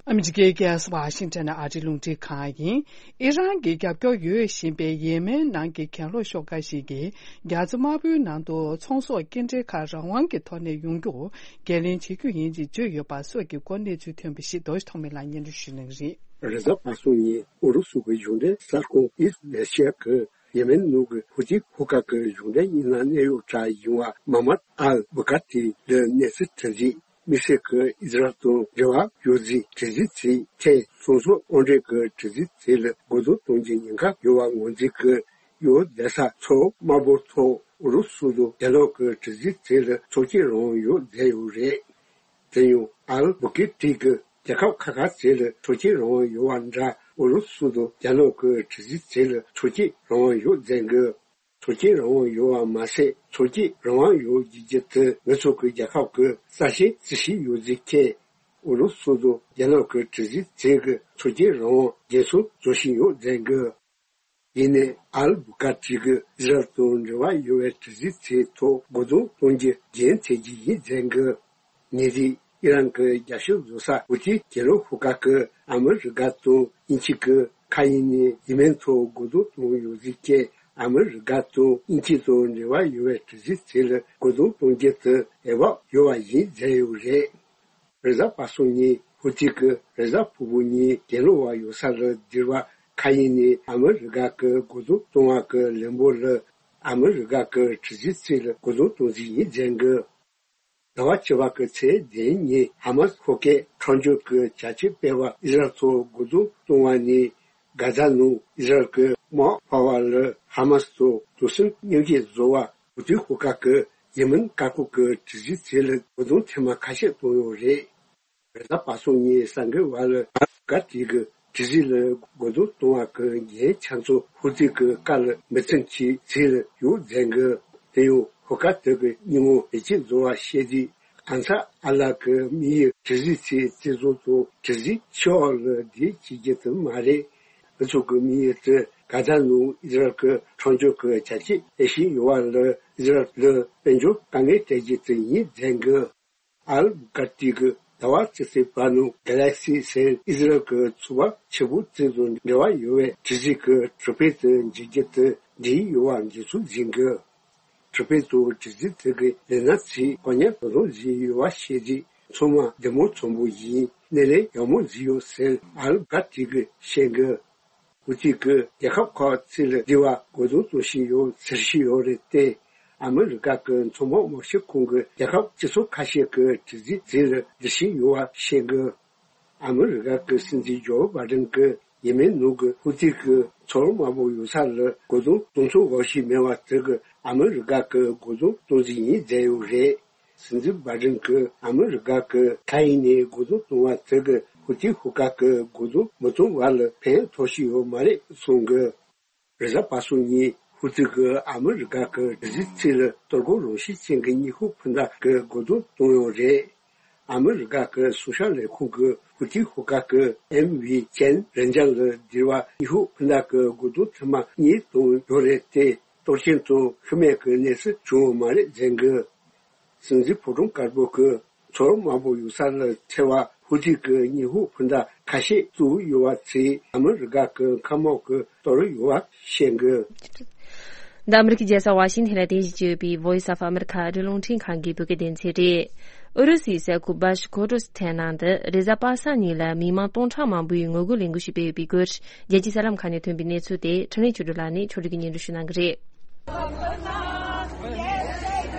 ཨ་མི་རི་ཀའི་རྒྱལ་ས་ཝ་ཤིང་ཊོན་ནས་ཨ་རིའི་རླུང་འཕྲིན་ཁང་ཡིན། ཨི་རན་གྱི་རྒྱབ་སྐྱོར་ཡོད་བཞིན་པའི་ཡེ་མེན་ནང་གི་གྱེན་ལོག་ཤོག་ཁག་ཞིག་གིས་རྒྱ་མཚོ་དམར་པོའི་ནང་དུ་ཚོང་ཟོག་སྐྱེལ་འདྲེན་ཁག་རང་དབང་གི་ཐོག་ནས་ཡོང་རྒྱུར་འགན་ལེན་བྱེད་རྒྱུ་ཡིན་ཅེས་བརྗོད་ཡོད་པ་སོགས་ཀྱི་སྐོར་གནས་ཚུལ་ཐོན་པ་ཞིག་རྡོ་རྗེ་ཐོགས་མེད་ལགས་སྙན་སྒྲོན་ཞུ་གནང་གི་རེད། རེས་གཟའ་པ་སངས་ཉིན་ཨུ་རུ་སུ་གི་གཞུང་འབྲེལ་གསར་ཁང་ཨིས་ལེ་ཤི་ཡ་གི་ཡེ་མེན་ནང་གི་ཧུ་ཐི་ཤོག་ཁག་གི་གཞུང་འབྲེལ་དངོས་གནས་གནད་ཡོད་གྲས་ཡིན་པ་མ་མད་ཨལ་བུ་ཀ་ཏི་ལ་གནས་ཚུལ་དྲི་རྩད། དམིགས་བསལ་གྱི་ཨི་ཟ་རེལ་དང་འབྲེལ་བ་ཡོད་རྫས་དྲི་རྩད་ཚོའི་ཐད་ཚོང་ཟོག་དབོར་འདྲེན་གྱི་དྲི་རྩད་ཚོ་ལ་རྒོལ་རྡུང་གཏོང་རྒྱུའི་ཉེན་ཁ་ཡོད་པ་ངོས་འཛིན་གྱིས་ཡོ་རྡ་ས་མཚོ་དམར་པོ་ཐོག་ཨུ་རུ་སུ་དང་རྒྱ་ནག་གི་དྲི་རྩད་ཚོ་ལ་ཆོག་མཆན་རང་དབང་ཡོད་མཛད་ཡོད་རེད། དེ་ཡང་ཨལ་བུ་ཀེ་ཏི་གིས་རྒྱལ་ཁབ་ཁག་ཁག་ཚོ་ལ་ཆོག་མཆན་རང་དབང་ཡོད་པ་འདྲ་ཨུ་རུ་སུ་དང་རྒྱ་ནག་གི་དྲི་རྩད་ཚོ་ལ་ཆོག་མཆན་རང་དབང་ཡོད་མཛད་གི། ཆོག་མཆན་རང་དབང་ཡོད་པ་མ་ཟད་ཆོག་མཆན་རང་དབང་ཡོད་རྒྱུ་དེ་ང་ཚོ་གི་རྒྱལ་ཁབ་ཀྱི་རྩ་ཆེན་རྩིས་ཞིབ་ཡོད་རྫས་ཁེ། ཨུ་རུ་སུ་དང་རྒྱ་ནག་གི་དྲི་རྩད་ཚོ་གི་ཆོག་མཆན་རང་དབང་འགན་སྲུང་བཟོ་བཞིན་ཡོད་མཛད་གི། ཡིན་ནའི་ཨལ་བུ་ཀ་ཏི་གིས་ཨི་ཟ་རེལ་དང་འབྲེལ་བ་ཡོད་པའི་དྲི་རྩད་ཚོའི་ཐོག་རྒོལ་རྡུང་གཏོང་རྒྱུའི་འགན་འཁྱེར་རྒྱུ་ཡིན་མཛད་གི། ཉེ་དུས་ཨི་རན་གྱི་རྒྱལ་ཤོག་བཟོ་ས་ཧུ་ཐི་གྱེན་ལོག་ཤོག་ཁག་གིས་ཨ་མི་རི་ཀ་དང་དབྱིན་ཇི་གི་མཁའ་དབྱིངས་ནས་ཡེ་མེན་ཐོག་རྒོལ་རྡུང་གཏོང་ཡོད་རྫས་ཀྱིས་ཨ་མི་རི་ཀ་དང་དབྱིན་ཇི་དང་འབྲེལ་བ་ཡོད་པའི་དྲི་རྩད་ཚོ་ལ་རྒོལ་རྡུང་གཏོང་རྒྱུ་དེ་འོས་བབ་ཡོད་པ་ཡིན་མཛད་ཡོད་རེད། རེས་གཟའ་པ་སངས་ཉིན་ཧུ་ཐི་གིས་རེས་གཟའ་ཕུར་བུ་ཉིན་གྱེན་ལོག་པ་ཡོད་ས་ལ་འདིར་བ་མཁའ་དབྱིངས་ནས་ཨ་མི་རི་ཀ་གི་རྒོལ་རྡུང་གཏོང་བ་གི་ལན་པོ་ལ་ཨ་མི་རི་ཀ་གི་དྲི་རྩད་ཚོ་ལ་རྒོལ་རྡུང་གཏོང་རྩིས་ཡིན་མཛད་གི། ཟླ་བ་བཅུ་པ་གི་ཚེས་བདུན་ཉིན་ཧ་མ་སི་ཤོག་ཁག་གྲོས་ཆོད་ཀྱི་བྱ་སྤྱོད་སྤེལ་བར་ཨི་ཟ་རེལ་ཐོག་རྒོལ་རྡུང་གཏོང་བ་ནས་གྷ་ཛ་ནང་ཨི་ཟ་རེལ་གྱི་དམག་འཕར་བ་ལ་ཧ་མ་སི་དང་དུག་སེལ་མཉམ་བཞག་བཟོ་བར་ཧུ་ཐི་ཤོག་ཁག་གིས་ཡེ་མེན་བཀག་འགོག་གི་དྲི་རྩད་ཚོ་ལ་རྒོལ་རྡུང་ཐེངས་མ་ཁ་ཤས་བཏང་ཡོད་རེད། རེས་གཟའ་པ་སངས་ཉིན་གསར་འགོད་པ་ལ་ཨ་ཧྥི་ག་ཏི་གི་དྲི་རྩད་ལ་རྒོལ་རྡུང་གཏོང་བ་གི་འགན་ཆ་ཚང་ཧུ་ཐི་གི་བཀའ་ལ་མི་བརྩི་མཁན་ཚོ་ལ་ཡོད་མཛད་གི། དེ་ཡང་ཧོ་ཀ་ཏི་གི་སྙི་ངོ་བེད་སྤྱོད་བཟོ་བ་བཤད་དུས་ཨན་སར་ཨལ་ལ་གི་དམིགས་ཡུལ་དྲི་རྩད་ཚོའི་རྩིས་བཟོ་དང་དྲི་རྩད་ཕྱི་འོག་ལ་བསྡད་བྱེད་རྒྱུ་དེ་མ་རེད། ང་ཚོ་གི་དམིགས་ཡུལ་དེ་གྷ་ཛ་ནང་ཨི་ཟ་རེལ་གི་གྲོས་ཆོད་ཀྱི་བྱ་སྤྱོད་སྤེལ་བཞིན་ཡོད་པ་ལ་ཨི་ཟ་རེལ་ལ་དཔལ་འབྱོར་དཀའ་ངལ་སྤྲད་རྒྱུ་དེ་ཡིན་མཛད་གི། ཨལ་བྷུ་ཀར་ཏི་གིས་ཟླ་བ་གཅིག་ཙམ་བར་ནང་གྷ་ལེག་སི་ཟེར་ཨི་ཟི་རལ་གྱི་ཚོང་པ་ཆེན་པོ་ཚོ་དང་འབྲེལ་བ་ཡོད་པའི་དྲི་རྩད་ཀྱི་གྲུ་དཔོན་དེ་མཇལ་རྒྱུ་དེ་འགྲིག་ཡོད་པ་འགྲེལ་བརྗོད་མཛད་འདུག་གྲུ་དཔོན་ཚོས་དྲི་རྩད་དེ་གི་ལས་སྣ་ཚོས་གོ་རྙོག་དོ་དམ་བཟོས་ཡོད་པ་བཤད་རྗེས་ཚང་མ་བདེ་མོ་ཚོང་པོ་ཡིན། སྣེ་ལེན་ཡག་མོ་བཟོས་ཡོད་ཟེར་ཨལ་བྷུ་ཀར་ཏི་གིས་བཤད་འདུག་ཧུ་ཐི་གིས་རྒྱལ་ཁབ་ཁག་ཚོ་ལ་འདི་བར་རྒོལ་རྡུང་གཏོང་བཞིན་ཡོད་ཟེར་བཞིན་ཡོད་རེད་དེ། ཨ་མི་རི་ཀ་གི་ཚོང་པ་མང་ཤོས་ཁོང་གིས་རྒྱལ་ཁབ་སྤྱི་ཚོགས་ཁ་ཤས་ཀྱི་དྲི་རྩད་དེ་ལ་འགྲེལ་བཤད་ཡོད་པ་བཤད་འདུག་ཨ་མི་རི་ཀ་གི་སྲིད་འཛིན་ཇོ་བྷའི་ཌེན་གྱིས་ཡེ་མེན་ནང་གི་ཧུ་ཐི་གི་མཚོ་དམར་པོ་ཡོད་ས་ལ་རྒོལ་རྡུང་གཏོང་ཚུགས་འོས་ཤིང་མེད་པ་དེ་གིས་ཨ་མི་རི་ཀ་གི་རྒོལ་རྡུང་གཏོང་རྩིས་ཡིན་མཛད་ཡོད་རེད། སྲིད་འཛིན་བྷའི་ཌེན་གྱིས་ཨ་མི་རི་ཀ་གི་མཁའ་དབྱིངས་ནས་རྒོལ་རྡུང་གཏོང་བ་དེ་གིས་ཧུ་ཐི་ཤོག་ཁག་གི་རྒོལ་རྡུང་མི་གཏོང་བ་ལ་ཕན་ཐོགས་ཀྱི་ཡོད་མ་རེད་གསུངས་འདུག་རེས་གཟའ་པ་སངས་ཉིན་ཧུ་ཐི་གིས་ཨ་མི་རི་ཀ་གི་དྲི་རྩད་ཚོ་ལ་གཏོར་རྒོལ་རང་བཞིན་ཅན་གྱི་ནུས་ཤུགས་འཕུར་མདའ་གི་རྒོལ་རྡུང་གཏོང་ཡོད་རེད། ཨ་མི་རི་ཀ་གི་སྲུང་སྐྱོབ་ལས་ཁུངས་ཀྱིས་ཧུ་ཐི་ཤོག་ཁག་གི་ཨེམ་ཝི་ཅན་རེན་ཇར་ལ་འདིར་བ་ནུས་ཤུགས་འཕུར་མདའ་གི་རྒོལ་རྡུང་ཐེངས་མ་གཉིས་བཏང་ཡོད་རེད་དེ། གཏོར་སྐྱོན་དང་ཤི་རྨས་ཀྱི་གནས་ཚུལ་བྱུང་ཡོད་མ་རེད་ཟེར་འདུག་སྲིད་འཛིན་ཕོ་བྲང་དཀར་པོ་གིས་མཚོ་དམར་པོ་ཡོད་ས་ལ་ཐེ་བ་ཧུ་ཐི་གི་ནུས་ཤུགས་འཕུར་མདའ་ ཁ་ཤས་བཙུགས་ཡོད་པ་ཚོས་ཨ་མི་རི་ཀ་གི་མཁའ་དམག་གི་གཏོར་ཡོད་པ་བཤད་གི། འདི་ཨ་མི་རི་ཀའི་རྒྱལ་ས་ཝ་ཤིང་ཐན་ལ་རྟེན་གཞི་བྱས་ཡོད་པའི་Voice of America ཨ་རིའི་རླུང་འཕྲིན་ཁང་གི་བོད་སྐད་སྡེ་ཚན་རེད། ཨུ་རུ་སུའི་ས་ཁུལ་བྷ་ཤ་ཀོ་ཏུ་སི་ཐན་ནང་དུ་རེས་གཟའ་པ་སངས་ཉིན་ལ་མི་མང་སྟོང་ཕྲག་མང་པོས་ངོ་རྒོལ་ལས་འགུལ་ཞིག་སྤེལ་ཡོད་པའི་སྐོར། རྒྱལ་སྤྱིའི་གསར་ལམ་ཁག་ནས་ཐོན་པའི་གནས་ཚུལ་དེ་འཕྲིན་ལས་ཆོས་སྒྲོན་ལགས་ནས་ཕྱོགས་སྒྲིག་གིས་སྙན་སྒྲོན་ཞུ་གནང་གི་རེད།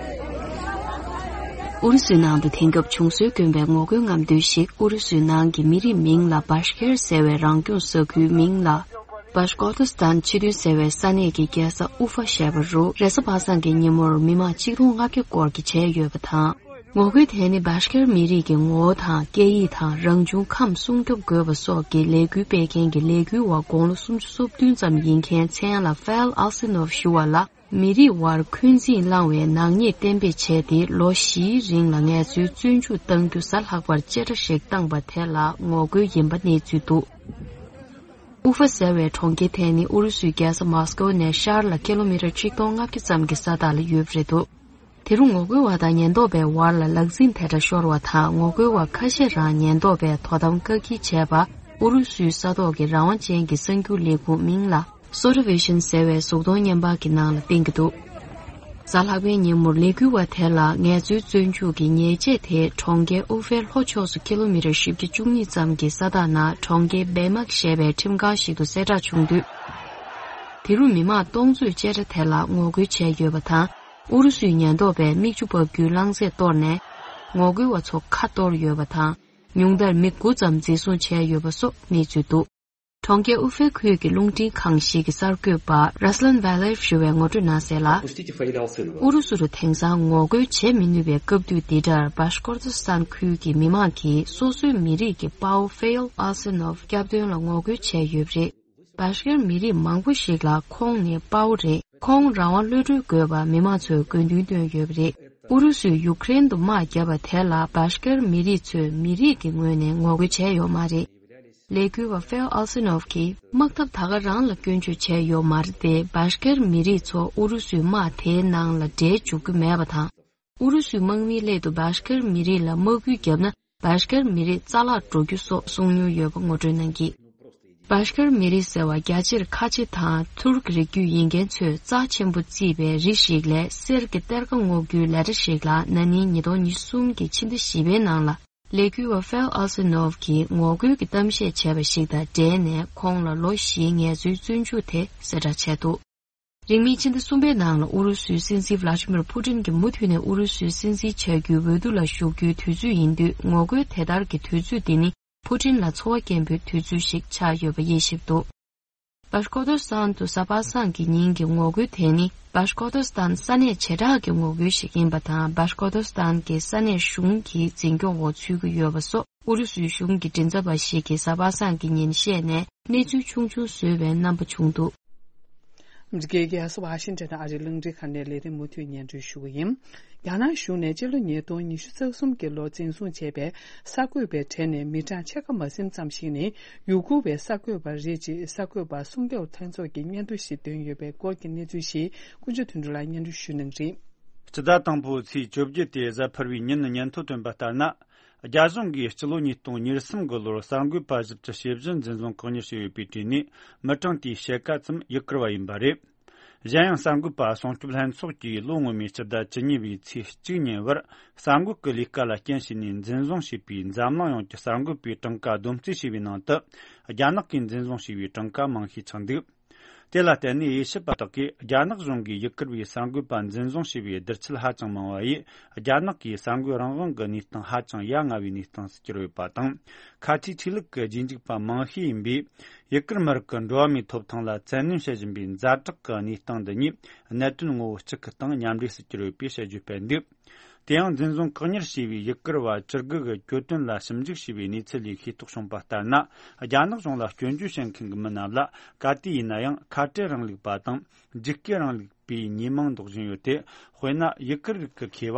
ཨུ་རུ་སུའི་ནང་དུ་དེང་སྐབས་བྱུང་སྲོལ་དཀོན་པའི་ངོ་རྒོལ་རྔམ་སྟོན་ཞིག་ཨུ་རུ་སུའི་ནང་གི་མི་རིགས་མིང་ལ་བྷ་ཤ་ཀེར་ཟེར་བའི་རང་སྐྱོང་ས་ཁུལ་མིང་ལ་བྷ་ཤ་ཀོ་ཏུ་སི་ཐན་ཕྱི་དོན་ཟེར་བའི་ས་གནས་ཀྱི་རྒྱལ་ས་ཨུ་ཧྥ་ཞེས་པ་རུ་རེས་གཟའ་པ་སངས་ཀྱི་ཉིན་མོར་མི་མང་ཆིག་སྟོང་ལྔ་བརྒྱ་སྐོར་གྱིས་བྱས་ཡོད་པ་དང་། ངོ་རྒོལ་དེ་ནི་བྷ་ཤ་ཀེར་མི་རིགས་ཀྱི་ངོ་བོ་དང་སྐད་ཡིག་དང་རང་བྱུང་ཁམས་སྲུང་སྐྱོབ་དགོས་པ་སོགས་ཀྱི་ལས་འགུལ་སྤེལ་མཁན་གྱི་ལས་འགུལ་བ་དགུང་ལོ་སུམ་ཅུ་སོ་བདུན་ཙམ་ཡིན་མཁན་མཚན་ལ་ཧྥེལ་ཨལ་སི་ནོབ་ཞུ་བ་ལ། མི་རིགས་དབར་འཁོན་འཛིན་བསླངས་བའི་ནག་ཉེས་གཏན་འབེབས་བྱས་ཏེ་ལོ་བཞིའི་རིང་ལ་ངལ་རྩོལ་བཙོན་འཇུག་གཏང་རྒྱུ་གཟའ་ལྷག་པར་བཅད་ཁྲ་ཞིག་བཏང་པ་དེ་ལ་ངོ་རྒོལ་ཡིན་པ་གནས་ཚུལ་འདུག་ཨུ་ཧྥ་ཟེར་བའི་གྲོང་ཁྱེར་དེ་ནི་ཨུ་རུ་སུའི་རྒྱལ་ས་མཱ་སི་ཀོ་ནས་ཤར་ལ་ཀི་ལོ་མི་ཊར་ཆིག་སྟོང་ལྔ་བརྒྱ་ཙམ་གྱི་ས་ཐག་ལ་ཡོད་པ་རེད་འདུག་དེ་རུ་ངོ་རྒོལ་བ་དང་ཉེན་རྟོག་པའི་བར་ལ་ལག་འཛིང་དེ་འདྲ་ཤོར་བ་དང་ངོ་རྒོལ་བ་ཁ་ཤས་རང་ཉེན་རྟོག་པས་དོ་དམ་བཀག་སྐྱིལ་བྱས་པ་ཨུ་རུ་སུའི་ས་ཐོག་གི་རང་དབང་ཅན་གྱི་གསར་འགྱུར་ལས་ཁུངས་མིང་ལ། སོ་ཊི་ཝི་ཤན་ཟེར་བའི་གཟུགས་མཐོང་བརྙན་པར་གྱི་ནང་ལ་བསྟན་གྱི་འདུག་གཟའ་ལྷག་པའི་ཉིན་མོར་ལས་འགུལ་བ་དེ་ལ་ངལ་རྩོལ་བཙོན་འཇུག་གི་ཉེས་ཆད་དེ་གྲོང་ཁྱེར་ཨུ་ཧྥེ་ལྷོ་ཕྱོགས་སུ་ཀི་ལོ་མི་ཊར་བཞི་བཅུ་ཉེར་གཉིས་ཙམ་གྱི་ས་ཐག་ནང་གྲོང་ཁྱེར་བེ་མག་ཞེས་པའི་ཁྲིམས་ཁང་ཞིག་ཏུ་གསལ་བསྒྲགས་བྱུང་དུས། དེ་རུ་མི་མང་སྟོང་ཚོས་བཅད་ཁྲ་དེ་ལ་ངོ་རྒོལ་བྱས་ཡོད་པ་དང་ཨུ་རུ་སུའི་ཉེན་རྟོག་པས་མིག་ཆུ་འབབ་རྒྱུའི་རླངས་རྫས་གཏོར་ནས་ངོ་རྒོལ་བ་ཚོ་ཁ་གཏོར་ཡོད་པ་དང་ཉུང་མཐར་མི་དགུ་ཙམ་འཛིན་བཟུང་བྱས་ཡོད་པ་སོགས་གནས་ཚུལ་འདུག་གྲོང་ཁྱེར་ཨུ་ཧྥེ་ཁུལ་གྱི་རླུང་འཕྲིན་ཁང་ཞིག་གི་གསར་འགོད་པ་ར་སི་ལན་ཝ་ལེབ་ཞུ་བས་ངོ་སྤྲོད་གནང་གསལ་ལ། ཨུ་རུ་སུ་རུ་དེང་སང་ངོ་རྒོལ་བྱེད་མི་ནུས་པའི་སྐབས་དུས་འདི་འདྲར་བྷ་ཤ་ཀོར་ཏུ་སི་ཐན་ཁུལ་གྱི་མི་མང་གིས་སོ་སོའི་མི་རིགས་ཀྱི་དཔའ་བོ་ཧྥེལ་ཨལ་སི་ནོབ་སྐྱབས་དོན་ལ་ངོ་རྒོལ་བྱས་ཡོད་པ་རེད། བྷ་ཤ་ཀེར་མི་རིགས་མང་པོ་ཞིག་ལ་ཁོང་ནི་དཔའ་བོ་རེད། ཁོང་རང་དབང་གློད་གྲོལ་དགོས་པར་མི་མང་ཚོས་དགོས་འདུན་བཏོན་ཡོད་པ་རེད། ཨུ་རུ་སུས་ཡུ་ཀེ་རེན་དུ་དམག་བརྒྱབ་པ་དེ་ལ་བྷ་ཤ་ཀེར་མི་རིགས་ཚོས་མི་རིགས་ཀྱི་ངོས་ནས་ངོ་རྒོལ་བྱས་ཡོད་མ་རེད། ལས་འགུལ་བ་ཧྥེལ་ཨལ་སི་ནོབ་ཀྱིས་དམག་འཐབ་ད་ག་རང་ལ་སྐྱོན་བརྗོད་བྱས་ཡོད་མ་རེད་དེ་བྷ་ཤ་ཀེར་མི་རིགས་ཚོ་ཨུ་རུ་སུའི་དམག་དེའི་ནང་ལ་འདྲེས་འཇུག་རྒྱུ་མེད་པ་དང་། ཨུ་རུ་སུའི་དམག་མིའི་སླད་དུ་བྷ་ཤ་ཀེར་མི་རིགས་ལ་དམག་སྐུལ་བརྒྱབ་ན་བྷ་ཤ་ཀེར་མི་རིགས་རྩ་བརླག་འགྲོ་རྒྱུ་སོགས་གསུང་མྱོང་ཡོད་པ་ངོ་སྤྲོད་གནང་གིས། བྷ་ཤ་ཀེར་མི་རིགས་ཟེར་བ་རྒྱ་ཆེར་ཁ་ཆེ་དང་ཐུར་ཀི་རིགས་རྒྱུད་ཡིན་མཁན་ཚོས་རྩ་ཆེན་པོ་བརྩིས་པའི་རི་ཞིག་ལས་གསེར་གྱི་གཏེར་ཁ་སྔོག་རྒྱུའི་ལས་གྲྭ་ཞིག་ལ་ན་ནིང་ཉིས་སྟོང་ཉི་ཤུ་གསུམ་གྱི་ཕྱི་ཟླ་བཞི་པའི་ནང་ལ་ལས་འགུལ་བ་ཧྥེལ་ཨལ་སི་ནོབ་ཀྱིས་ངོ་རྒོལ་གྱི་གཏམ་བཤད་བྱས་པ་ཞིག་དང་འབྲེལ་ནས་ཁོང་ལ་ལོ་བཞིའི་ངལ་རྩོལ་བཙོན་འཇུག་དེ་གསལ་བསྒྲགས་བྱས་འདུག་རིང་མིན་ཕྱི་ཟླ་གསུམ་པའི་ནང་ལ་ཨུ་རུ་སུའི་སྲིད་འཛིན་ཝ་ལ་ཏི་མིར་ཕུ་ཏིན་གྱིས་མུ་མཐུད་ནས་ཨུ་རུ་སུའི་སྲིད་འཛིན་བྱ་རྒྱུའི་འོས་བསྡུ་ལ་ཞུགས་རྒྱུའི་དུས་ཚོད་ཡིན་དུས་ངོ་རྒོལ་དེ་ལྟར་གྱི་དུས་ཚོད་འདི་ནི་ཕུ་ཏིན་ལ་ཚོར་བ་སྐྱེན་པོའི་དུས་ཚོད་ཞིག་ཆགས་ཡོད་པ་དབྱེ་ཞིབ་འདུག་བྷ་ཤ་ཀོར་ཏུ་སི་ཐན་དུ་གཟའ་པ་སངས་ཀྱི་ཉིན་གྱི་ངོ་རྒོལ་དེ་ནི་བྷ་ཤ་ཀོར་ཏུ་སི་ཐན་ས་གནས་བྱེ་བྲག་གི་ངོ་རྒོལ་ཞིག་ཡིན་པ་དང་བྷ་ཤ་ཀོར་ཏུ་སི་ཐན་གྱི་ས་གནས་གཞུང་གི་འཛིན་སྐྱོང་འོག་ཚུད་ཀྱི་ཡོད་པ་སོགས་ཨུ་རུ་སུའི་གཞུང་གི་མགྲིན་ཚབ་པ་ཞིག་གིས་གཟའ་པ་སངས་ཀྱི་ཉིན་བཤད་ནས་གནས་ཚུལ་ཆུང་ཆུང་བཟོས་པའི་རྣམ་པ་བྱུང་འདུག་ཨ་མི་རི་ཀའི་རྒྱལ་ས་ཝ་ཤིང་ཊོན་ཨ་རིའི་རླུང་འཕྲིན་ཁང་ནས་ལས་རིམ་མུ་མཐུད་སྙན་སྒྲོན་ཞུ་གི་ཡིན། རྒྱ་ནག་གཞུང་ནས་སྤྱི་ལོ་ཉིས་སྟོང་ཉི་ཤུ་རྩ་གསུམ་གྱི་ལོར་འཛིན་བཟུང་བྱས་པའི་གསར་འགོད་པའི་གྲས་ནས་མི་གྲངས་ཕྱེད་ཀ་མ་ཟིན་ཙམ་ཞིག་ནི་ཡུ་གུར་བའི་གསར་འགོད་པ་རེད་ཅེས་གསར་འགོད་པ་སྲུང་སྐྱོབ་ལྷན་ཚོགས་ཀྱིས་སྙན་ཐོ་ཞིག་བཏོན་ཡོད་པའི་སྐོར་གྱི་གནས་ཚུལ་ཞིག་ཀུན་སྤྱོད་དོན་གྲུབ་ལགས་སྙན་སྒྲོན་ཞུ་གནང་གི་རེད། སྤྱི་ཟླ་དང་པོའི་ཚེས་བཅོ་བརྒྱད་དེ་གཟའ་ཕུར་བུའི་ཉིན་སྙན་ཐོ་བཏོན་པ་ལྟར་ན། རྒྱ་གཞུང་གིས་སྤྱི་ལོ་ཉིས་སྟོང་ཉེར་གསུམ་གི་ལོར་གསར་འགོད་པ་བཞི་བཅུ་ཞེ་བཞི་འཛིན་བཟུང་བཀག་ཉར་བྱས་ཡོད་པའི་གྲས་ནས་མི་གྲངས་དེའི་ཕྱེད་ཀ་ཙམ་ཡུ་གུར་བ་ཡིན་པ་རེད། གཞན་ཡང་གསར་འགོད་པ་སྲུང་སྐྱོབ་ལྷན་ཚོགས་ཀྱིས་ལོ་སྔོན་མའི་སྤྱི་ཟླ་བཅུ་གཉིས་པའི་ཚེས་གཅིག་ཉིན་བར་གསར་འགོད་ཀྱི་ལས་ཀ་ལ་རྐྱེན་བྱས་ནས་འཛིན་བཟུང་བྱས་པའི་འཛམ་གླིང་ཡོངས་ཀྱི་གསར་འགོད་པའི་གྲངས་ཀ་བསྡོམས་རྩིས་བྱས་པའི་ནང་དུ་རྒྱ་ནག་གིས་འཛིན་བཟུང་བྱས་པའི་གྲངས་ཀ་མང་ཤས་ཆགས་འདུག་དེ་ལ་བརྟེན་ནས་དབྱེ་ཞིབ་པ་དག་གིས་རྒྱ་ནག་གཞུང་གིས་ཡུ་གུར་བའི་གསར་འགོད་པ་འཛིན་བཟུང་བྱས་པའི་བསྡུར་ཚད་ཧ་ཅང་མང་བ་ཡིས་རྒྱ་ནག་གིས་གསར་འགོད་རང་དབང་གི་གནས་སྟངས་ཧ་ཅང་ཡ་ང་བའི་གནས་སྟངས་སུ་གྱུར་ཡོད་པ་དང་། ཁ་ཆེའི་ཆོས་ལུགས་ཀྱི་རྗེས་འཇུག་པ་མང་ཤས་ཡིན་པས་ཡུ་གུར་མི་རིགས་ཀྱི་འགྲོ་བ་མིའི་ཐོབ་ཐང་ལ་བཙན་གནོན་བྱེད་བཞིན་པའི་ཛ་དྲག་གི་གནས་སྟངས་འདི་གཉིས་གནད་དོན་ངོ་བོ་གཅིག་གི་སྟེང་མཉམ་འདྲེས་སུ་གྱུར་ཡོད་པའི་དཔྱད་བརྗོད་སྤེལ་འདུག་དེ་ཡང་འཛིན་བཟུང་བཀག་ཉར་བྱས་པའི་ཡུ་གུར་བ་བཅུ་དགུ་གི་གྱོད་དོན་ལ་ཞིབ་འཇུག་བྱས་པའི་གནས་ཚུལ་ལས་ཤེས་རྟོགས་བྱུང་པ་ལྟར་ན། རྒྱ་ནག་གཞུང་ལ་སྐྱོན་བརྗོད་བྱེད་མཁན་གྱི་མི་རྣམས་ལ་ག་དུས་ཡིན་ན་ཡང་ཁ་བྲལ་རིང་ལུགས་པ་དང་འཇིགས་སྐུལ་རིང་ལུགས་པའི་ཉེས་མིང་འདོགས་བཞིན་ཡོད་དེ། དཔེར་ན་ཡུ་གུར་རིགས་ཀྱི་མཁས་པ་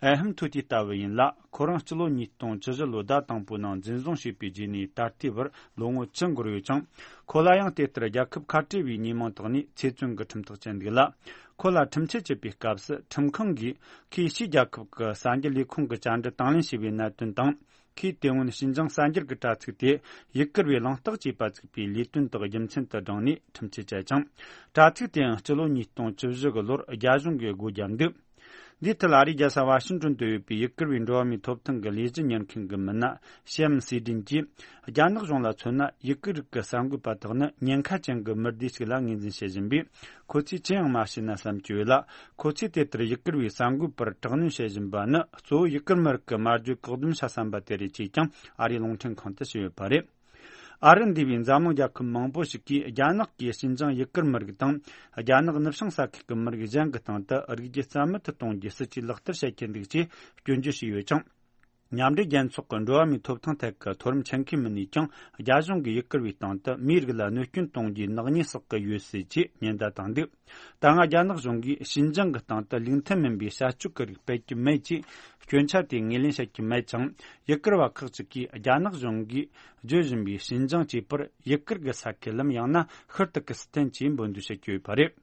ཨེ་ཧམ་ཐུ་ཏི་ལྟ་བུ་ཡིན་ལ། ཁོ་རང་སྤྱི་ལོ་ཉིས་སྟོང་བཅུ་བཞི་ལོའི་ཟླ་དང་པོའི་ནང་འཛིན་བཟུང་བྱས་པའི་རྗེས་ནས་ད་ལྟའི་བར་ལོ་ངོ་བཅུ་འགོར་ཡོད་ཅིང་། ཁོ་ལ་ཡང་དེ་ལྟར་རྒྱལ་ཁབ་ཁ་བྲལ་བའི་ཉེས་མིང་བཏགས་ནས་ཚེ་བཙོན་གྱི་ཁྲིམས་ཐག་བཅད་འདུག་ལ། ཁོ་ལ་ཁྲིམས་ཆད་བཅད་པའི་སྐབས་སུ་ཁྲིམས་ཁང་གིས་ཁོས་ཕྱིའི་རྒྱལ་ཁབ་ཀྱི་གསར་འགྱུར་ལས་ཁུངས་ཀྱི་བཅར་འདྲི་དང་ལེན་བྱས་པའི་གནད་དོན་དང་། ཁོས་དེ་སྔོན་ཞིན་ཅང་གསར་འགྱུར་གྱི་དྲ་ཚིགས་དེ་ཡུ་གུར་བའི་གླེང་སྟེགས་ཅེས་པ་བཙུགས་པའི་ལས་དོན་དག་རྒྱུ་མཚན་དུ་བགྲངས་ནས་ཁྲིམས་ཆད་བཅད་ཅིང་། དྲ་ཚིགས་དེའང་སྤྱི་ལོ་ཉིས་སྟོང་བཅུ་བཞི་གི་ལོར་རྒྱ་གཞུང་གིས་སྒོ་བརྒྱབ་འདུག་འདིའི་ཐད་ཨ་རིའི་རྒྱལ་ས་ཝ་ཤིང་ཏོན་དུ་ཡོད་པའི་ཡུ་གུར་བའི་འགྲོ་བ་མིའི་ཐོབ་ཐང་གི་ལས་གཞི་གཉེར་མཁན་གྱི་མི་སྣ་ཤེམ་སི་ཏྲིན་གྱིས། རྒྱ་ནག་གཞུང་ལ་མཚོན་ན་ཡུ་གུར་རིགས་ཀྱི་གསར་འགོད་པ་དག་ནི་ཉེན་ཁ་ཅན་གྱི་མི་སྡེ་ཞིག་ལ་ངོས་འཛིན་བྱེད་བཞིན་པས། ཁོ་ཚོས་ཅི་ཡང་མ་བྱས་ན་བསམ་གྱི་ཡོད་ལ། ཁོ་ཚོས་དེ་ལྟར་ཡུ་གུར་བའི་གསར་འགོད་པར་དྲག་གནོན་བྱེད་བཞིན་པ་ནི་གཙོ་བོ་ཡུ་གུར་མི་རིགས་ཀྱི་སྨྲ་བརྗོད་བཀག་སྡོམ་བྱ་བསམ་པ་དེ་རེད་ཅེས་ཀྱང་ཨ་རིའི་རླུང་འཕྲིན་ཁང་དུ་བཤད་ཡོད་པ་རེད། ཨ་རི་འདས་པའི་འཛམ་གླིང་རྒྱལ་ཁབ་མང་པོ་ཞིག་གིས་རྒྱ་ནག་གིས་ཞིན་ཅང་ཡུ་གུར་མི་རིགས་དང་རྒྱ་ནག་ནུབ་བྱང་ས་ཁུལ་གྱི་མི་རིགས་གཞན་གྱི་སྟེང་དུ་རིགས་རྒྱུད་རྩ་མེད་དུ་གཏོང་རྒྱུའི་སྲིད་ཇུས་ལག་བསྟར་བྱེད་ཀྱི་འདུག་ཅེས་སྐྱོན་བརྗོད་བྱས་ཡོད་ཅིང་། མཉམ་འབྲེལ་རྒྱལ་ཚོགས་ཀྱི་འགྲོ་བ་མིའི་ཐོབ་ཐང་ཐད་ཀྱི་མཐོ་རིམ་ཆེད་མཁས་མི་སྣས་ཀྱང་རྒྱ་གཞུང་གིས་ཡུ་གུར་བའི་སྟེང་དུ་མིའི་རིགས་ལ་གནོད་སྐྱོན་གཏོང་རྒྱུའི་ནག་ཉེས་བསགས་ཀྱི་ཡོད་སྲིད་ཅེས་ཉེན་བརྡ་བཏང་འདུག་ད་སྔ་རྒྱ་ནག་གཞུང་གིས་ཞིན་ཅང་གི་སྟེང་དུ་ལུགས་མཐུན་མིན་པའི་བྱ་སྤྱོད་ཀྱི་རིགས་སྤེལ་གྱི་མེད་ཅེས་སྐྱོན་ཆ་དེ་ངོས་ལེན་བྱེད་ཀྱི་མེད་ཅིང་། ཡུ་གུར་བ་ཁག་ཅིག་གིས་རྒྱ་ནག་གཞུང་གིས་བརྗོད་བཞིན་པའི་ཞིན་ཅང་ཅེས་པར་ཡུ་གུར་གྱི་ས་ཁུལ་ལམ་ཡང་ན་ཤུལ་དུ་ཀི་སི་ཐན་ཅེས་འབོད་འདོད་བྱེད་ཀྱི་ཡོད་པ་རེད།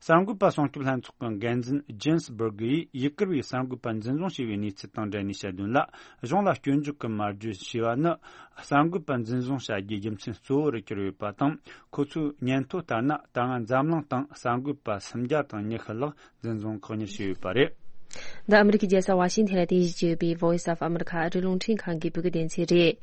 གསར་འགོད་པ་སྲུང་སྐྱོབ་ལྷན་ཚོགས་ཀྱི་འགན་འཛིན་ཇེན་སི་སྦུར་གི་ཡིས་ཡུ་གུར་བའི་གསར་འགོད་པ་འཛིན་བཟུང་བྱས་པའི་གནས་ཚུལ་དང་འབྲེལ་ནས་བཤད་དོན་ལ། གཞུང་ལ་སྐྱོན་བརྗོད་ཀྱི་སྨྲ་བརྗོད་བྱས་པ་ནི། གསར་འགོད་པ་འཛིན་བཟུང་བྱ་རྒྱུའི་རྒྱུ་མཚན་གཙོ་བོ་རུ་གྱུར་ཡོད་པ་དང་། ཁོ་ཚོའི་སྙན་ཐོ་ལྟར་ན། ད་སྔ་འཛམ་གླིང་སྟེང་གསར་འགོད་པ་སུམ་བརྒྱ་དང་ཉི་ཤུ་ལྷག་འཛིན་བཟུང་བཀག་ཉར་བྱས་ཡོད་པ་རེད། འདི་ཨ་མི་རི་ཀའི་རྒྱལ་ས་ཝ་ཤིང་ཐན་ལ་རྟེན་གཞི་བྱས་ཡོད་པའི་Voice of America ཨ་རིའི་རླུང་འཕྲིན་ཁང་གི་བོད་སྐད་སྡེ་ཚན་རེད།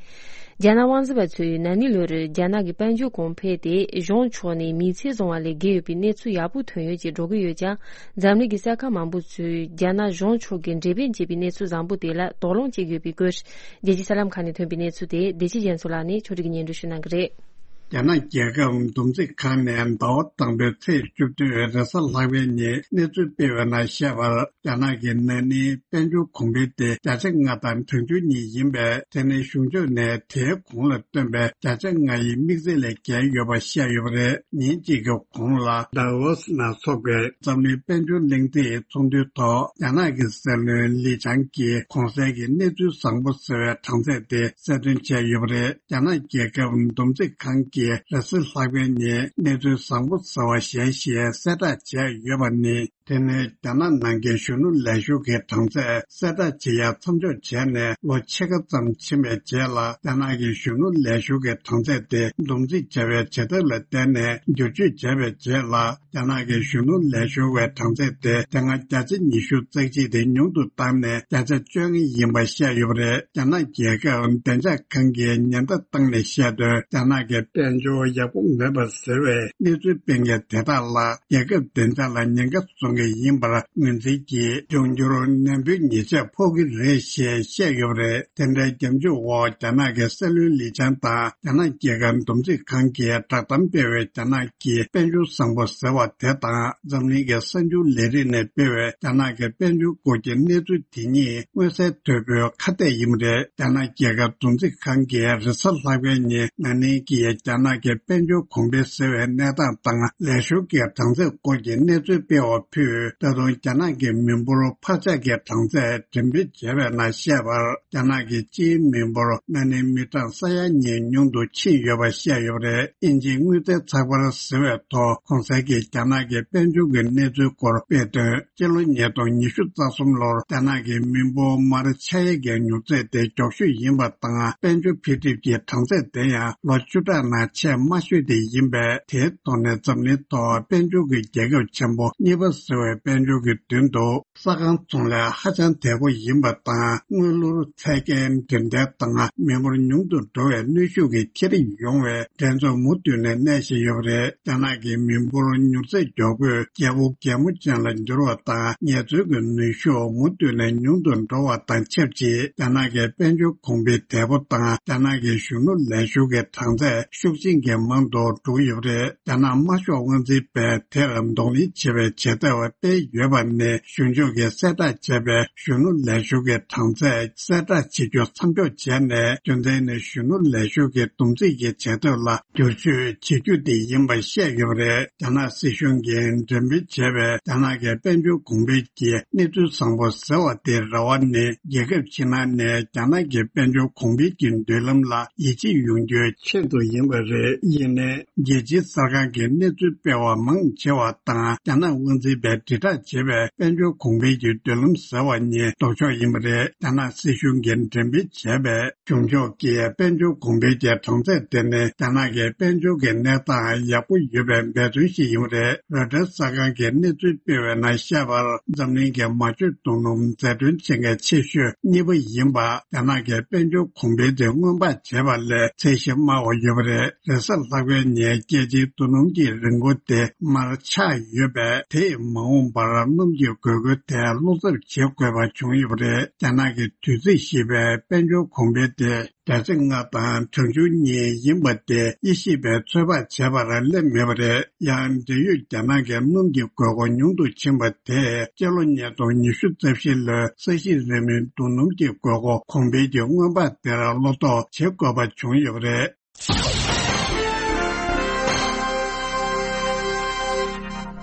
རྒྱ་ནག་དབང་འཛིན་པ་ཚོས་ན་ནིང་ལོར་རྒྱ་ནག་གི་དཔལ་འབྱོར་གོང་འཕེལ་དེ་གཞུང་ཕྱོགས་ནས་མི་ཚེ་བཟང་བ་ལས་བརྒལ་ཡོད་པའི་གནས་ཚུལ་ཡག་པོ་ཐོན་ཡོད་ཅེས་སྒྲོག་གི་ཡོད་ཀྱང་། འཛམ་གླིང་གི་ས་ཁག་མང་པོ་ཚོས་རྒྱ་ནག་གཞུང་ཕྱོགས་ཀྱིས་འགྲེམས་སྤེལ་བྱས་པའི་གནས་ཚུལ་བཟང་པོ་དེ་ལ་དོགས་སློང་བྱེད་ཀྱི་ཡོད་པའི་སྐོར། རྒྱལ་སྤྱིའི་གསར་ལམ་ཁག་ནས་ཐོན་པའི་གནས་ཚུལ་དེ་བདེ་སྐྱིད་རྒྱ་མཚོ་ལགས་ནས་ཕྱོགས་སྒྲིག་གིས་སྙན་སྒྲོན་ཞུ་གནང་གི་རེད། རྒྱ་ནག་རྒྱལ་ཁབ་བསྡོམས་རྩིས་ཁང་ནས་ཟླ་བ་དང་པོའི་ཚེས་བཅུ་བདུན་རེས་གཟའ་ལྷག་པའི་ཉིན་གནས་ཚུལ་སྤེལ་བའི་ནང་བཤད་པར། རྒྱ་ནག་གི་ན་ནིང་དཔལ་འབྱོར་གོང་འཕེལ་དེ་བརྒྱ་ཆ་ལྔ་དང་གྲངས་ཆུང་གཉིས་ཡིན་པས། དེ་ནི་གཞུང་ཕྱོགས་ནས་དེའི་གོང་ལ་བཏོན་པའི་བརྒྱ་ཆ་ལྔ་ཡི་དམིགས་ཚད་ལས་བརྒལ་ཡོད་པ་བཤད་ཡོད་པ་རེད། ཉིན་གཅིག་གི་གོང་ལ་ཌ་ཝོ་སི་ནང་འཚོགས་པའི་འཛམ་གླིང་དཔལ་འབྱོར་གླེང་སྟེགས་ཚོགས་འདུའི་ཐོག་རྒྱ་ནག་གི་སྲིད་བློན་ལི་ཆང་གིས་གོང་གསལ་གྱི་གནས་ཚུལ་བཟང་པོ་ཟེར་བའི་གྲངས་ཚད་དེ་གསལ་སྟོན་བྱས་ཡོད་པ་རེད། རྒྱ་ནག་རྒྱལ་ཁབ་བསྡོམས་རྩིས་ཁང་གིས་རེས་གཟའ་ལྷག་པའི་ཉིན་གནས་ཚུལ་བཟང་པོ་ཟེར་བ་གཞན་ཞིག་གསལ་བསྒྲགས་བྱས་ཡོད་པ་ནི། དེ་ནི་རྒྱ་ནག་ནང་གི་གཞོན་ནུ་ལས་ཞུགས་ཀྱི་གྲངས་ཚད་གསལ་བསྒྲགས་བྱེད་ཡ་མཚམས་འཇོག་བྱས་ནས་ལོ་ཕྱེད་ཀ་ཙམ་ཕྱིན་པའི་རྗེས་ལ། རྒྱ་ནག་གི་གཞོན་ནུ་ལས་ཞུགས་ཀྱི་གྲངས་ཚད་དེ་བསྡོམས་རྩིས་བྱ་བའི་བྱེད་ཐབས་ལ་བརྟེན་ནས་བསྒྱུར་བཅོས་བྱས་པའི་རྗེས་ལ། རྒྱ་ནག་གི་གཞོན་ནུ་ལས་ཞུགས་པའི་གྲངས་ཚད་དེ་དེ་སྔ་བརྒྱ་ཆ་ཉི་ཤུ་རྩ་གཅིག་དེ་ཉུང་དུ་བཏང་ནས་བརྒྱ་ཆ་བཅོ་ལྔ་ཡིན་པ་བཤད་ཡོད་པ་རེད། རྒྱ་ནག་རྒྱལ་ཁབ་བདེ་འཇགས་ཁང་གིས་ཉེན་བརྡ་བཏང་ནས་བཤད་དོན། རྒྱ་ནག་གི་དཔལ་འབྱོར་ཡག་པོ་མེད་པ་ཟེར་བའི་གནས་ཚུལ་སྤེལ་མཁན་དེ་དག་ལ་རྒྱལ་ཁབ་བདེ་འཇགས་ལ་ཉེན་ཁ་བཟོ་མཁན་ཡིན་པར་ངོས་འཛིན་གྱིས། འབྱུང་འགྱུར་ནན་པོའི་ཉེས་ཆད་ཕོག་གི་རེད་ཞེས་བཤད་ཡོད་པ་རེད། དེ་འདྲའི་སྐྱོན་བརྗོད་འོག་རྒྱ་ནག་གི་སྲིད་བློན་ལི་ཆང་དང་། རྒྱ་ནག་རྒྱལ་ཁབ་བསྡོམས་རྩིས་ཁང་གིས་བསྒྲགས་གཏམ་སྤེལ་བའི་རྒྱ་ནག་གི་དཔལ་འབྱོར་བཟང་པོ་ཟེར་བ་དེ་དང་། འཛམ་གླིང་གི་གསར་འགྱུར་ལས་རིགས་ནས་སྤེལ་བའི་རྒྱ་ནག་གི་དཔལ་འབྱོར་སྐོར་གྱི་གནས་ཚུལ་དེ་གཉིས་མངོན་གསལ་དོད་པོའི་ཁ་གཏད་ཡིན་པ་རེད། རྒྱ་ནག་རྒྱལ་ཁབ་བསྡོམས་རྩིས་ཁང་གིས་རེས་གཟའ་ལྷག་པའི་ཉིན་ན་ནིང་གི་རྒྱ་ནག་གི་དཔལ་འབྱོར་གོང་འཕེལ་ཟེར་བའི་གནས་སྟངས་དང་། ལས་ཞུགས་ཀྱི་གྲངས་ཚད་སྐོར་གྱི་གནས་ཚུལ་སྤེལ་བ་ཕུད། ད་དུང་རྒྱ་ནག་གི་མི་འབོར་འཕར་ཆག་གི་གྲངས་ཚད་འགྲེམས་སྤེལ་བྱས་པའི་ནང་བཤད་པར། རྒྱ་ནག་གི་སྤྱིའི་མི་འབོར་ན་ནིང་མི་གྲངས་ས་ཡ་གཉིས་ཉུང་དུ་ཕྱིན་ཡོད་པ་བཤད་ཡོད་པ་རེད། དབྱིན་ཇིའི་དངུལ་རྩའི་ཚགས་པར་ཟེར་བའི་ཐོག་གོང་གསལ་གྱི་རྒྱ་ནག་གི་དཔལ་འབྱོར་གྱི་གནས་ཚུལ་སྐོར་སྤེལ་དོན། སྤྱི་ལོ་ཉིས་སྟོང་ཉི་ཤུ་རྩ་གསུམ་ལོར་རྒྱ་ནག་གི་མི་འབོར་མར་ཆག་ཡས་ཀྱི་མྱུར་ཚད་དེ་མགྱོགས་ཤོས་ཡིན་པ་དང་། དཔལ་འབྱོར་འཕེལ་འགྲིབ་ཀྱི་གྲངས་ཚད་དེ་ཡང་ལོ་བཅུ་ཕྲག་ནང་ཆེས་དམའ་ཤོས་དེ་ཡིན་པས། དེའི་ཐོག་ནས་འཛམ་གླིང་ཐོག་དཔལ་འབྱོར་གྱི་རྒྱལ་ཁབ་ཆེན་པོ་གཉིས་པ་ཟེར་བའི་དཔལ་འབྱོར་གྱི་མདུན་དུ། ས་ཁང་ཚོང་ལས་ཧ་ཅང་དལ་པོ་ཡིན་པ་དང་། དངུལ་ལོར་ཚད་བརྒལ་འགྲེམས་སྟོན་དང་། མི་འབོར་ཉུང་དུ་འགྲོ་བའི་གནོན་ཤུགས་ཀྱིས་ཁྱེར་ཡོང་བའི་འགྲན་རྩོད་མུ་མཐུད་ནས་གནས་བཞིན་ཡོད་པ་རེད། རྒྱ་ནག་གི་མི་འབོར་མྱུར་ཚད་མགྱོགས་པོས་རྒྱལ་པོ་རྒྱལ་མོ་ཅན་ལ་འགྱུར་བ་དང་། ངལ་རྩོལ་གྱི་ནུས་ཤུགས་མུ་མཐུད་ནས་ཉུང་དུ་འགྲོ་བ་དང་ཆབས་ཅིག་རྒྱ་ནག་གི་དཔལ་འབྱོར་གོང་འཕེལ་དལ་པོ་དང་། རྒྱ་ནག་གི་གཞོན་ནུ་ལས་ཞུགས་ཀྱི་གྲངས་ཚད་ཤུགས་ཆེན་གྱིས་མང་དུ་འགྲོ་གི་ཡོད་པ་རེད། རྒྱ་ནག་དམར་ཤོག་དབང་འཛིན་པས་དེར་གདོང་ལེན་བྱེད་པའི་བྱེད་ཐབས་སྤེལ་ཡོད་པ་ནི། གཞུང་ཕྱོགས་ཀྱིས་གསལ་བསྒྲགས་བྱས་པའི་གཞོན་ནུ་ལས་ཞུགས་ཀྱི་གྲངས་ཚད་གསལ་བསྒྲགས་བྱེད་རྒྱུ་མཚམས་འཇོག་བྱས་ནས། རྒྱུ་མཚན་ནི་གཞོན་ནུ་ལས་ཞུགས་ཀྱི་བསྡོམས་རྩིས་ཀྱི་བྱེད་ཐབས་ལ་བསྒྱུར་བཅོས་བྱེད་རྒྱུ་དེ་ཡིན་པ་བཤད་ཡོད་པ་རེད། རྒྱ་ནག་སྲིད་གཞུང་གིས་འགྲེམས་སྤེལ་བྱས་པའི་རྒྱ་ནག་གི་དཔལ་འབྱོར་གོང་འཕེལ་གྱི་གནས་ཚུལ་བཟང་པོ་ཟེར་བ་དེའི་རེ་བ་ནི། རྒྱལ་ཁབ་ཕྱི་ནང་ནས་རྒྱ་ནག་གི་དཔལ་འབྱོར་གོང་འཕེལ་གྱི་མདུན་ལམ་ལ་ཡིད་ཆེས་ཡོང་རྒྱུའི་ཆེད་དུ་ཡིན་པ་ རེད། ཡིན་ནའི་རྒྱལ་སྤྱིའི་གསར་ཁང་གིས་གནས་ཚུལ་སྤེལ་བ་མང་ཆེ་བ་དང་། རྒྱ་ནག་དབང་འཛིན་པས་དྲིལ་བསྒྲགས་བྱས་པའི་དཔལ་འབྱོར་གོང་འཕེལ་གྱི་མདུན་ལམ་ཟེར་བ་གཉིས་ལྡོག་ཕྱོགས་ཡིན་པ་རེད། རྒྱ་ནག་སྲིད་གཞུང་གིས་འགྲེམས་སྤེལ་བྱས་པའི་གཞུང་ཕྱོགས་ཀྱི་དཔལ་འབྱོར་གོང་འཕེལ་གྱི་གྲངས་ཚད་དེ་ནི་རྒྱ་ནག་གི་དཔལ་འབྱོར་གྱི་གནས་སྟངས་ཡག་པོ་ཡོད་པའི་འབད་བརྩོན་ཞིག་ཡིན་པ་རེད། རོའི་ཊར་གསར་ཁང་གིས་གནས་ཚུལ་སྤེལ་བའི་ནང་བཤད་པར། འཛམ་གླིང་གི་མ་བཅོས་རྡོ་སྣུམ་འཛད་གྲོན་བྱེད་མཁན་ཆེ་ཤོས་གཉིས་པ་ཡིན་པ། རྒྱ་ནག་གི་དཔལ་འབྱོར་གོང་འཕེལ་དེ་སྔོན་དཔག་བྱས་པ་ལས་ཚད་གཞི་དམའ་བ་ཡོད་པ་རེད། རེས་གཟའ་ལྷག་པའི་ཉིན་རྒྱལ་སྤྱིའི་རྡོ་སྣུམ་གྱི་རིན་གོང་དེ་མར་ཆག་ཡོད་པས། དེས་མ་འོངས་པར་སྣུམ་གྱི་དགོས་མཁོ་དེ་བློ་འཚབ་བྱེད་དགོས་པ་བྱུང་ཡོད་པ་རེད། རྒྱ་ནག་གི་དུས་ཚིགས་ཞེས་པའི་དཔལ་འབྱོར་གོང་འཕེལ་དེ་ཟླ་ཚེས་ལྔ་དང་གྲངས་ཆུང་གཉིས་ཡིན་པ་དེ་དབྱེ་ཞིབ་པས་ཚོད་དཔག་བྱས་པར་སླེབས་མེད་པ་རེད། ཡང་འབྲེལ་ཡོད་རྒྱ་ནག་གི་སྣུམ་གྱི་དགོས་མཁོ་ཉུང་དུ་ཕྱིན་པ་དེས་སྤྱི་ལོ་ཉིས་སྟོང་ཉི་ཤུ་རྩ་བཞི་ལོའི་ས་གཞི་རིལ་མོའི་རྡོ་སྣུམ་གྱི་དགོས་མཁོ་གོང་འཕེལ་གྱི་སྔོན་དཔག་དེར་བློ་དོགས་བྱེད་དགོས་པ་བྱུང་ཡོད་པ་རེད།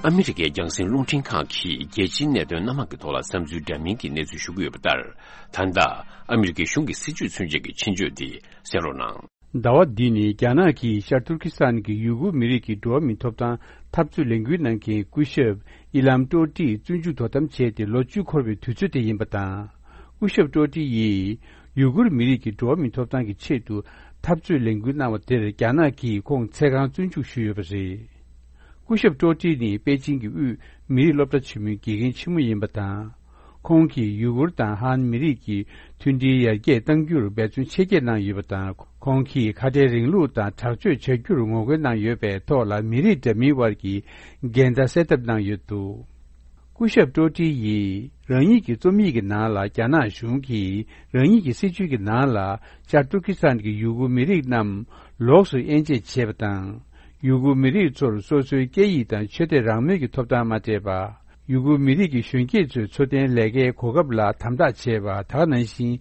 ཨ་མི་རི་ཀའི་རྒྱང་སྲིང་རླུང་འཕྲིན་ཁང་གིས་རྒྱལ་སྤྱིའི་གནད་དོན་སྣ་མང་གི་ཐོག་ལ་བསམ་ཚུལ་འདྲ་མིན་གྱི་གནས་ཚུལ་ཞུ་གི་ཡོད་པ་ལྟར། ད་ལྟ་ཨ་མི་རི་ཀའི་གཞུང་གི་སྲིད་ཇུས་མཚོན་བྱེད་ཀྱི་ཕྱིན་བཅོས་འདི་གསན་རོགས་གནང་། ཟླ་བ་འདི་ནི་རྒྱ་ནག་གིས་ཤར་ཏུར་ཀི་སི་ཐན་གྱི་ཡུ་གུར་མི་རིགས་ཀྱི་འགྲོ་བ་མིའི་ཐོབ་ཐང་འཐབ་རྩོད་ལས་འགུལ་གནང་མཁན་སྐུ་ཞབས་ཨི་ལམ་ཀྲོ་ཀྲི་བཙོན་འཇུག་དོ་དམ་བྱས་ཏེ་ལོ་བཅུ་འཁོར་བའི་དུས་ཚོད་དེ་ཡིན་པ་དང་། སྐུ་ཞབས་ཀྲོ་ཀྲི་ཡིས་ཡུ་གུར་མི་རིགས་ཀྱི་འགྲོ་བ་མིའི་ཐོབ་ཐང་གི་ཆེད་དུ་འཐབ་རྩོད་ལས་འགུལ་གནང་བ་དེར་རྒྱ་ནག་གིས་ཁོང་ཚེ་གང་བཙོན་འཇུག་ཞུས་ཡོད་པ་རེད། སྐུ་ཞབས་ཀྲོ་ཀྲི་ནི་པེ་ཅིང་གི་དབུས་མི་རིགས་སློབ་གྲྭ་ཆེན་མོའི་དགེ་རྒན་ཆེན་མོ་ཡིན་པ་དང་། ཁོང་གིས་ཡུ་གུར་དང་ཧན་མི་རིགས་ཀྱི་མཐུན་སྒྲིལ་ཡར་རྒྱས་གཏང་རྒྱུར་འབད་བརྩོན་ཆེ་བསྐྱེད་གནང་ཡོད་པ་དང་། ཁོང་གིས་ཁ་བྲལ་རིང་ལུགས་དང་དྲག་སྤྱོད་བྱ་རྒྱུར་ངོ་རྒོལ་གནང་ཡོད་པའི་ཐོག་ལ་མི་རིགས་འདྲ་མིན་དབར་གྱི་འགལ་ཟླ་སེལ་ཐབས་གནང་ཡོད་འདུག། སྐུ་ཞབས་ཀྲོ་ཀྲི་ཡིས་རང་ཉིད་ཀྱི་རྩོམ་ཡིག་གི་ནང་ལ། རྒྱ་ནག་གཞུང་གིས་རང་ཉིད་ཀྱི་སྲིད་ཇུས་ཀྱི་ནང་ལ་ཤར་ཏུར་ཀི་སི་ཐན་གྱི་ཡུ་གུར་མི་རིགས་རྣམས་ལོགས་སུ་དབྱེ་འབྱེད་བྱས་པ་དང་། ཡུ་གུར་མི་རིགས་ཚོར་སོ་སོའི་སྐད་ཡིག་དང་ཆོས་དད་རང་མོས་ཀྱི་ཐོབ་ཐང་མ་སྤྲད་པ། ཡུ་གུར་མི་རིགས་ཀྱི་གཞོན་སྐྱེས་ཚོའི་འཚོ་རྟེན་ལས་ཀའི་གོ་སྐབས་ལ་དམ་དྲག་བྱས་པ། ད་ག་ནང་བཞིན་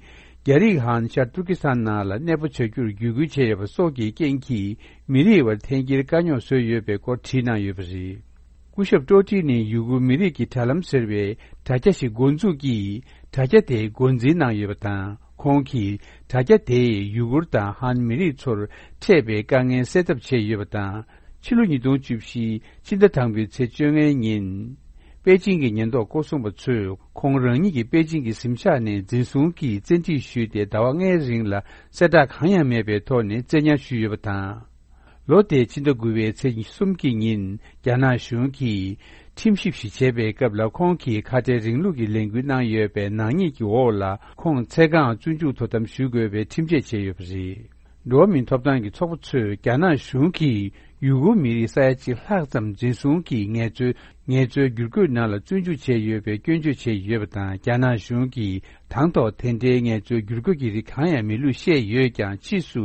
རྒྱ་རིགས་ཧན་ཤར་ཏུར་ཀི་སི་ཐན་ནང་ལ་གནས་སྤོ་བྱ་རྒྱུར་བརྒྱུད་སྐུལ་བྱས་ཡོད་པ་སོགས་ཀྱི་རྐྱེན་གྱིས་མི་རིགས་དབར་འཐེན་འཁྱེར་དཀའ་རྙོག་བཟོས་ཡོད་པའི་སྐོར་བྲིས་གནང་ཡོད་པ་རེད། སྐུ་ཞབས་ཀྲོ་ཀྲི་ནི་ཡུ་གུར་མི་རིགས་ཀྱི་དྲ་ལམ་ཟེར་བའི་དྲ་རྒྱ་ཞིག་འགོ་འཛུགས་ཀྱིས་དྲ་རྒྱ་དེ་འགོ་འཛིན་གནང་ཡོད་པ་དང་། ཁོང་གིས་དྲ་རྒྱ་དེས་ཡུ་གུར་དང་ཧན་མི་རིགས་ཚོར་འཕྲད་པའི་དཀའ་ངལ་སེལ་ཐབས་བྱས་ཡོད་པ་དང་། ཕྱི་ལོ་ཉིས་སྟོང་བཅུ་བཞི་ཕྱི་ཟླ་དང་པོའི་ཚེས་བཅོ་ལྔའི་ཉིན། པེ་ཅིང་གི་ཉེན་རྟོག་སྐོར་སྲུང་པ་ཚོས་ཁོང་རང་ཉིད་ཀྱི་པེ་ཅིང་གི་གཟིམ་ཤག་ནས་འཛིན་བཟུང་གིས་བཙན་ཁྲིད་ཞུས་ཏེ་ཟླ་བ་ལྔའི་རིང་ལ་གསལ་བསྒྲགས་གང་ཡང་མེད་པའི་ཐོག་ནས་བཙན་ཉར་ཞུས་ཡོད་པ་དང་། ལོ་དེའི་ཕྱི་ཟླ་དགུ་པའི་ཚེས་གསུམ་གྱི་ཉིན་རྒྱ་ནག་གཞུང་གིས་ཁྲིམས་ཞིབ་ཞིག་བྱས་པའི་སྐབས་ལ། ཁོང་གིས་ཁ་བྲལ་རིང་ལུགས་ཀྱི་ལས་འགུལ་གནང་ཡོད་པའི་ནག་ཉེས་ཀྱི་འོག་ལ་ཁོང་ཚེ་གང་བཙོན་འཇུག་དོ་དམ་ཞུ་དགོས་པའི་ཁྲིམས་ཆད་བཅད་ཡོད་པ་རེད། འགྲོ་བ་མིའི་ཐོབ་ཐང་གི་ཚོགས་པ་ཚོས་རྒྱ་ནག་གཞུང་གིས་ཡུ་གུར་མི་རིགས་ས་ཡ་གཅིག་ལྷག་ཙམ་འཛིན་བཟུང་གིས་ངལ་རྩོལ་ངལ་རྩོལ་བསྒྱུར་བཀོད་ནང་ལ་བཙོན་འཇུག་བྱས་ཡོད་པའི་སྐྱོན་བརྗོད་བྱས་ཡོད་པ་དང་། རྒྱ་ནག་གཞུང་གིས་དང་ཐོག་དེ་འདྲའི་ངལ་རྩོལ་བསྒྱུར་བཀོད་ཀྱི་རིགས་གང་ཡང་མེད་ལུགས་བཤད་ཡོད་ཀྱང་། ཕྱིས་སུ་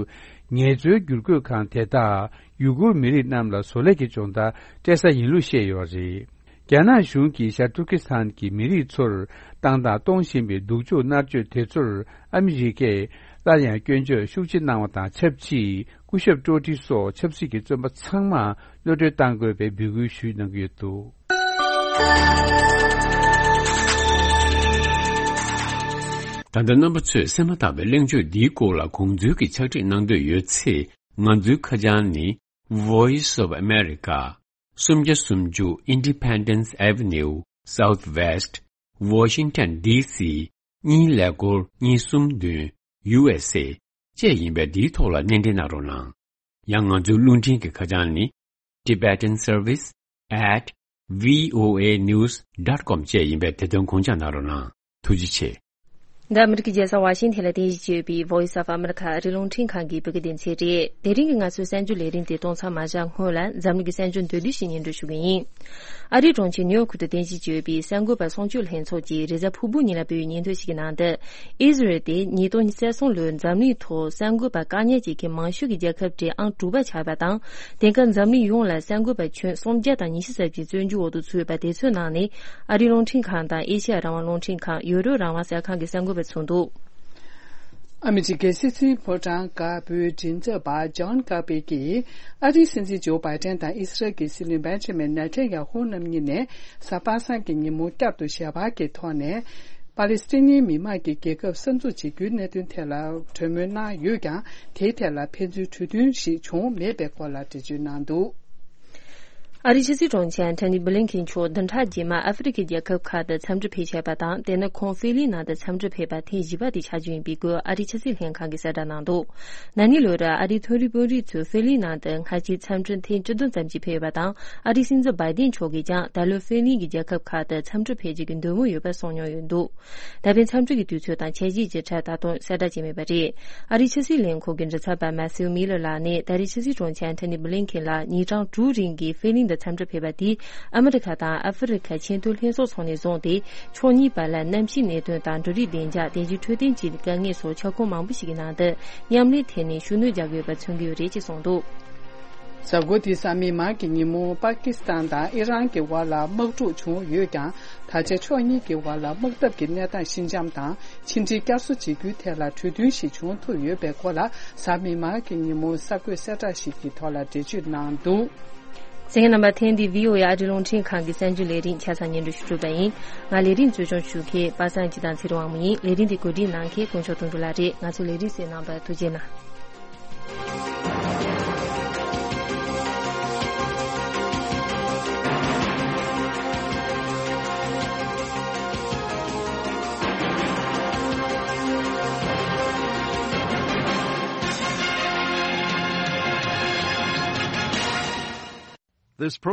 ངལ་རྩོལ་བསྒྱུར་བཀོད་ཁང་དེ་དག་ཡུ་གུར་མི་རིགས་རྣམས་ལ་བཟོ་ལས་ཀྱི་སྦྱོང་བརྡར་སྤྲད་ས་ཡིན་ལུགས་བཤད་ཡོད་པ་རེད། རྒྱ་ནག་གཞུང་གིས་ཤར་ཏུར་ཀི་སི་ཐན་གྱི་མི་རིགས་ཚོར་བཏང་དང་གཏོང་བཞིན་པའི་སྡུག་སྦྱོང་མནར་གཅོད་དེ་ཚོར་ཨ་མི་རི་ཀས་སླར་ཡང་སྐྱོན་བརྗོད་ཤུགས་ཆེ་གནང་བ་དང་ཆབས་ཅིག་སྐུ་ཞབས་ཀྲོ་ཀྲི་སོགས་ཆབ་སྲིད་ཀྱི་བཙོན་པ་ཚང་མ་གློད་གྲོལ་གཏང་དགོས་པའི་འབོད་སྐུལ་ཞུས་གནང་གི་ཡོད་འདུག། ད་ལྟ་རྣམ་པ་ཚོས་གསན་མ་ཐག་པའི་གླེང་བརྗོད་འདིའི་སྐོར་ལ་དགོངས་ཚུལ་གྱི་ཕྱག་བྲིས་གནང་འདོད་ཡོད་ཚེ། ང་ཚོའི་ཁ་བྱང་ནི། Voice of America། སུམ་བརྒྱ་སུམ་ཅུ་Independence Avenue Southwest Washington D C གཉིས་ཀླད་ཀོར་གཉིས་གསུམ་བདུན་U S A བཅས་ཡིན་པས། འདིའི་ཐོག་ལ་སྣེ་འདྲེན་གནང་རོགས་གནང་། ཡང་ང་ཚོའི་རླུང་འཕྲིན་གྱི་ཁ་བྱང་ནི། Tibetan Service at V O A News dot com བཅས་ཡིན་པས། དེ་དོན་དགོངས་འཇགས་གནང་རོགས་གནང་། ཐུགས་རྗེ་ཆེ། འདི་ཨ་མི་རི་ཀའི་རྒྱལ་ས་ཝ་ཤིང་ཐན་ལ་རྟེན་གཞི་བྱས་ཡོད་པའི་Voice of America ཨ་རིའི་རླུང་འཕྲིན་ཁང་གི་བོད་སྐད་སྡེ་ཚན་རེད། དེ་རིང་གི་ང་ཚོའི་གསར་འགྱུར་ལས་རིམ་དེ་གཏོང་ཚར་མ་བཞག་སྔོན་ལ། འཛམ་གླིང་གི་གསར་འགྱུར་མདོར་བསྡུས་ཤིག་སྙན་སྒྲོན་ཞུ་གི་ཡིན། ཨ་རིའི་གྲོང་ཁྱེར་ནིའུ་ཡོག་ཏུ་རྟེན་གཞི་བྱས་ཡོད་པའི་གསར་འགོད་པ་གསུང་ཆོས་ལྷན་ཚོགས་ཀྱིས་རེས་གཟའ་ཕུར་བུ་ཉིན་ལ་སྤེལ་བའི་སྙན་ཐོ་ཞིག་གི་ནང་དུ། ཨི་ཟི་རལ་དེ་ཉིས་སྟོང་ཉི་ཤུ་རྩ་གསུམ་ལོའི་འཛམ་གླིང་ཐོག་གསར་འགོད་པ་བཀག་ཉར་བྱེད་མཁན་མང་ཤོས་ཀྱི་རྒྱལ་ཁབ་གྲས་ཨང་དྲུག་པ་ཆགས་པ་དང་། དེང་སྐབས་འཛམ་གླིང་ཡོངས་ལ་གསར་འགོད་པ་ཁྱོན་སུམ་བརྒྱ་དང་ཉི་ཤུ་རྩ་བཞི་བཙོན་འཇུག་འོག་ཏུ་ཚུད་ཡོད་པ་དེ་ཚོའི་ནང་ནས། ཨ་རིའི་རླུང་འཕྲིན་ཁང་དང་ཨེ་ཤེ་ཡ་རང་དབང་རླུང་འཕྲིན་ཁང་། ཡོ་རོབ་རང་དབང་གསར་ཁང་གི་གསར་འགོད་པ་ཚུད་འདུག། ཨ་མི་རི་ཀའི་སྲིད་འཛིན་ཕོ་བྲང་དཀར་པོའི་མགྲིན་ཚབ་པ་ཇོན་ཀར་པེ་ཀྱིས། ཨ་རིའི་སྲིད་འཛིན་ཇོ་བྷའི་ཏན་དང་ཨི་སི་རལ་གྱི་སྲིད་བློན་བེན་ཇ་མིན་ནེ་ཐན་ཡ་ཧུ་རྣམ་གཉིས་ནས་གཟའ་པ་སངས་ཀྱི་ཉིན་མོ་བསྐྱར་དུ་ཞལ་པར་གྱི་ཐོག་ནས། པ་ལི་སི་ཐན་མི་མང་གི་རྒྱལ་ཁབ་གསར་འཛུགས་བྱེད་རྒྱུའི་གནད་དོན་ཐད་ལ་གྲོས་མོལ་གནང་ཡོད་ཀྱང་། དེའི་ཐད་ལ་ཕན་ཚུན་གྲོས་མཐུན་ཞིག་བྱུང་མེད་པའི་སྐོར་ལ་འགྲེལ་བརྗོད་གནང་འདུག་ཨ་རིའི་ཕྱི་སྲིད་དྲུང་ཆེ་ཨན་ཐོ་ནི་བྷི་ལིན་ཁིན་མཆོག་བདུན་ཕྲག་རྗེས་མར་ཨ་ཧྥེ་རི་ཁའི་རྒྱལ་ཁབ་ཁག་ཏུ་འཚམས་འདྲི་ཕེབས་བཞིན་པ་དང་། དེ་ནི་ཁོང་ཧྥེ་གླིང་ནང་དུ་འཚམས་འདྲི་ཕེབས་པ་ཐེངས་བཞི་པ་དེ་ཆགས་རྒྱུ་ཡིན་པའི་སྐོར་ཨ་རིའི་ཕྱི་སྲིད་ལྷན་ཁང་གིས་གསལ་བསྒྲགས་གནང་འདུག་ན་ནིང་ལོ་རེར་ཨ་རིའི་མཐོ་རིམ་དཔོན་རིགས་ཚོས་ཧྥེ་གླིང་ནང་དུ་སྔ་ཕྱི་འཚམས་འདྲི་ཐེངས་བཅུ་བདུན་ཙམ་ཞིག་ཕེབས་ཡོད་པ་དང་། ཨ་རིའི་སྲིད་འཛིན་བྷའི་ཏིན་མཆོག་གིས་ཀྱང་ད་ལོ་ཧྥེ་གླིང་གི་རྒྱལ་ཁབ་ཁག་ཏུ་འཚམས་འདྲི་ཕེབས་རྒྱུ་གི་འདོད་མོས་ཡོད་པ་གསུངས་མྱོང་ཡོད་འདུག་ད་ཕན་འཚམས་འདྲི་གི་དུས་ཚོད་དང་འཆར་གཞིའི་བརྗོད་བྱ་ད་དུང་གསལ་བསྒྲགས་བྱས་མེད་པ་རེད། ཨ་རིའི་ཕྱི་སྲིད་ལས་ཁུངས་ཀྱི་མགྲིན་ཚབ་པ་མ་ཐིའུ་མི་ལར་ལགས་ནས་ད་རེས་ཕྱི་སྲིད་དྲུང་ཆེ་ཨན་ཐོ་ནི་བྷི་ལིན་ཁིན་ལགས་ཉིན་གྲངས་དྲུག་རིང་གི་ཧྥེ་གླིང་དུ་འཚམས་འདྲི་ཕེབས་པ་དེས། ཨ་མི་རི་ཁ་དང་ཨ་ཧྥེ་རི་ཁ་ཆེས་མཐོའི་ལྷན་ཚོགས་སོགས་ནས་བཟུང་སྟེ། ཕྱོགས་གཉིས་བར་ལ་གནམ་གཤིས་གནད་དོན་དང་འབྲུ་རིགས་བདེ་འཇགས། རྟེན་གཞི་འཕྲོད་བསྟེན་བཅས་ཀྱི་དཀའ་ངལ་སོགས་ཁྱབ་ཁོངས་མང་པོ་ཞིག་གི་ནང་དུ་མཉམ་ལས་ཐད་ནས་ཤུགས་སྣོན་རྒྱག་དགོས་པ་མཚོན་གྱི་ཡོད་རེད་ཅེས་གསུངས་འདུག་གཟའ་འཁོར་འདིའི་གཟའ་མིག་དམར་གྱི་ཉིན་མོ་པ་ཀི་སི་ཐན་དང་ཨི་རན་གྱི་དབར་ལ་དམག་འཁྲུག་བྱུང་ཡོད་ཀྱང་། ད་ཆ་ཕྱོགས་གཉིས་ཀྱི་དབར་ལ་དམག་འཐབ་ཀྱི་གནས་སྟངས་ཞི་འཇམ་དང་། ཕྱི་འབྲེལ་བསྐྱར་གསོ་བྱེད་རྒྱུའི་ཐད་ལ་གྲོས་མཐུན་ཞིག་བྱུང་ཐུབ་ཡོད་པའི་སྐོར་ལ། གཟའ་མིག་དམར་གྱི་ཉིན་མོ་གསར་འགོད་གསལ་བསྒྲགས་ཤིག་གི་ཐོག་ལ་འགྲེལ་བརྗོད་གནང་འདུག་གསན་མཁན་རྣམ་པ། ཐེངས་འདིའི་བྷི་ཨོ་ཨེ་ཨ་རིའི་རླུང་འཕྲིན་ཁང་གི་གསར་འགྱུར་ལས་རིམ་ཆ་ཚང་སྙན་སྒྲོན་ཞུ་གྲུབ་པ་ཡིན། ང་ལས་རིམ་གཙོ་སྐྱོང་ཞུ་མཁན་པ་སངས་སྐྱིད་དང་ཚེ་རིང་དབང་མོ་ཡིན། ལས་རིམ་འདི་གོ་སྒྲིག་གནང་མཁན་དཀོན་མཆོག་དོན་གྲུབ་ལགས་རེད། ང་ཚོའི་ལས་རིམ་གསན་གནང་བར་ཐུགས་རྗེ་གནང་། This program